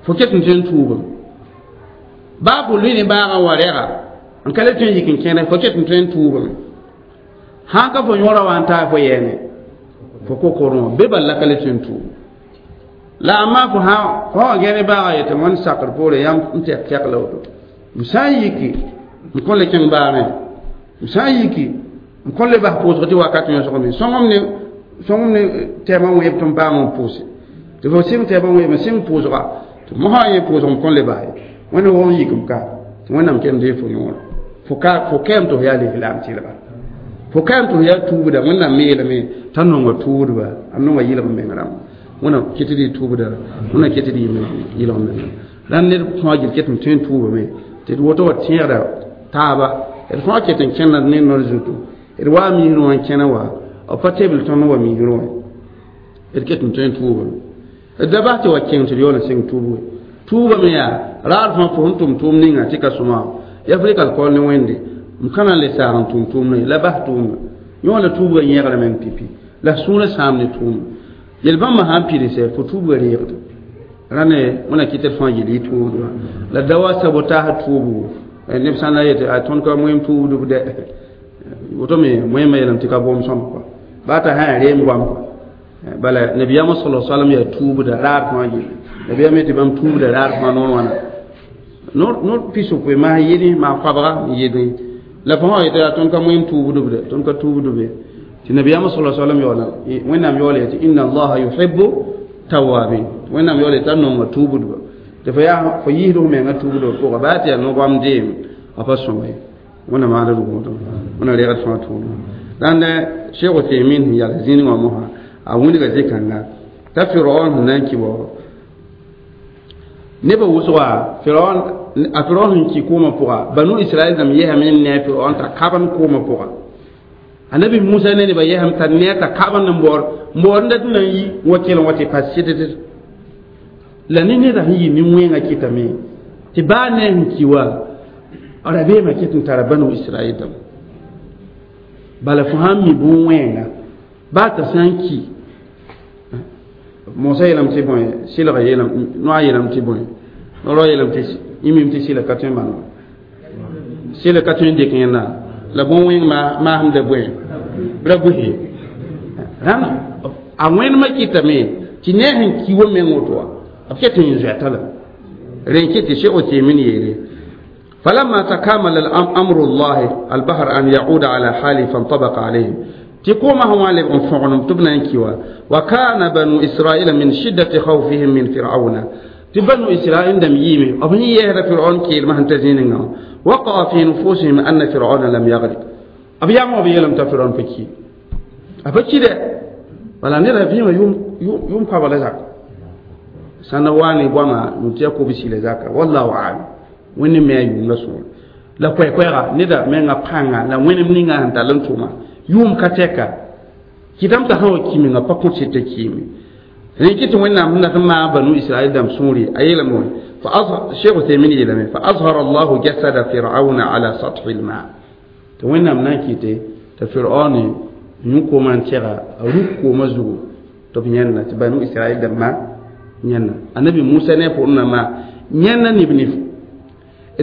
fo ket n tõe n tuubame baa fo lʋɩ ne baagã wa rɛga n ka le tõe n yik n kẽne fo ket n tõe n tuubame sãn ka fo yõora wa n taa fo yɛɛne fo ko-korẽ be bal la ka le tõe n tuub la amma fo sã fo wa gẽne baagã yetɩ wẽnd sakr poore yãmb n tɛk tɛk la woto m sã n yiki n kõn le kẽng baagẽ m sã n yiki n kõn le bas pʋʋsg tɩ wakat yõsgme sõngem ne sõngem ne tɛɛmã wẽeb tɩ m paam n pʋʋse tɩ fo sɩng tɛɛmã wẽeb n sɩng pʋʋsga tɩ mosã yẽ pʋʋsg m kõn le bas ye wẽnd wʋg n yik m ka tɩ wẽnnaam kem dee fo yõora fo ka fo kɛɛm tɩ fo yaa lislaam tɩlga fo kɛɛm tɩ fo yaa tuubda wẽnnaam me yeelame t'a nonga tuudba a nonga yɩlg meng rãmb wẽnnaam ket d y tuubda wẽnnaam ket d yɩlg meng rãnd ned fãa gil ket n tõe n tuubame tɩ d woto wa tẽegda taaba d fãa ket n kẽnda ne nor zutu d waa misrẽ wã n kẽna wa b pa tebl tõnd wa misrẽ wã d ket n tõe n tuubame d da bas tɩ wa kẽng tɩ d yaool n sɩng tuubge tuubame yaa raar fãa fo sẽn tʋm tʋʋm ninga tɩ ka sõma ya fo rɩka d kaool ne wẽnde m ka na n le saag n tʋm tʋʋmdã la bas tʋʋmda yõ la tuubga yẽgrame n pipi la sũurã sãam ne tʋʋmda yel-bãmbã sã n pidsɛ fo tuubga reegda rãne wẽna kɩt d fãa yel y tuubdba la da wa sabotaas tuubgo neb sã n na yetɩ a tõnd ka moẽm tuubdb dɛ woto me moẽmã yeelame tɩ ka boom sõm kɔa baa t'a sã n reem goam kɔa bala nabiyaamã sala salam yaa tuubda raar fãa yelle nabiyaam yetɩ bãmb tuubda raar fãa noor wãna noor pis-yopoe maa yɩdẽ maa koabga n yɩdẽ la fo sã yetɩ yaa tõnd ka moẽm tuubdb dɛ tõnd ka tuubdb ye tɩ nabiyaamã sala salam yaoola wẽnnaam yaoola yetɩ inna allaha yuhibu tawabin wẽnnaam yaoola t'a nonga tuubdba tɩ fo yaa fo yiisd f menga tuubdba pʋga baa tɩ yaa no-goam deem a pa sõma ye wẽnnaam maana rugmdo wẽnna reegd fãa tuubdba rãnd Cheikh Uthaymin sẽn yals zĩnig wã mosã a wilga zĩ-kãnga t'a Firaon sẽn na n kɩ bao nebã wʋsga Firaon a Firaon sẽn kɩ koomã pʋga Banu Israɛl dãmb yɛsame n ne a Firaon t'a kabend koomã pʋga anabi Musa ne nebã yɛsame t'a ne t'a kabend n baood n baood n dat n na n yi wa kell n wa tɩ pa sɩddd la ne neda sẽn yɩ nin-wẽngã kɩtame tɩ baa ne a sẽn ki wa rabeemã ket n tara Banu Israɛl dãmb bala fo sãn mi bũn-wẽnga baa t'a sã n ki Mosa yeelame tɩ bõe sɩlga yeelame noa yeelame tɩ bõe rao yeelame tɩ yẽ tɩ sɩla ka tõe n maan sɩla ka tõe n dɩk yẽnda la bõn-wẽng maasem bõe ra bʋse rãnd a wẽnemã kɩtame tɩ ne a sẽn ki wa meng woto wa b ket n zoɛta la rẽn kɩ tɩ Cheikh Uthaymin yeele فلما تكامل الأمر الله البحر أن يعود على حاله فانطبق عليهم تقوم هو تبنا وكان بنو إسرائيل من شدة خوفهم من فرعون تبنو إسرائيل دم يمي أبني يهر فرعون كيل ما هنتزين وقع في نفوسهم أن فرعون لم يغرق أبي يعمل أبي لم تفرعون فكي أبكي ده ولا نرى فيما يوم يوم يوم قبل ذاك سنواني بما نتيكو بسيل ذاك والله أعلم wẽnd me a yʋʋm la sõor la koɛɛ-koɛɛga neda menga pãnga la wẽnem ninga sẽn tall n tʋma yʋʋm ka tɛka kɩtame t'a sã wa ki menga pa kõt sɩd t'a kiime rẽ kɩ tɩ wẽnnaam sẽn dat n maag banu israɛl dãmb sũuri a yeelame wã Cheikh Uthaymin yeelame fa azhara allahu jasada firauna ala sathi lma tɩ wẽnnaam na n kɩte t'a firaun yũ koomã n tɛga a ruk koomã zugu tɩ b yẽnda tɩ banu israɛl dãmbã yẽnda anabi Musa ne a pʋgẽ nambã yẽnda neb nif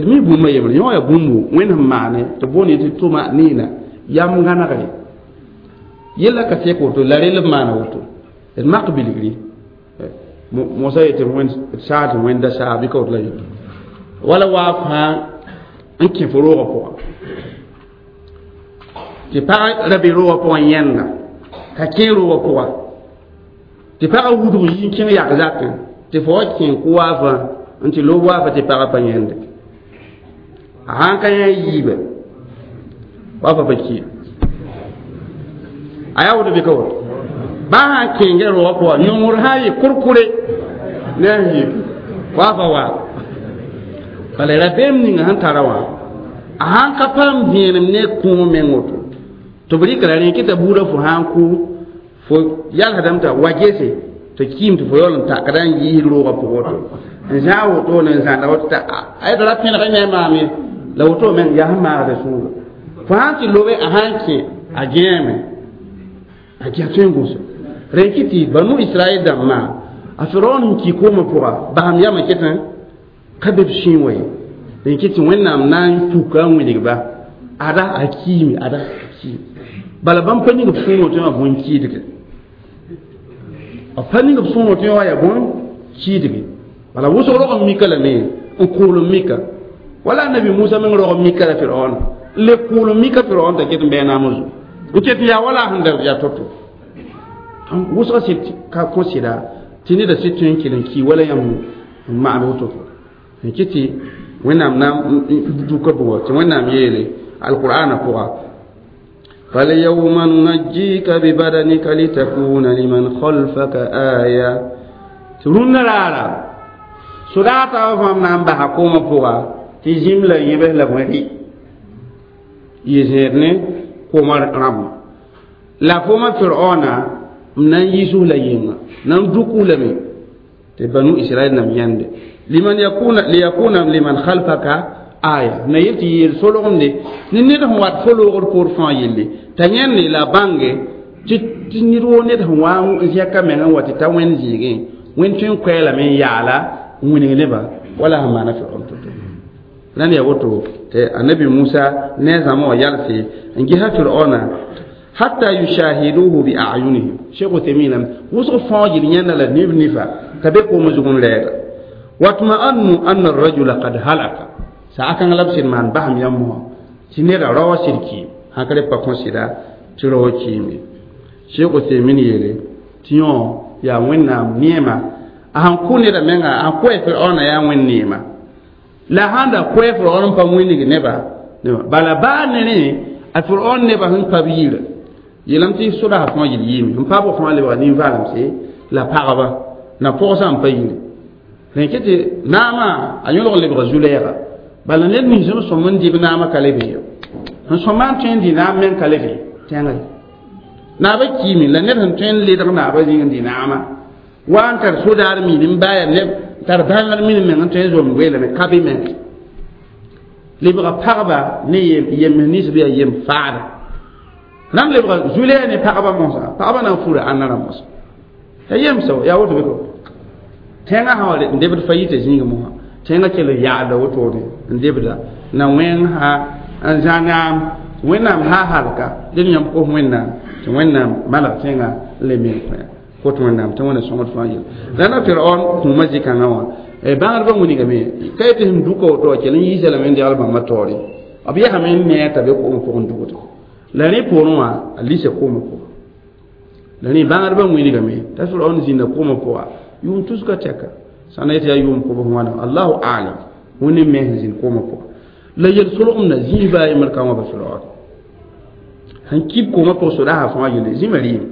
d mi bũmba yembre yõ yaa bũmbu wẽnd sẽn maane tɩ boond tɩ tʋma niina yam gãnegre yella ka sek woto la rel b maana woto d mak bilgri mosa yetɩ wẽnd saag tɩ wẽnda saag bɩ ka woto la yeto wala waaf fãa n kẽ fo roogã pʋga tɩ pag ra be roogã pʋgã yẽnda ka kẽ roogã pʋga tɩ pagã wudg yi n kẽng yak zakẽ tɩ fo wa kẽ kʋ waafã n tɩ lob waafã tɩ pagã pa yẽnde A sãn ka yã yiiba wa fa pa ki a yaa woto bɩ ka woto baa sãn kẽngã roogã pʋga yõngr sã n yɩ kurkure ne a yiib wa fa wa bala rabeem ninga sẽn tara wã a sãn ka paam vẽenem ne kũum meng woto tɩ b rɩka la rẽ kɩta buudã fo sã n kʋ fo yalsdame t'a wa gese tɩ kiim tɩ fo yaool n takda n yiisd roogã pʋgẽ woto n zã wotone n zãnda woto t'a d ra pẽneg ne maam ye la woto meng yaa sẽn maagda sũurã fo sãn tɩ lobe a sãn kẽ a gẽeme a gĩa tõe n gũsa rẽ kɩ tɩ banu israɛl dãmbã a firaon sẽn ki koomã pʋga basam yamã ket ka be b sũy wa ye rẽ kɩ tɩ wẽnnaam na n puka n wilgba ada a kiime ada a kiime bala bãmb pa ning b sũurã tɩ wã bõn kiidge b pa ning b sũurã tɩ wã yaa bõn kiidge bala wʋsg rog n mika lame n kʋʋl n mika wala nabi musa meng rog n mika la firaon n le kʋʋl n mika firaon t'a ket n bɩ a naam zugu n ket n yaa wala sẽn da yaa to-to wʋsga sɩd ka kõ sɩda tɩ neda sɩd tõe n kell n ki wala yãmb n maand woto n kɩ tɩ wẽnnaam na n duka bʋgɔ tɩ wẽnnaam yeele alqur'ana pʋga فاليوم ننجيك ببدنك لتكون لمن خلفك آية rũnnã raara sodaata wa fãam na n basa koomã pʋga tɩ zĩm la yẽbs la bõe rɩ yɩ zẽed ne koomã rãmbã la foomã firaona m na n yiis la yĩnga na n duk lame tɩ banu israɛl nam yãnde liman yakuna liyakuna liman khalfaka aya na yel tɩ yeel solgemde ne ned sẽn wat fo loogd poor fãa yelle t'a yãnde la bãnge tɩ tɩ ned woo ned sẽn wa n zẽka meng n wa tɩ ta wẽnd zĩigẽ wẽnd tõe n koɛɛlame n yaala n wilg nebã wala sẽn maana firaon to-to rãnd yaa woto tɩ annabi musa ne a zãma wã yalse n gesa firaona hatta yushahiduhu bi a'yunihim sheikh Uthaymeen wʋsg fãa yel yãnda la neb nifa t'a be koomã zug n lɛɛga watma'annu anna ar-rajula qad halaka sa a kãng la b sɩd maan basam yãmb mosã tɩ neda rao sɩd kiim sãn ka re pa kõ sɩda tɩ rao kiime sheikh Uthaymeen yeele tɩ yõ yaa wẽnnaam neema a sãn kʋ neda menga a sãn kʋ firaona yaa wẽnd neema la sãn da kʋ firaon n pa wĩnig neba bala baa ne rẽ a firaon nebã sẽn pa b yirã yeelame tɩ sodaasã fãa yel yiime n pa b fãa lebga nin-vaalemse la pagba na pɔgsã n pa yire rẽ kɩ tɩ naamã a yõlg lebga zu-lɛɛga bala ned nins n sõm n dɩ b naamã ka le be ye sẽn sõma n tõe n dɩ naam meng ka le be tẽngã ye naabã kiime la ned sẽn tõe n ledg naabã zĩig n dɩ naamã wa n tar sodaar min n baa neb tar bãngr min meng n tõe n zom weelame ka be meng lebga pagba ne yem nins bɩ yaa yem faada rãmb lebga zu-lɛɛg ne pagba mosã pagba na n fura ãnna rã mosã ya yemsa yaa woto bɩ ko tẽngã sã wa n debd fa yita zĩig mosã tẽngã kell n yaadda wotone n debda na wẽng sã n zã naam wẽnnaam sã halka dẽd yãmb kos wẽnnaam tɩ wẽnnaam malg tẽngã n le meng kõ kot wẽnnaam tɩ wẽna sõngd fãa yel rãna firaon kũumã zĩ-kãngã wã bãgdbã wilgame ka yetɩ sẽn duka woto wa kell n yiisa lame n degl bãmba taoore b yesame n nee t'a be koom pʋgẽ dugd la rẽ poorẽ wã a lisa koomã pʋga la rẽ bãgdbã wilgame t'a firaon zĩnda koomã pʋga yʋʋm tuska tɛka sã na yetɩ yaa yʋʋm kobs wãna allahu alam wẽnd me sẽn zĩnd koomã pʋga la yel-solgemda zĩis baa yembr ka wã ba firaon sẽn kib koomã pʋg sodaasã fãa yelle zĩma rɩɩm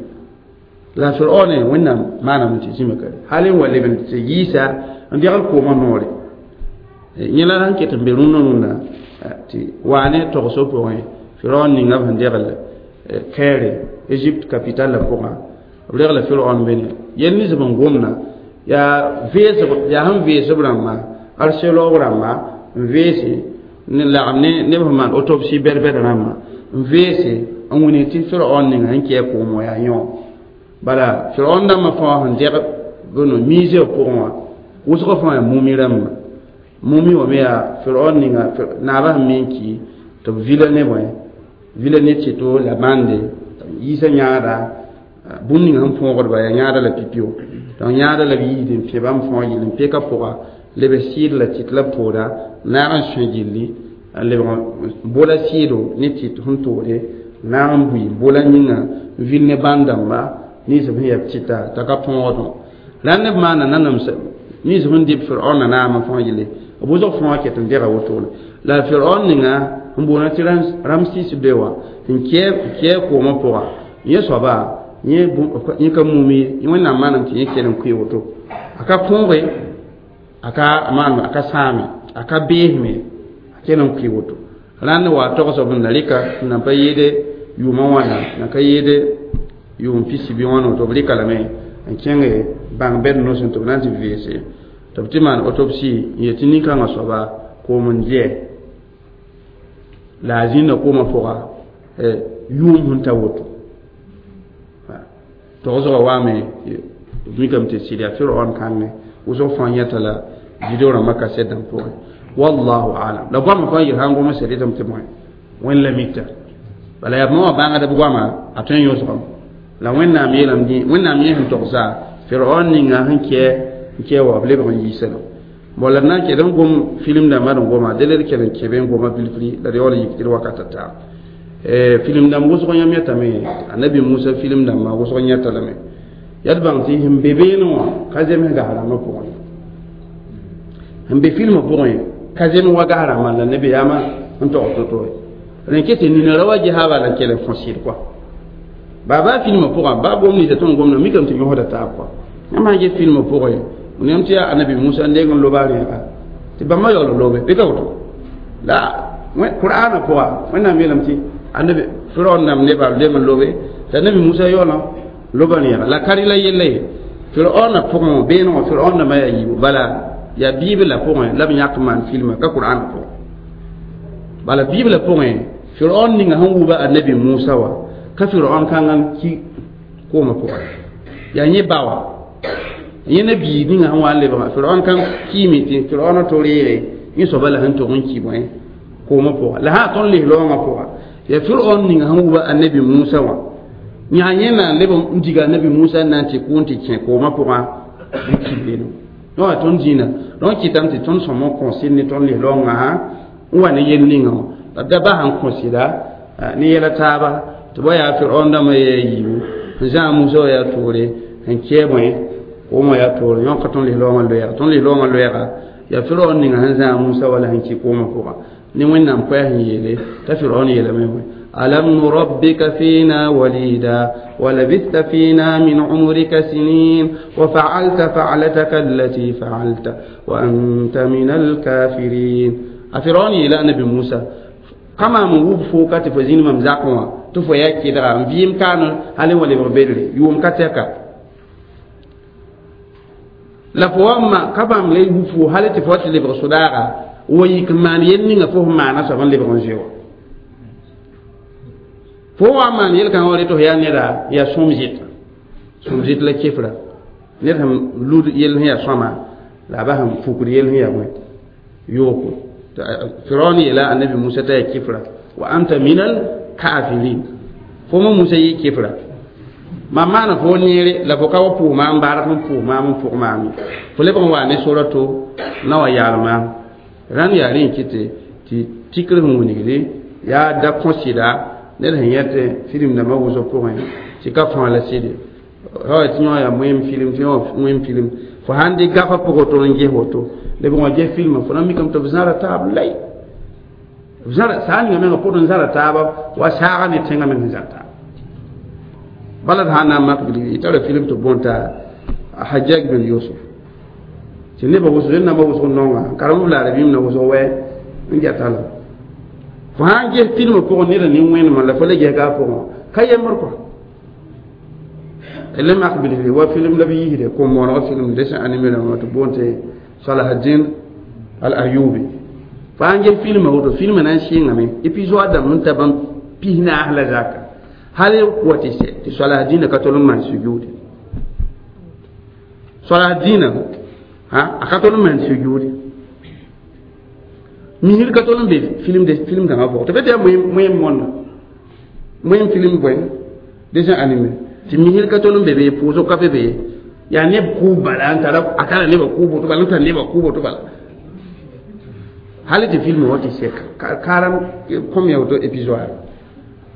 la firaone wẽnnaam maaname tɩ zĩma ka hal n wa leb n tɩ yiisa n degl koomã noore yẽ la sẽn ket n be rũnnã rũnnã tɩ waa ne togso pʋgẽ firaon ninga b sẽn degl kɛɛre égypte capitale la pʋgã b regla firaon bene yel nins b n gomna yaa veesb yaa sẽn veesb rãmba archéologue rãmba n veese n lagem ne neb sẽn maan autopsie bɛd-bɛd rãmba n veese n wilg tɩ firaon ninga sẽn kɛ koom wã yaa yõ bala firaon dãmbã fãa sẽn deg bõno musée pʋgẽ wã wʋsg fãa yaa mumi rãmba mumi wã me yaa firaon ninga naabã sẽn me n ki tɩ b vila ne bõe vila ne tɩto la bãnde yiisã yãada bũmb ninga sẽn põogdba yaa yãada la pipio donc yãada la b yiisd n pẽ bãmb fãa yell n peka pʋga leb sɩɩd la tɩt la b tooda naag n sõe gilli n lebg bola sɩɩdo ne tɩt sẽn toode naag n bui bola yĩnga n vil ne bãn dãmba nins b sẽn yaa tɩta t'a ka põogdẽ rãnd b maana nanams Nins sẽn dɩ Firaoona naamã fãa yelle b wʋsg fãa ket n dega wotone la Firaon ninga n boona tɩ Ramsis be wã n kɛɛ koomã pʋga yẽ soaba yẽ ka mum ye Wẽnnaam maanam tɩ yẽ kell n kʋɩ woto a ka kõoge a ka maan a ka sãame a ka beesme a kell n kʋɩ woto rãnd wa togsb n na rɩka n nan pa yɩɩde yʋʋmã wãna na ka yɩɩde yʋʋm pisi bɩ wãna woto b rɩka lame n kẽnge bãng bɛd nosẽ tɩ b na n tɩ veese tɩ b tɩ maan autopsie n yet tɩ nin-kãngã soaba koom n dɩɛ la a zĩnda koomã pʋga yʋʋm sẽn ta woto togsgã waame b mikame tɩ sɩd yaa Firaon kãngẽ wʋsg fãa yẽta la video rãmbã kasɛt dãmb pʋgẽ wallahu alam la goamã fãa yel sã n gom sã rɩtame tɩ bõe Wẽnd la mita bala yaa bãmb wã bãngd b goama a tõe n yõsgame la Wẽnnaam yeelame dĩ Wẽnnaam yẽ sẽn togsa Firaon ninga sẽn kɛ n kɛ wa b lebg n yiisa la bon la d na n kɛd n gom film dãmbã d n goma dele d kell n kẽbe n goma bilfri la d yaool n yik tɩ d wakata taa film dãmb wʋsg yãmb yẽtame Anabi Musa film dãmbã wʋsg yẽta lame yaa d bãng tɩ sẽn be beene wã ka zems gas rãmbã pʋgẽ sẽn be filmã pʋgẽ ka zems wa gas rãmbã la nebiyaamã n tog to-to rẽ ket tɩ nina ra wa ges bala n kell n fõ sɩd kɔa baa baa filmã pʋgã baa gom ninsa tõnd gomda mikame tɩ yõsda taab kɔa yãmb sã ges filmã pʋgẽ yãmb tɩ yaa Anabi Musa n deng n loba rẽega tɩ bãmba yaool n lobe bɩ ka woto la Qur'ana pʋga Wẽnnaam yeelame tɩ Anabi Firaon nam nebã lem n lobe tɩ Anabi Musa yaoolã loba rẽega la ka rɩ la yella ye Firaona pʋgẽ beene wã Firaon dãmbã yaa yiibu bala yaa Biibla pʋgẽ la b yãk n maan filmã ka Qur'ana pʋgẽ bala Biibla pʋgẽ Firaon ninga sẽn wuba Anabi Musa wã ka Firaon kãngã n ki koomã pʋgã yaa yẽ ba wã yẽ na biig ninga sẽn wa n lebgã Firaon kãng kiime tɩ Firaoona to reege yẽ soaba la sẽn tog n ki bõe koomã pʋga la sã tõnd les laoongã pʋga yaa Firaon ninga sẽn wuba Anabi Musa wã yã yẽ na n leb n diga Anabi Musa n na n tɩ kʋʋn tɩ kẽ koomã pʋgã n ki beene wã tõnd zĩna donc kɩtame tɩ tõnd sõm n kõsɩd ne tõnd les laoongã n wa ne yel ninga wã la da bas n kõsɩda ne yɛla taaba tɩ ba yaa Firaon dãmbã yaa yiibu n zãag Musa wã yaa toore n kɛɛ bõe koomã yaa toore yõka tõnd les laoongã loɛɛga tõnd les laoongã loɛɛga yaa Firaon ninga sẽn zãag Musa wala sẽn ki koomã pʋga ne Wẽnnaam koɛɛs n yeele t'a Firaon yeelame bõe ألم نربك فينا وليدا ولبثت فينا من عمرك سنين وفعلت فعلتك التي فعلت وأنت من الكافرين أفرعون إلى نبي موسى كما من وب فوكا تفزين ممزاقوا تفويا كدرا فيم كان هل ولي بدري يوم كتك la fo wa ma ka bãmb le wub fo hal tɩ fo tɩ lebg sʋdaaga wa yik n maan yel ninga fo sẽn maana soab n lebg n zoe wa fo wa maan yel-kãngã wa rɩ tɩ fo yaa neda yaa sõm zɩta sõm zɩt la kefra ned sẽn lud yell sẽn yaa sõma la a bas n fukd yell sẽn yaa bõe yooko Firaon yeela Anabi Musa t'a yaa kefra wa anta minal kafirin fo mo Musa yɩ kefra mam maana fo neere la fo ka wa pʋʋs maam bark n pʋʋs maam n pʋg maam fo lebg n waa ne sora to na wa yaal maam rãnd yaa rẽ n kɩtɩ tɩ tikr sẽn wilgde yaa da kõsɩda ned sẽn yẽt film dãmbã wʋsg pʋgẽ tɩ ka fãa la sɩde ra tɩ yõ yaa moem film tɩ yõ moem film fo sãn dɩ gafã pʋgẽ woto n ges woto lebg n wa ges filmã fo na mikame tɩ b zãra taab lay b zãra saa ninga menga pʋd n zãra taaba wa saaga ne tẽngã meng sẽn zãr taaba bala d sã n na n mak bilgri tara film tɩ bõn t'a Hajjaj bin Yusuf tɩ nebã wʋsg rẽnd-nambã wʋsg nonga karem b laara bĩm na wʋsg wɛ n gɛta la fo sã n ges filmã pʋgẽ neda nin-wẽnemã la fo le gesga a pʋgẽ ka yembr kɔa le mak bilgri wa film la b yiisde kom-moonegã film dessin animé rãmbã tɩ boon tɩ Salahaddin al Ayubi fo sã n ges filmã woto filmã na n sɩngame épisode dãmb n ta bãmb pis naas la zaka hal wa tɩ sɛ tɩ Salahaddin ka tol n maan sujuude Salahaddin a ka tol n maan sujuude misir ka tol n be film de film kãngã pʋgẽ tɩ be tɩ yaa moem mõnda moem film bõe dessin animé tɩ misir ka tol n be be pʋʋsg ka be be yaa neb kʋʋb bala n tara a tara nebã kʋʋb woto bala n tar nebã kʋʋb woto bala hal tɩ film wã tɩ sɛ karam kõm ya woto épisode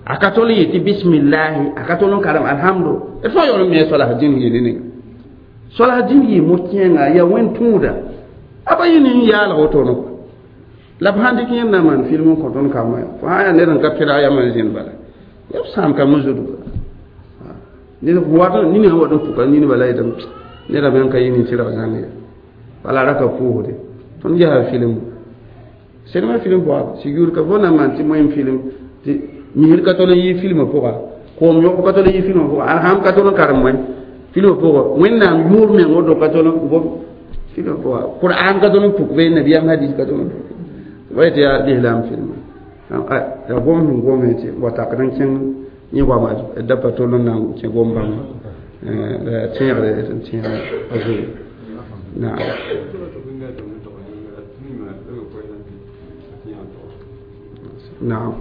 a ka tol n yetɩ bismillahi a ka tol n karem alhamdu d fãa yaool n me Salahaddin yele ninga soalsã dĩnd yɩ mo-kẽenga yaa wẽnd tũuda a pa yɩ ne yaalg wotone la b sãn dɩk yẽnd na n maan film n kõ tõnd kambã fo sã yaa ned n ka pẽdg yam n zẽnd bala yaa b sãam kambã zudga ned wat nina sẽn wat n puka nin bala yetame neda me n ka yɩ nin-tɩrg zãng ye bala ra ka pʋʋsde tõnd gesa film sinema film pʋga sigr ka fo na n maan tɩ moẽm film tɩ misr ka tol n yɩ filmã pʋga koom yõk ka tol n yɩ filmã pʋga alham ka tol n karem wẽ filmã pʋga wẽnnaam yʋʋr meng woto ka tol n gom filmã pʋga qur'an ka tol n puk be nabiyaam hadis ka tol n puk wa yetɩ yaa lislaam filmã yaa gom sẽn gome tɩ wa takd n kẽng yẽ goama da pa tol n na n kẽ gom bãmba la tẽegre n tẽeg a zoe naam. Naam.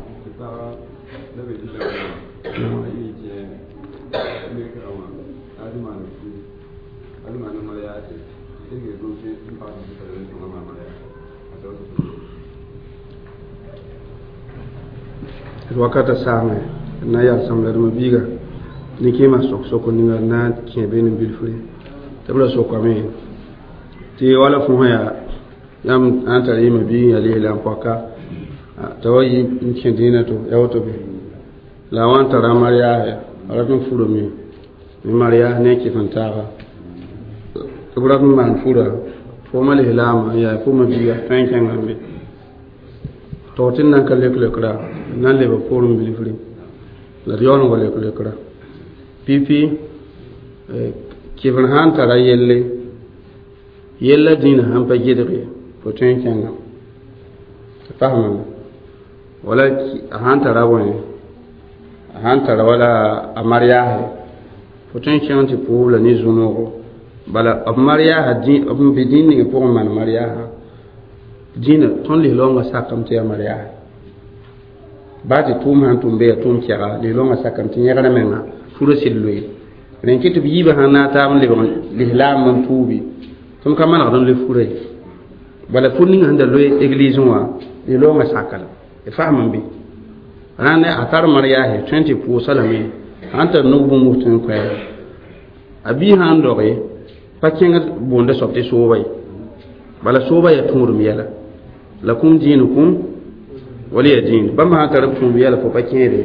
Wakata saame na yal sam la dama biiga ne kẽema sok-soko ninga na n kẽ be ne bilfre tɩ b ra sokame tɩ wala fõ sã yaa yãmb sã n tar yɩma biig yaa lislaam poaka t'a wa yɩ n kẽ dĩinã to ya woto be la a wa n tara a mariaase a rat n furame ne mariaas ne a kɩf n taaga tɩ b rat n maan fura fooma lislaamã n yaa fooma biiga tõe n kẽngame be tog tɩ d na n ka lek-lekra d na n leba poorẽ bilfre la d yaool n wa lek-lekra pipi kɩfr sã n tara yelle yella dĩinã sãn pa gɩdge fo tõe n kẽngame tɩ fasmame wala a sãn tara bõe a sãn tara wala a mariaase fo tõe n kẽng tɩ pʋʋs la ne zũ-noogo bala b mariaasã b n be dĩin ning pʋgẽ maan mariaasã dĩinã tõnd lislaoongã sakame tɩ yaa mariaase baa tɩ tʋʋm sãn tʋm be yaa tʋʋm kɛga lislaoongã sakame tɩ yẽgrã menga furã sɩd loe rẽn kɩ tɩ b yiibã sãn naag taab n lebg lislaam n tuubi tɩ m ka manegd n loe furã ye bala fur ninga sẽn da loe eglisẽ wã lislaoongã saka la d fasm n be rãnd a tar mariaase tõe n tɩ pʋʋsa lame sãn tar nug bũmb tõe n koɛɛga a biig sã n doge pa kẽngd boonda soab tɩ sooba ye bala sooba yaa tũudem yɛla lakum diinukum waliya diin bãmb sã n tar b tũud yɛla fo pa kẽede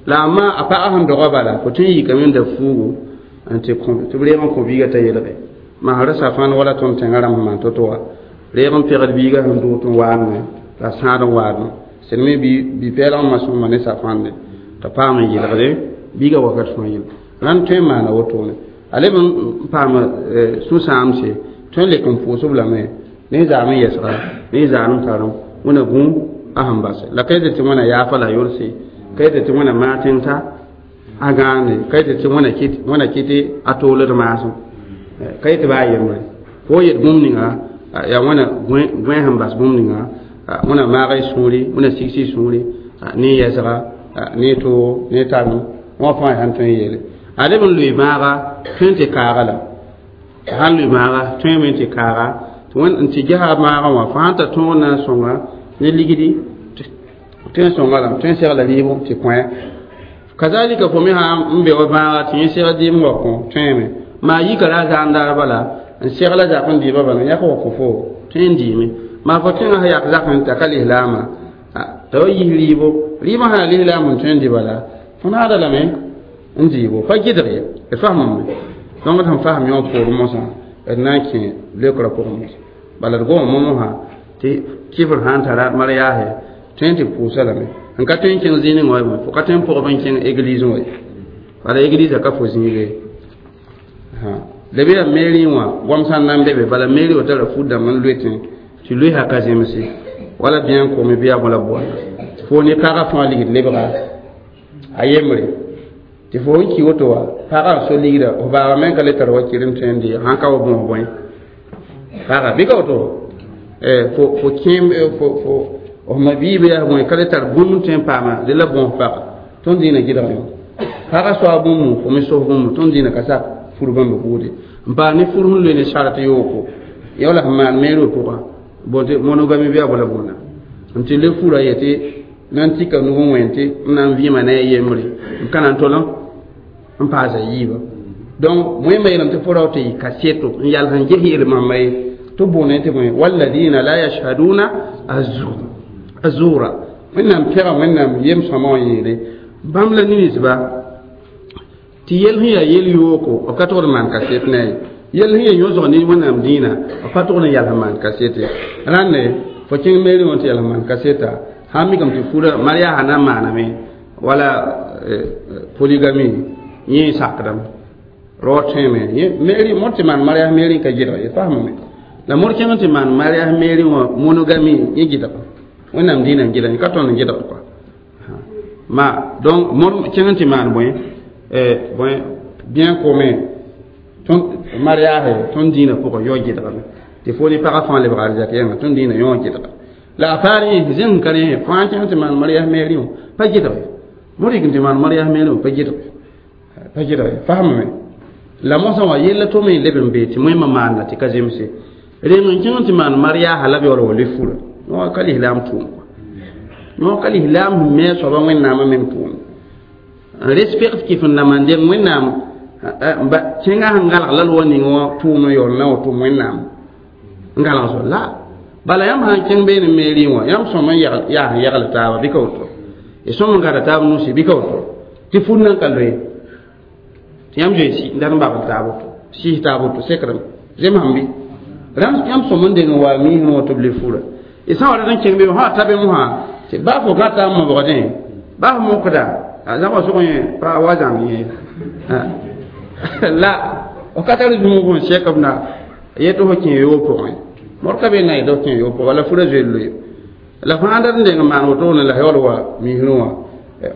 la amma a pagã sẽn doga bala fo tõe n yikame n da fuugu n tɩ tɩ b reeg n kõ biigã t'a yelge masra safãn wala tõnd tẽngã rãmb sẽn maan to-to wã reeg n pegd biigã sẽn dʋʋg tɩ n waadme la sãad n waadme sẽd me bi-pɛɛlg n ma sõma ne safãnde t'a paam n yelgde biigã wakat fãa yel rãnd tõe n maana wotone a leb n paama sũ-sãamse tõe n lek n pʋʋsb lame ne zaam n yɛsga ne zaam n tarem wẽna gũ a sẽn base la ka yetɩ tɩ wẽna yaafa la yorse ka yetɩ tɩ wẽna maag tẽng t'a a gãande ka yetɩ tɩ wẽna kɩtɩ a tooled maasem ka yetɩ baa yembre fo yet bũmb ninga yaa wẽna gõe sẽn bas bũmb ninga wẽna maaga y sũuri wẽna sigs y sũuri ne yɛsga ne toog ne tarem wã fãa sãn tõe n yeele a leb n loe maaga tõe n tɩ kaaga la sãn loe maaga tõeme n tɩ kaaga tɩ n tɩ gesa maagã wã fo sãn tar tõog na n sõnga ne ligdi tõe n sõnga lame tõe n segla rɩɩbo tɩ kõ kazalika fo me sã n be wa bãaga tɩ yẽ segl dɩɩm wa kõ tõeme maa yika ra a zaan daar bala n segla zak n dɩɩba bala n yak wa kõ fo tõe n dɩɩme maa fo tẽngã sã yak zak n ta ka lislaamã t'a wa yis rɩɩbo rɩɩbã sã yaa lislaam n tõe n dɩ bala fo naada lame n dɩɩbo pa gɩdg ye d fasmame donc d sẽn fasem yõ poorẽ mosã d na n kẽ leokrã pʋgẽ mosã bala d goma momosã tɩ kɩfr sã n tara mariaase tõe n tɩ pʋʋsa lame n ka tõe n kẽng zĩig ning wã fo ka tõe n pʋgb n kẽng église wã ye bala église ka fo zĩiga ye la be yaa mairie wã goam sã n na n be be bala mairie wã tara fut dãmb n loe tẽ tɩ loe sã ka zemse wala bɩa n kome bɩ yaa bõe la boanda fo ne pagã fãa ligd lebga a yembre tɩ fo n ki woto wa pagã n so ligda f baaba me n ka le tar wakir n tõe n dɩ sãn ka wa bõos bõe pagã bɩ ka woto fo fo kẽem fo fo f ma biibã yaa bõe ka le tar bũmb n tõe n paama dẽ la bõos pagã tõnd dĩinã gɩdg yõ pagã soa bũmb fo me sos bũmb tõnd dĩinã ka sak fur bãmb buude n paas ne fur sẽn loe ne sart yooko ya wala sẽn maan meerã pʋgã bõe tɩ monogami bɩ a bõe la bõna n tɩ le fura yetɩ na n tika nug n wẽn tɩ n na n vɩɩma ne a yembre n ka na n tol n paasa yiibã Donc moẽmã yeelame tɩ fo rao tɩ yɩ kaseto n yals n ges yel-mamba ye tɩ boonẽ tɩ bõe walladina la yashhaduna azura wẽnnaam pɛga wẽnnaam yem-sõma wã yeele bãmb la ninsba tɩ yel sẽn yaa yel yooko b ka togd n maan kaset ne ye yel sẽn yaa yõsg ne wẽnnaam dĩinã b pa togd n yals n maan kaset ye rãnde fo kẽng meeri wã tɩ yals n maan kaseta sã n mikame tɩ fura mariasa na n maaname wala polygamie yẽ sakdame rao tõeme meeri mor tɩ maan marias meeri n ka gɩdg ye faamame la mor kẽng tɩ maan marias meeri wã monogamie yẽ gɩdg wẽnnaam dĩinã n gɩdg yẽ ka tõnd n gɩdg kɔa ma donc mor kẽng tɩ maan bõe bõe bien commun tõnd mariage tõnd dĩinã pʋgẽ yao gɩdgame tɩ fo ne pagã fãa lebg arzɛk yãnga tõnd dĩinã yõ gɩdga la a paar yẽ zẽng ka rẽ fãa kẽng tɩ maan mariage meeri wã pa gɩdg mor yik n tɩ maan mariage meeri wã pa gɩdg pa gɩdg faamame la mosã wã yella tʋm n leb n bee tɩ moẽmã maanda tɩ ka zemse reng n kẽng tɩ maan mariaasa la b yaool wa le fura yõ ka lislaam tʋʋm yõ ka lislaam sẽn me a soaba wẽnnaamã meng tʋʋm n respect kɩf n na maan deng wẽnnaam kẽngã sẽn galg la loa ning wã tʋʋm n yaool na wa tʋm wẽnnaam n galg soab la bala yãmb sãn kẽng beene meeri wã yãmb sõm n yaa sẽn yagl taaba bɩ ka woto y sõm n gada taab nusi bɩ ka woto tɩ fur nan ka loe tɩ yãmb zoe n dat n babl taab woto sɩs taab woto sekrame zemsãm bɩ yãmb sõm n deng n wa miisẽ wã tɩ b le fura y sã wa rat n kẽng be sã ta be mosã tɩ baa fo gãta n mobgdẽ baa f mokda zãbga sʋg yẽ pa wa zãng yẽ la f ka tar zũmg n sɛk b na yetɩ fo kẽ yoog pʋgẽ mor ka be na yetɩ f kẽ yoog pʋgẽ la fura zoe loe la fãa dat n deng n maan wotone la yaool wa miisrẽ wã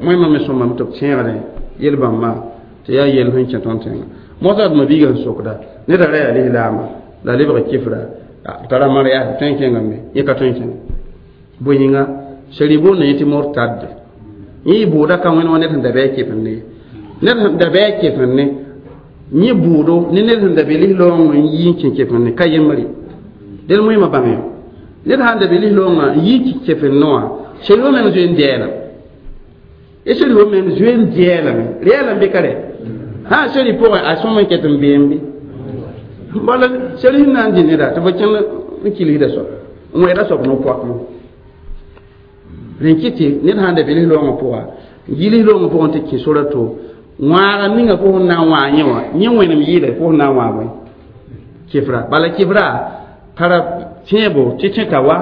moẽmã me sõmame tɩ b tẽegdẽ yel-bãmbã tɩ yaa yel sẽn kẽ tõnd tẽngã mosã d ma-biigã sẽn sokda neda ra yaa lislaama la lebg kifra tara mariage tõe n kẽngame yẽ ka tõe n kẽnga bõe yĩnga sari boonda yẽ tɩ mortadde yẽ yɩ bʋʋda ka wẽnd wã ned sẽn da bɩ a kefend ne ned sẽn da bɩ a kefend ne yẽ bʋʋdo ne ned sẽn da be lislaoongã n yi n kẽ kefend ne ka yembre del moẽmã bãng yõ ned sãn da be lislaoongã n yi n kẽ kefend ne wã sari wã meng zoe n dɛɛlame y sari wã meng zoe n dɛɛlame rɛɛlame bɩ ka rɛ sã sari pʋgẽ a sõm n ket n beem bɩ bala sari sẽn na n dɩ neda tɩ fo kẽnd n kilsda soab n wẽeda soab no-poakmẽ rẽn kɩ tɩ ned sãn da be lislaoongã pʋga n yi lislaoongã pʋgẽ tɩ kẽ sora to wãaga ninga fo sẽn na n wãag yẽ wã yẽ wẽnem yɩɩda fo sẽn na n wãag bõe kɩfra bala kɩfra tara tẽebo tɩ tẽta wa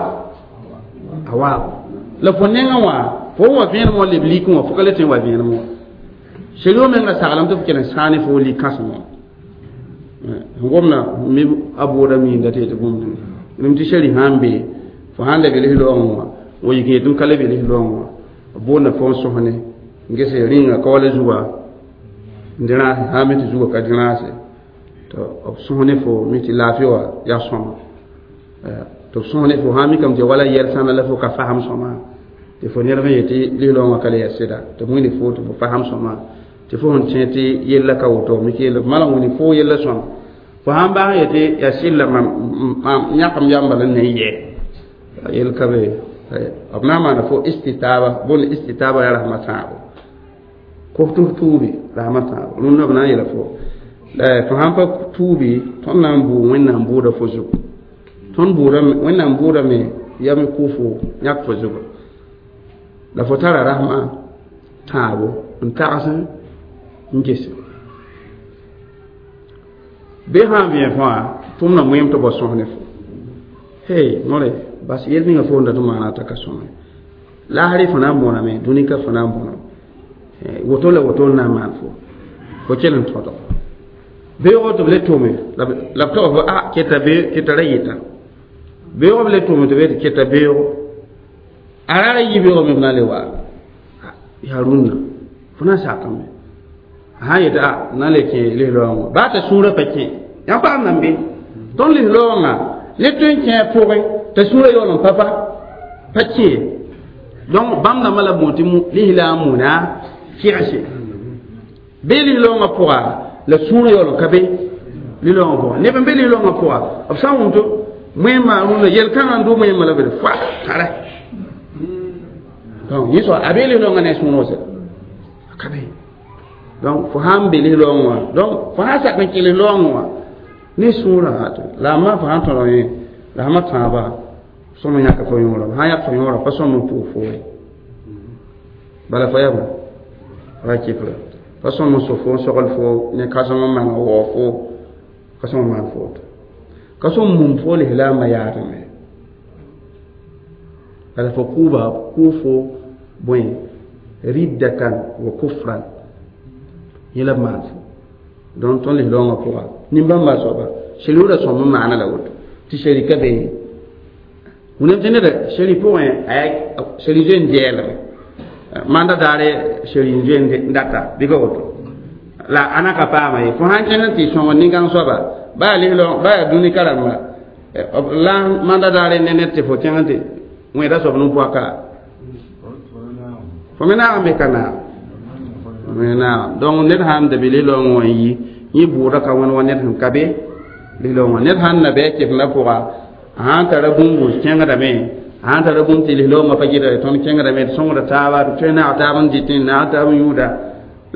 a waago la fo nengã wã fo wa vẽenem wã leb likẽ wã fo ka le tõe n wa vẽenem wã seri wã menga saglame tɩ f kell n sãane fo lik-kãsem wã n gomda mi a bʋʋda miinda tɩ yetɩ bũmb rẽm tɩ sari sã n be fo sãn da be lislaoongẽ wã wa yik n yetɩ m ka le be lislaoongẽ wã b boonda fo n sõsne n ges rĩnga ka wala zuga n dẽ rãase sã n me tɩ zuga ka dẽ rãase tɩ b sõs ne fo mi tɩ laafɩ wã yaa sõma tɩ b sõs ne fo sã n mikame tɩ wala yɛl sãna la fo ka fasem sõma tɩ fo ned n yetɩ lislaoongã ka le yaa sɩda tɩ b wĩnd fo tɩ fo fasem sõma tɩ fo sẽn tẽ tɩ yella ka woto mik yella malang wĩnd fo yella sõma fo sãn baas n yetɩ yaa sɩlla mam yãkam yamba la n yɛ yel ka be b na n maana fo istitaba bõnd istitaba yaa rasma tãabo kos tɩ f tuubi rasma tãabo rũnnã b na n yeela fo fo sãn pa tuubi tõnd na n bʋʋ wẽnnaam bʋʋda fo zugu tõnd bʋʋda wẽnnaam bʋʋdame yam kʋ fo yãk fo zugu la fo tara rasma tãabo n tags n gese bɩ sã n vẽ fãa tʋmda moeem tɩ bao sõs ne fo hey nore bas yel ninga fo n dat n maana t'a ka sõme laasrɩ fo na n bõname dũni ka fo na n bõna woto la woto n na n maan fo fo kell n tõdg beoogã tɩ b le tʋme la b tog fo a keta keta ra yɩta beoogã b le tʋme tɩ b yetɩ keta beoogo a ra ra yi beoogã me b na n le waa yaa rũnnã fo na n sakame a sã n yetɩ a na n le kẽ lislaoongã baa t'a sũurã pa kẽ yãmb paam nan be tõnd lislaoongã ne tõe n kẽ a pʋgẽ t'a sũurã yaool n pa pa pa kẽ donc bãmb dãmbã la boon tɩ lislaam muna kɩgse bee lislaoongã pʋga la sũurã yaool n ka be lislaoongã pʋga neb n be lislaoongã pʋga b sã n wʋm tɩ moẽmã rũnnã yel-kãngã n dʋ moẽmã la b fa tara donc yẽ soa a bee lislaoongã ne a sũurã wã sɛ a ka be Donc fo sãn be lislaoongẽ wã donc fo sã n sak n kẽ lislaoongẽ wã ne sũurã la a ma fo sãn tõd yẽ la sãma tãabã sõm n yãka fo yõora sã n yãk fo yõora pa sõm n pʋʋs fo ye bala fo yaa bõe ra kɩfra pa sõm n so fo n sogl fo ne kãsem n maan n waoog fo ka sõm n maan fo woto ka sõm mum fo lislaambã yaadme bala fo kʋʋba kʋʋ fo bõe riddatan wa kufran yẽ la b maan fo donc tõnd lislaoongã pʋga nin-bãmba soaba sheri sõm n maana la woto tɩ sheri ka be wẽnnaam tɩ neda sheri pʋgẽ sheri zoe n gɛɛlme manda daare sheri n zoe n data bɩ ka woto la a na ka paama ye fo sãn kẽng n tɩ sõng nin-kãng soaba baa lislaoong baa yaa dũni ka rãmba la manda daare ne ned tɩ fo kẽng n tɩ wẽeda soab nin-poaka fo me naag n be ka naag me naag donc ned sãn da be lislaoongẽ wã n yi yẽ bʋʋda ka wẽnd wa ned sẽn ka be lislaoongã ned sãn na bɩ a kefendã pʋga a sãn tara bũmb kẽngdame a sãn tara bũmb tɩ lislaoongã pa gɩda tõnd kẽngdame d sõngda taaba d tõe naag taab n dɩtẽ naag taab n yũuda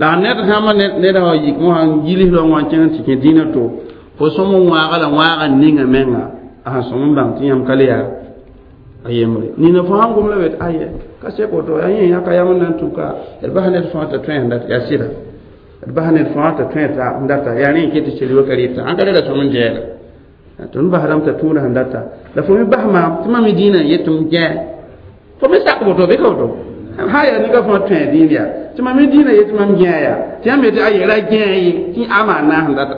la ned sãmba ned sã yik wã n yi lislaoongã wã n kẽng tɩ kẽ dĩinã to fo sõm n wãaga la wãaga ninga menga a sẽn sõm n bãng tɩ yãmb ka le yaa a yembre nina fo sãn gom la bet aye ka sek woto yaa yẽ yãka yam n na n tuka d bas ned fãa t'a tõe sẽn dat yaa sɩda d bas ned fãa t'a tõe t'a n data yaa rẽ n ket tɩ sel wa ka rɩta ãn ka rela sõm n gɛɛla tõnd basdame t'a tũuda sẽn data la fo me bas maam tɩ mam me dĩinã n yet tɩ m gɛ fo me sak woto bɩ ka woto sã yaa nega fãa tõe dĩin yaa tɩ mam me dĩinã yet tɩ mam gɛ yaa tɩ yãmb yetɩ aye ra gɛ ye tɩ a maan naas n data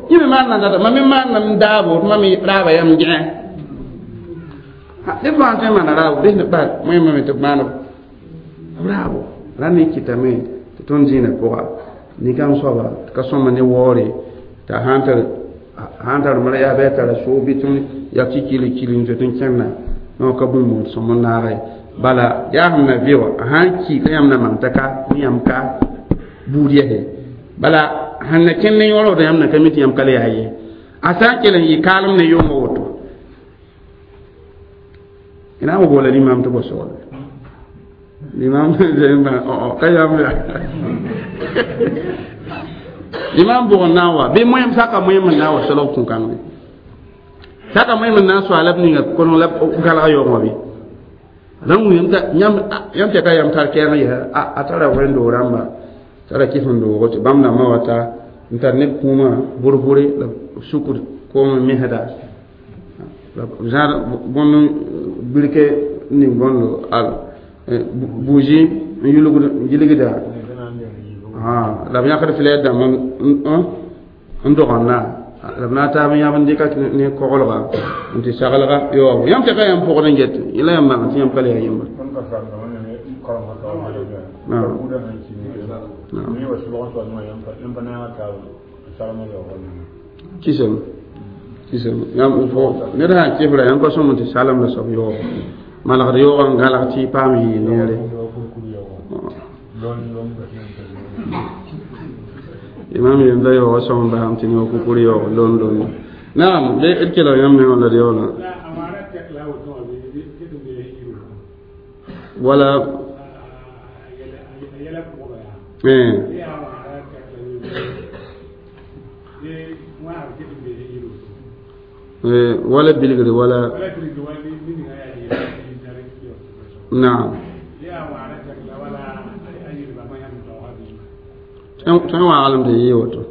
yẽ me maan na n data mam me maannam n daabo tɩ mam raaba yam gɛ ned fãa tõe n maana raabo bes ne bal wẽmame tɩ b maan b raabo ra ne kɩtame tɩ tõnd zĩinã pʋga nin-kãng soaba tɩ ka sõma ne waoore t'a sãn tar sãn tar mara yaa bɩ a tara soog bɩ tõnd yak tɩ kili kili n zoet n kẽnna no ka bũmb sõm n naage bala yaa sẽn na vɩ wã a sãn ki ka yãmb na maan t'a ka yãmb ka buud yɛse bala sẽn na kẽnd ne yõrd yãmb na ka mi tɩ yãmb ka le yaa ye a sã n kell n yɩ kaalem ne yʋʋmã woto ina mo bola l'imam to bosol l'imam ka yam ya l'imam bo na wa be moyem saka moyem na wa solo kun kan saka moyem na so alab ni nga kono la gala yo mo bi dan yam ta yam yam ta ka yam tar kɛɛng ya a tara wẽndo rãmba tara kɩf n doogo tɩ bãmb dãmbã wa ta n tar neb kũumã bʋr-bʋre la sukr koom misda la zãad bõnd birke ning bõndo al bougie n yulgda la b yãkd flɛr dãmb n dogenda la b na n taab n yãb n dɩka ne koglga n tɩ saglga yaoobo yãmb tɩ ka yãmb pʋgd n get yẽ la yãmb bãng tɩ yãmb ka le yaa yembre kisem kisem yãmb fo ned sã n kɩfra yãmb pa sõm tɩ salem la soab yaoobo malgd yoogã n gãlg tɩ paam yɩɩ neere imam yem da yaoogã sõm n basam tɩ ne wa kukur yaoog lon lon naam d kelg yãmb me wã la d yaoola wala wala bilgre wala naam tõe wãaglem tɩ yɩ woto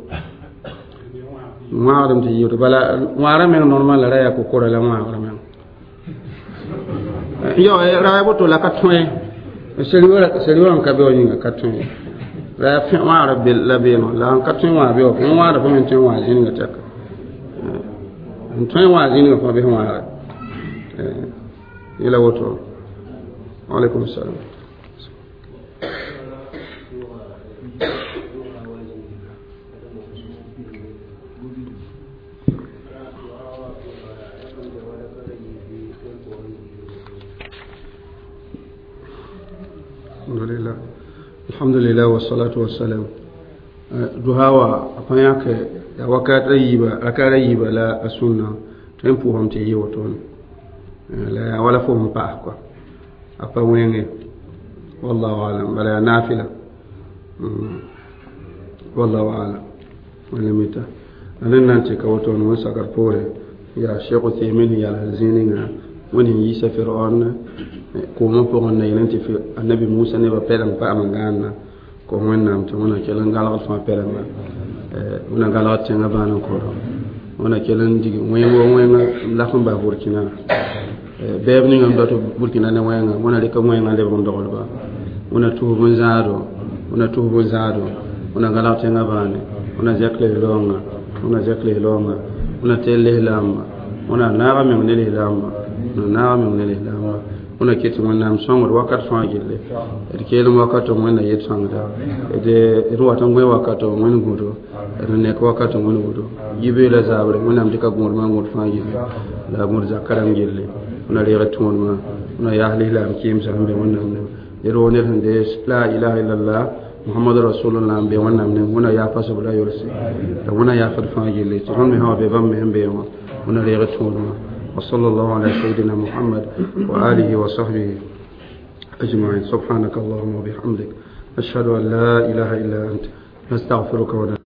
wãaglem tɩ yɩ woto bala wãagrã meng normal la ra yaa kokora la wãagrã meng yo ra ya woto la ka tõe seri wã n ka be wa yĩnga ka tõe ra yaa wãagrã la beeno la n ka tõe wãag be wa fõ wãagrã fo me tõe wãag zĩnga tɛka n tõe wãag zĩnga fõ bɩ wãagra yẽla woto waalaikum salam alhamdulillah alhamdulillah wassalatu wassalam duhawa a yãk ya wakat a yiiba rakat a yiiba la a sũnna tõe n pʋʋsame tɩ yɩ wotone la yaa wala fo sẽn paas kɔa a pa wẽnge wallahu alam bala yaa naafila Wallahu alam. Wala mita la ned na n tɩ ka woto n wẽn sakr poore yaa Sheikh Uthaymin yals zĩig ninga wẽnd sẽn yiisa Firaon koomã pʋgẽ na yel tɩ annabi Musa nebã pɛleng paam n gãanna ko Wẽnnaam tɩ wẽna kell n gãlgd fãa pɛlenga, wẽna gãlgd tẽngã bãan n koro, wẽna kell n dig wẽng wo wẽnga lak n bas Burkina bɛɛb ninga n dat Burkina ne wẽnga, wẽna rɩk wẽngã lebg n doglba, wẽna tus bõn-zãado, wẽna tus bõn-zãado, wẽna gãlg tẽngã bãane, wẽna zɛk lislaoongã, wẽna zɛk lislaoongã, wẽna teel lislaamba, wẽna naaga meng ne lislaamba, wẽna naaga meng ne lislaamba, wẽna ket tɩ Wẽnnaam sõngd wakat fãa gilli d keelem wakato Wẽnna yet sõngda d d wat n gõe wakato Wẽnd gũdo, d nek wakato Wẽnd gũdo yibe la zabre. Wẽnnaam dɩka gũudmã n gũd fãa gilli la a gũud zakã rãmb gilli. Wẽna reeg tõodmã, wẽna yaas lislaam kɩɩmsã sẽn be Wẽnnaam ne ned woo, ned sẽn dees la ilaha illallah muhammadu rasulullah n be Wẽnnaam ne, Wẽna yaa pasb la yolse la Wẽna yaafd fãa gilli tɩ tõnd me sã wa be bãmb me sẽn be wã, Wẽna reeg tõodmã. وصلى الله على سيدنا محمد وآله وصحبه أجمعين. سبحانك اللهم وبحمدك، نشهد أن لا إله إلا أنت، نستغفرك ونتوب.